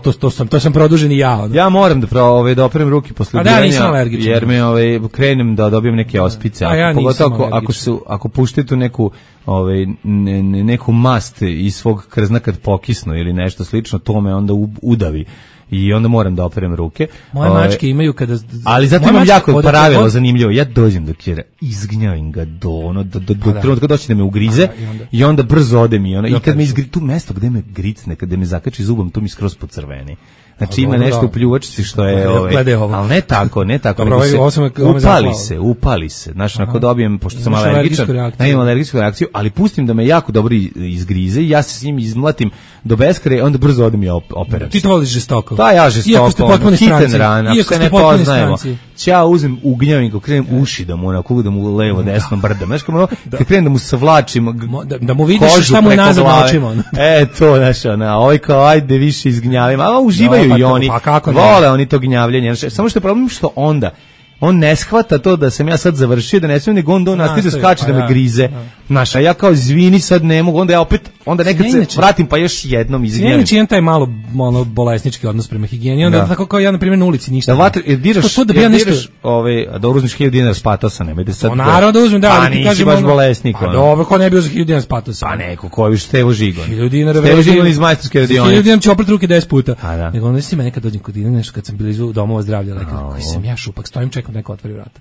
to sam produžen i ja. Ja moram da operem ruke posle diranja, jer me krenem da dobijem neke ospice, pogotovo ako puštaju tu neku mast iz svog krzna kad pokisnu ili nešto slično, to me onda udavi. I onda moram da operem ruke. Moje mačke imaju kada... Ali zato imam jako pravilo zanimljivo. Ja dođem do kjera, izgnjavim ga do trenutka doći da me ugrize i onda brzo odem i kad me izgrize, tu mesto gde me gricne, kada me zakači zubom, tu mi skroz pocrveni. Znači ima nešto u pljuvačci što je, ali ne tako, upali se. Znači, ako dobijem, pošto sam alergičan, imam alergijsku reakciju, ali pustim da me jako dobro izgrize i ja se s njim izmlatim do beskraja, onda brzo odem i operam. Ti to voliš žestoko? Da, ja žestoko, hiten ran, ako se ne poznajemo. Ja uzem, ugnjavim ga, krenem uši da mu levo, desno brdam. Znaš, kad krenem da mu savlačim da mu vidiš šta mu je nazad na očima. To, znaš, ovaj kao, ajde više izgnjavim, a uživaju i oni, vole oni to gnjavljenje. Samo što je problem što onda on ne shvata to da sam ja sad završio, da ne smijem, nego onda on nastavi da skače, da me grize. Znaš, a ja kao izvini, sad ne mogu, onda ja opet, onda nekad se vratim pa još jednom izgnjavim. Inače imam taj malo bolesnički odnos prema higijeni, onda tako kao ja, na primjer, na ulici ništa. Diraš, da uzmeš 1000 dinara spatosa, nemojte sad... Naravno da uzmem, da, ali ti kažem... Pa nisi baš bolesnik. Pa dobro, ko ne bi uzeo 1000 dinara spatosa? Pa neko, ko je više Stevo Žigon. 1000 dinara... Stevo Žigon iz majstorske radionice. 1000 dinara će oprat ruke 10 puta. Nego onda si me nekad dođem kod Dina, nešto kad sam bili iz domova zdravlja, koji sam ja šupak, stojim, čekam neko otvori vrata.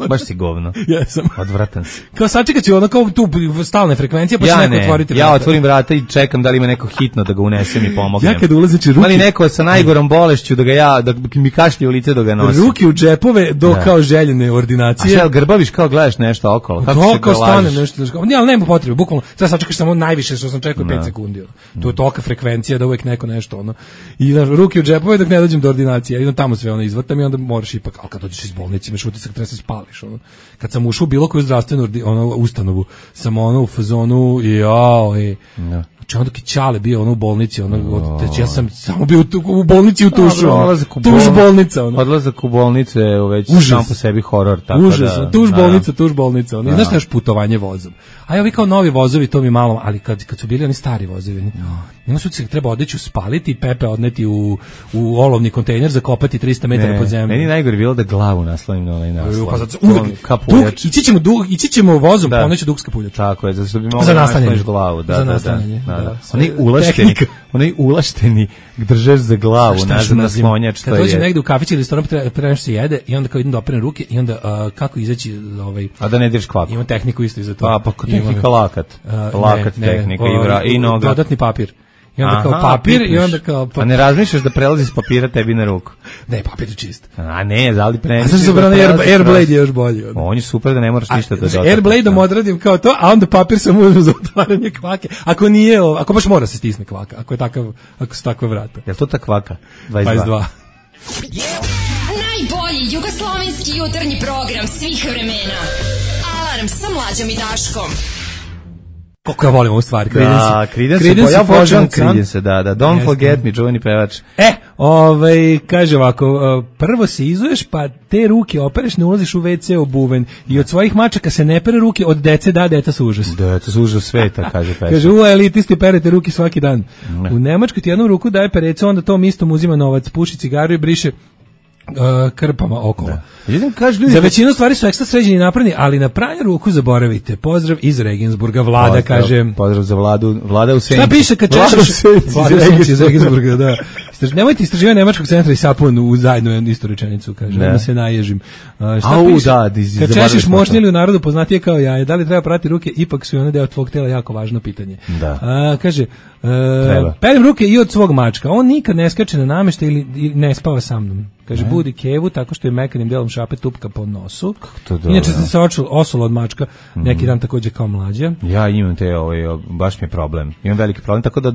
Baš si govno. Jesam. Odvratan si. Kao sačekat ću kao tu stalne frekvencije, pa će neko otvoriti vrata. Ja otvorim vrata i čekam da li ima neko hitno da ga unesem i pomognem. Ja kad ulazim ruke... Ali neko sa najgorom bolešću da mi kašlje u lice da ga nosim. Ruke u džepove do kao željene ordinacije. A šta, grbaviš kao gledaš nešto okolo? Kako stane nešto. Ne, ali nema potrebe, bukvalno. Sad sačekaš samo najviše što sam čekao 5 sekundi. To je tolika frekvencija da uvek neko nešto I ruke u džepove dok ne dođem do ordinacije. Idem tamo sve izvatam i onda moraš ipak, al kad dođeš iz bolnice, imaš utisak da se spališ. Kad sam ušao u bilo koju zdravstvenu ustanovu, sam u fazonu znači onda kad Ćale bio u bolnici, ja sam samo bio u bolnici u tušu. Tuž bolnica. Odlazak u bolnice je već sam po sebi horor. Užasno, tuž bolnica. I znaš još putovanje vozom. A ja vi kao novi vozovi, to mi malo, ali kad su bili oni stari vozovi, nema su se treba odeću spaliti, Pepe odneti u olovni kontejner, zakopati 300 metara pod zemljom. Meni najgore bilo da glavu naslovim na ovaj naslov. Ići ćemo vozom, poneću Dukska puljača. Tako je, zato što bi mogli nasloniš glavu. Za nastanjanje. Onaj ulašteni držeš za glavu, nazad naslonjač. Kad dođem negde u kafić ili restoran, pre nešto se jede i onda kao idem da operem ruke i onda kako izaći a da ne diraš kvaku. Ima tehniku isto i za to. Pa tehnika lakat tehnika i noga. Dodatni papir. I onda kao papir i onda kao... A ne razmišljaš da prelazi s papira tebi na ruku? Ne, papir je čist. A ne, ali preniš... A sad Airblade je još bolji. On je super da ne moraš ništa da dotakneš. Airblade-om odradim kao to, a onda papir sam uzmem za otvaranje kvake. Ako baš mora se stisne kvaka, ako su takva vrata. Je li to ta kvaka? 22. Najbolji jugoslovenski jutarnji program svih vremena. Alarm sa Mlađom i Daškom. Koliko ja volim ovu stvar, Creedence, ja volim Creedence, da, Don't Forget Me, čuveni pevač. Kaže ovako, prvo se izuješ, pa te ruke opereš, ne ulaziš u WC obuven i od svojih mačaka se ne pere ruke, od dece deca su užas. Deca su užas sveta, kaže pesma. Kaže, elitisti perete ruke svaki dan. U Nemačkoj ti jednu ruku daje perecu, onda tom istom uzima novac, puši cigaru i briše krpama okolo. Za većinu stvari su ekstra sređeni i napravljeni, ali na pranje ruku zaboravite. Pozdrav iz Regensburga, Vlada kaže. Pozdrav za Vlada u Senci. Šta piše kad češeš? Vlada iz Regensburga, da. Nemojte istraživati Nemačkog centra i sapun u zajednu istu rečenicu, kaže. Da se naježim. Šta piše? Kad češeš moćni ili u narodu poznatije kao jaje, da li treba prati ruke, ipak su i one deo tvog tela, jako važno pitanje. Kaže, perem ruke i od svog mačka. On nikad ne skače na nameštaj ili ne spava sa mnom. Kaže, budi Kevu tako što je mekanim delom šape tupka po nosu. Inače sam se osula od mačka neki dan takođe kao mlađa. Ja imam baš mi je problem. Imam veliki problem, tako da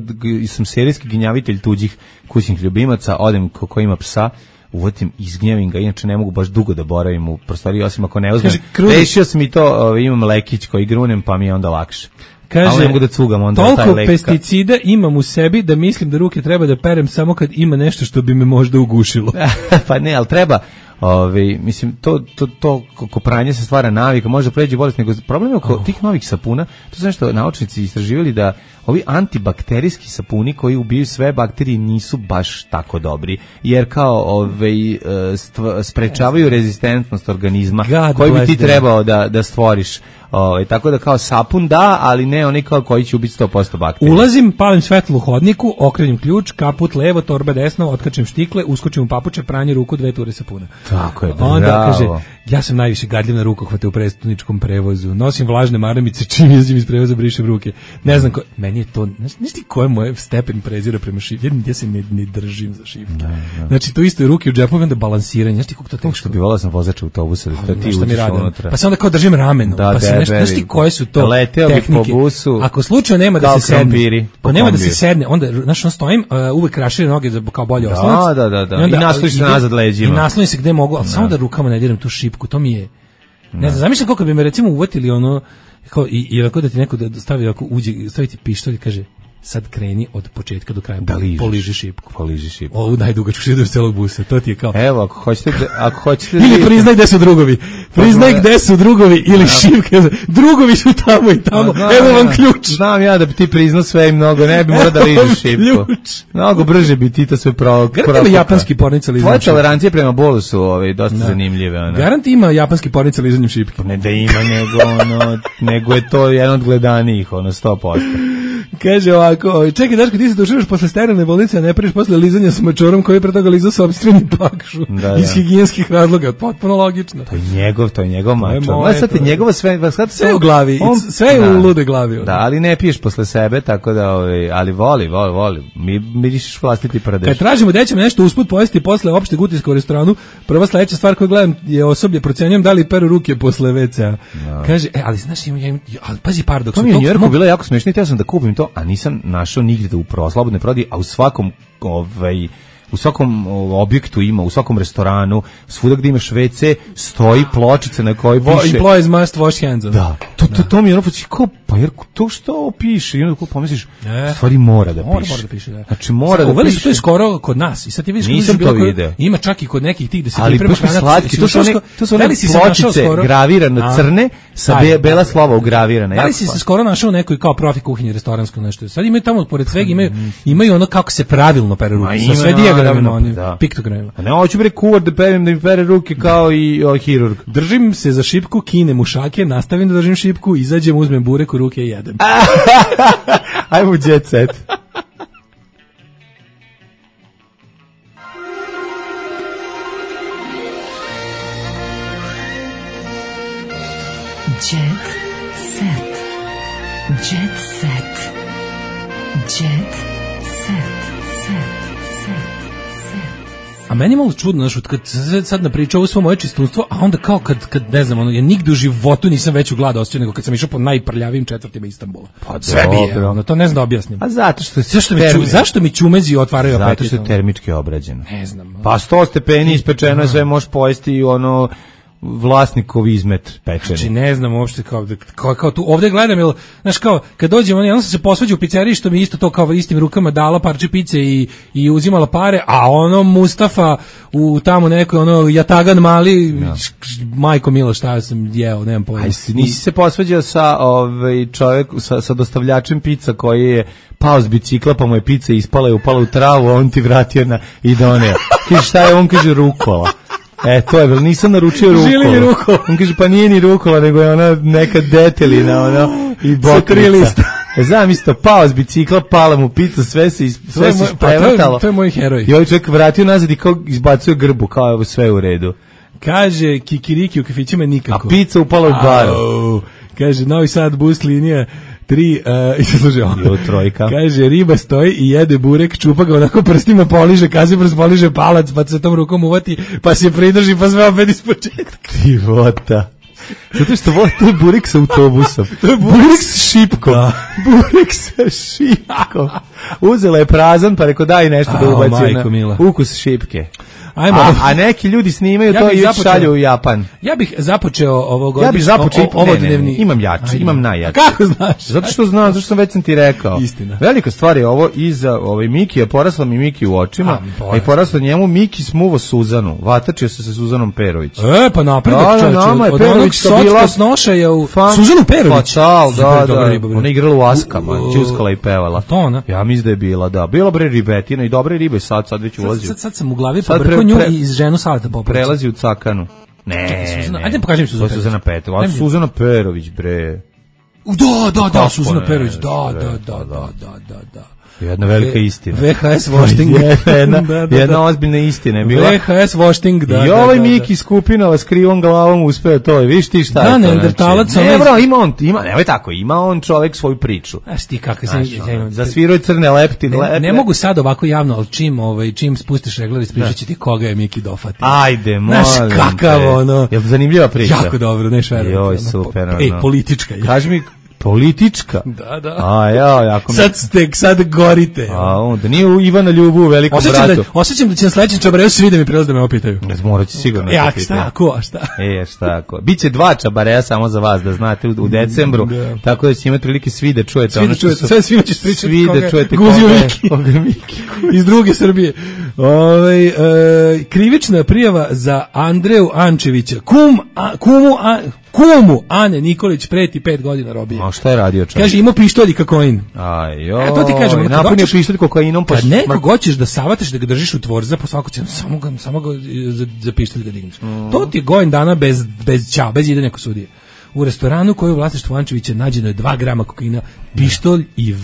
sam serijski ginjavitelj tuđih kućnih ljubimaca, odem ko ima psa, uvotim, izgnjavim ga, inače ne mogu baš dugo da boravim u prostoriji, osim ako ne uzmem. Rešio sam i to, imam lekić koji grunem, pa mi je onda lakše. Kaže, ne mogu da cugam onda taj toliko pesticida imam u sebi da mislim da ruke treba da perem samo kad ima nešto što bi me možda ugušilo. Pa ne, ali treba, mislim, to ko pranje se stvara navika, može pređi bolest, nego problem je oko tih novih sapuna, to su nešto naučnici istraživali da ovi antibakterijski sapuni koji ubiju sve bakterije nisu baš tako dobri, jer kao sprečavaju rezistentnost organizma koji bi ti trebao da stvoriš. Tako da kao sapun da, ali ne oni kao koji će ubiti 100% bakterija. Ulazim, palim svetlo u hodniku, okrenim ključ, kaput levo, torba desno, otkačem štikle, uskočim u papuče, pranje ruku, 2 ture sapuna. Tako je, bravo. Onda kaže, ja sam najviše gadljiv na rukohvate u prestoničkom prevozu, nosim vlažne maramice, čim izim iz prevoza brišem ruke. Ne znam, meni je to, znaš ti ko je moj stepen prezira prema šifki? Ja se ne držim za šifke. Znači, to isto je ruke u džepovi, onda balansiranje, znaš ti kako to teško? Što bi volao sam vozača autobusa, da ti uđeš unutra. Pa se onda kao držim rameno, znaš ti koje su to tehnike? Ako slučajno nema da se sedne, nema da se sedne, onda znaš on stojim, uvek raširim noge kao bolje oslonac. Da. I nasloniš se nazad leđima. I naslonim se gde mogu, ali samo da rukama ne diram tu šipku, to mi je. Ne znam, zamišljam koliko bi me recimo uvatili ono kao i ako da ti neko da stavi ako uđe, staviti pištolj i kaže sad kreni od početka do kraja, poliži šipku. Ovu najdugačku šipku celog busa, to ti je kao. Evo, ako hoćete ili priznaj gde su drugovi. Priznaj gde su drugovi ili šipke. Drugovi su tamo i tamo. Evo vam ključ. Znam ja da bi ti priznao sve i mnogo, ne bi morao da ližiš šipku. Mnogo brže bi ti to sve Garant japanski pornica lizanjem šipke. Tvoje tolerancije prema bolu su dosta zanimljive. Garant ima japanski pornica lizanjem šipke. Ne da ima, nego je to jedan od gledanijih, 100%. Kaže ovako, čekaj Daško, ti se doširaš posle sterilne bolnice, a ne preš posle lizanja s mačorom koji je pre toga lizao sopstveni pakšu iz higijenskih razloga, potpuno logično. To je njegov mačor. Sad je njegova sve u glavi, sve je u lude glavi. Da, ali ne piješ posle sebe, tako da, ali voli. Mirišiš vlastiti pradeš. Kad tražimo da ćemo nešto usput pojesti posle opšteg utiska u restoranu, prva sledeća stvar koju gledam je osoblje, procenjujem da li peru ruke posle WC-a. Kaže, ali znaš, ali pazi paradoks. To mi je u Njujorku bilo jako smešno, ja sam da kupim to, a nisam našao nigde da u slobodne prodaji, a u svakom objektu ima, u svakom restoranu, svuda gde imaš WC, stoji pločica na kojoj piše employees must wash hands. Da, to mi je ono kao, pa jer to što piše? I onda pomisliš, stvari mora da piše. Mora da piše, da. Znači mora da piše. To je skoro kod nas. I sad ti vidiš, nisam to video. Ima čak i kod nekih tih da se priprema hrana. Ali to su one pločice gravirane crne sa bela slova ugravirane. Da li si se skoro našao nekoj kao profi kuhinje restoransko nešto? Sad imaju tamo pored svega imaju ono kako se pravilno pere ruke. Sa sve dijagramima, piktogramima. Ne hoću bre kuvar da perem da mi pere ruke kao i hirurg. Držim se za šipku, kinem u šake, nastavim da držim šipku, izađem, uzmem burek u ruke i jedem. Ajmo jet set. Jet set. Jet set. Jet set. A meni je malo čudno, znaš, kad sad napričao ovo svo moje čistunstvo, a onda kao kad ne znam, ja nigde u životu nisam veću glad osjećao nego kad sam išao po najprljavijim četvrtima Istanbula. Pa sve bi je, to ne znam da objasnim. A zato što zašto mi čumezi otvaraju apetit? Zato što je termički obrađeno. Ne znam. Pa 100 stepeni ispečeno, sve možeš pojesti i vlasnikov izmet pečeni. Znači ne znam uopšte kao tu ovde gledam, jel, znaš kao kad dođem, ja sam se posvađao u pizzeriji što mi isto to kao istim rukama dala parče pice i uzimala pare, a ono Mustafa u tamo nekoj jatagan mali, majko milo šta sam jeo, nemam pojma. Nisi se posvađao sa čovjek sa dostavljačem pizza koji je pao s bicikla pa mu je pizza ispala i upala u travu, a on ti vratio i doneo. Kaže šta je, on kaže rukola. To je, nisam naručio rukola. On kaže, pa nije ni rukola, nego je ona neka detelina, i bokrica. Znam isto, pao s bicikla, pala mu pizza, sve se isprevrtalo. To je moj heroj. I ovaj čovjek vratio nazad i kao izbacuje grbu, kao evo sve u redu. Kaže, kikiriki u kafićima nikako. A pizza upala u baru. Kaže, Novi Sad bus linija trojka. Kaže, riba stoji i jede burek, čupa ga onako prstima, poliže, kaziprst, poliže palac, pa se tom rukom uvati, pa se pridrži, pa sve opet iz početka. Divota. Zato što to je burek sa autobusom. To je burek sa šipkom. Burek sa šipkom. Uzela je prazan, pa rekao daj nešto da ubaci na ukus šipke. A neki ljudi snimaju to i šalju u Japan. Ja bih započeo imam najjači. Kako znaš? Zato što znam, zato što već sam ti rekao. Istina. Velika stvar je ovo iza Miki, je porasla mi Miki u očima, a i porasla njemu Miki smuvo Suzanu. Vatačio se sa Suzanom Perović. Pa napredak čovječe. Od onog socka snoša je u Suzanu Perović. Da. Ona igrala u Askama, ćuskala i pevala. To ona? Ja mislim da je bila, da. Bila bre ribetina i dobre ribe, sad već ulazio. Sad sam u glavi pobrkao nju i ženu Saleta Popovića. Prelazi u Cakanu. Ajde pokaži mi Suzana Petrović. Suzana Perović, bre. Da, Suzana Perović, da. Jedna velika istina. VHS Washing. Jedna ozbiljna istina je bila. VHS Washing, da. I ovaj Miki Skupinova s krivom glavom uspeo to. Viš ti šta je to? Da, neandertalac. Nemoj tako, ima on čovjek svoju priču. Znaš ti kako se... Zasvirao je crne leptine. Ne mogu sad ovako javno, ali čim spustiš regler, ispričat ću ti koga je Miki dofatio. Ajde, molim te. Znaš kakav ono... Je zanimljiva priča? Jako dobro, neš verujem. Joj, super. Politička je. Kaži mi... Politička? Da. Sad gorite. Da nije Ivana Ljubu u Velikom bratu. Osjećam da će na sledećem čabareju svi da mi prelaze da me opitaju. Morat će sigurno. Šta? Biće 2 čabareja samo za vas, da znate, u decembru, tako da ćete imati prilike svi da čujete. Svima ćeš pričati svi da čujete koga Miki. Iz druge Srbije. Krivična prijava za Andreju Ančevića. Kumu Ane Nikolić preti 5 godina robije. A šta je radio čovjek? Kaže, imao pištolj i kokain. To ti kažem. Napunio pištolj kokainom. Kad nekog hoćeš da savataš da ga držiš u tvorza, po svaku cenu, samo ga za pištolj da digneš. To ti je godin dana bez idanja kod sudije. U restoranu koji je u vlasništvu Ančevića nađeno je 2 grama kokaina, pištolj i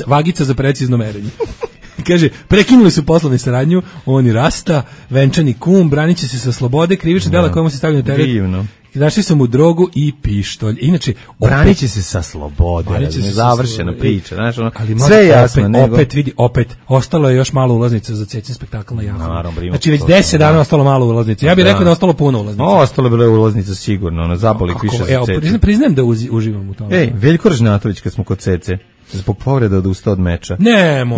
vagica za precizno merenje. Kaže, prekinuli su poslovnu saradnju, on i Rasta, venčani kum, branit će se sa slobode, krivična dela kojemu se stavljaju na teret. Divno. Našli su mu drogu i pištolj. Inače, branit će se sa slobode. Završena priča. Ali sve je jasno. Opet, ostalo je još malo ulaznica za Cecin spektakl na Jahu. Znači, već 10 dana ostalo malo ulaznica. Ja bih rekao da ostalo puno ulaznica. Ostalo je bilo ulaznica sigurno. Zaboli više za Cecin. Priznajem da uživam u tome. Veljko Ražnatović, kad smo kod Cece, zbog povreda odustao od meča.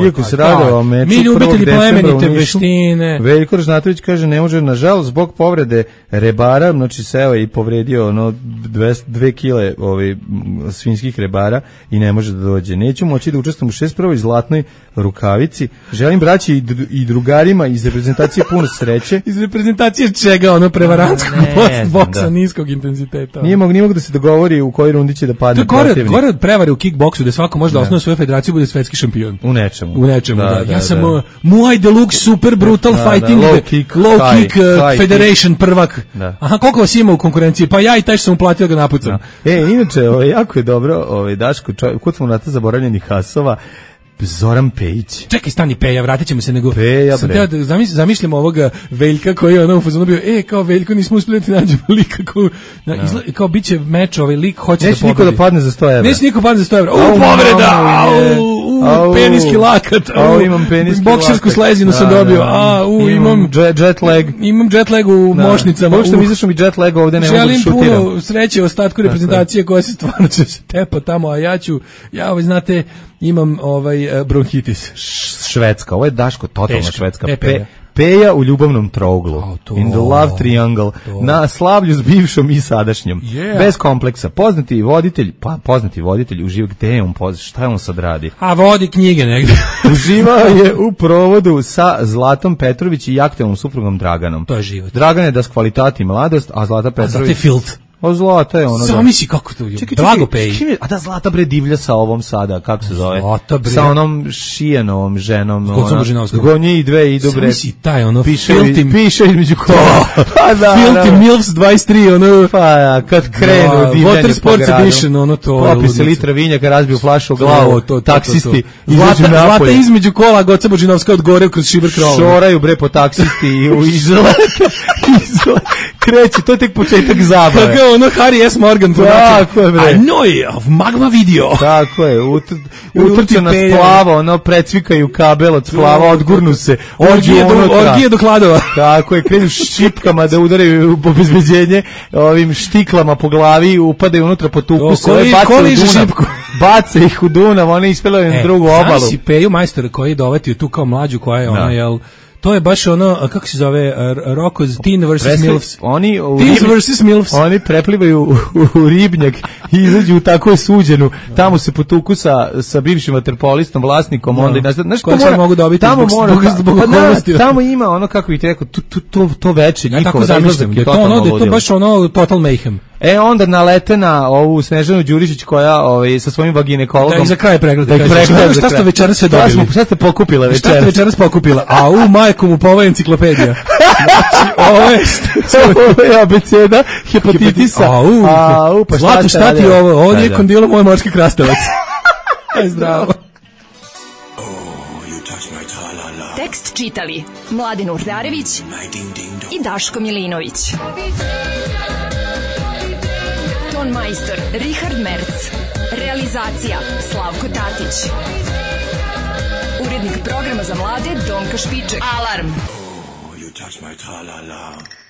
Iako se radilo o meču, mi ljubitelji plemenite veštine. Veljko Ražnatović kaže ne može, nažalost, zbog povrede rebara, znači seo i povredio 2 kile svinjskih rebara i ne može da dođe. Neću moći da učestvujem u 61. zlatnoj rukavici. Želim braći i drugarima iz reprezentacije puno sreće. Iz reprezentacije čega? Prevarantskog boksa niskog intenziteta. Nije mogu da se dogovori u kojoj rundi će da padne protivnik. Gore od prevare u kickboksu, da svako može da osnovi svoju federaciju, bude svetski šampion. U nečemu. Da. Ja sam Muay Deluxe Super Brutal Fighting Low Kick Federation prvak. Aha, koliko vas ima u konkurenciji? Pa ja i taj što sam uplatio ga napucam. Inače, jako je dobro, Daško, kod smo nata zaboravljenih hasova, Zoran Pejić. Čekaj, stani Peja, vratit ćemo se nego. Peja, bre. Zamišljam ovoga Veljka koji je u fazonu bio, kao Veljko, nismo uspjeli da nađemo lika kao biće meč, lik hoće da pobedi. Neće niko da padne za 100 evra. Neće niko padne za 100 evra. Povreda! Peniski lakat. Imam peniski lakat. Boksersku slezinu sam dobio. Imam jet lag. Imam jet lag u mošnicama. Možda mi izašao mi jet lag ovde, ne mogu da šutiram. Želim puno sreće ostatku reprezentacije koja se stvarno će se tepa tamo, a ja znate, imam bronhitis. Švedska, ovo je Daško, totalna Švedska. Peja u ljubavnom trouglu. In the love triangle. Na slavlju s bivšom i sadašnjom. Bez kompleksa. Poznati voditelj uživa gde je on, šta je on sad radi? A vodi knjige negdje. Uživao je u provodu sa Zlatom Petrović i aktuelnom suprugom Draganom. To je život. Dragan je das kvalitat i mladost, a Zlata Petrović... A Zlata je filt. Zlata je ono. Samo si kako to je. Drago Peji. A da Zlata bre divlja sa ovom sada, kako se zove? Sa onom Šijanovom ženom. Gonje i dve idu bre. Samo si taj ono. Piše između kola. Filti Milfs 23 ono. Pa kad krenu divljanje Water Sports Edition ono to. Popi se litra vinjaka, razbio flašu u glavu. Taksisti Zlata između kola, Goca Božinovska od gore kroz šiber krova. Šoraju bre po taksisti i izlete. kreće, to je tek početak zabave. Kako ono Harry S. Morgan tako je, bre. Annoy of Magma Video. Tako je, utrče na splavo, ono, precvikaju kabel od splava, odgurnu se. Orgije do hladova. Tako je, krenu šipkama da udaraju u obezbeđenje, ovim štiklama po glavi, upadaju unutra, potuku se, bace ih u Dunav, oni ispelaju na drugu obalu. Znaš si Peju majstora koji je dovetio tu kao mlađu, koja je ona, jel... To je baš ono, kako se zove, Rocko's Teen vs. Milfs. Teens vs. Milfs. Oni preplivaju u ribnjak i izađu u takvu suđenu. Tamo se potuku sa bivšim vaterpolistom, vlasnikom. Onda, znaš, koje sad mogu dobiti zbog okolnosti. Tamo ima ono, kako bih ti rekao, to veče njihovo. Ja tako zamišljam, to je baš ono Total Mayhem. Onda nalete na ovu Snežanu Đurišić koja sa svojim vaginekologom. Da, i za kraj pregleda. Šta ste večeras sve dobili? Šta ste pokupila večeras? Šta ste večeras pokupila? A u majku mu pa ovo je enciklopedija. Znači, ovo je abeceda hepatitisa. Pa Zlato, šta ti ovo? Ovo nije kondilo moj morski krastavac. Aj zdravo. Tekst čitali Mladen Urdarević i Daško Milinović. Ton majstor Richard Merc. Realizacija Slavko Tatić. Urednik programa za mlade Donka Špiček. Alarm! Oh, you touch my tra-la-la.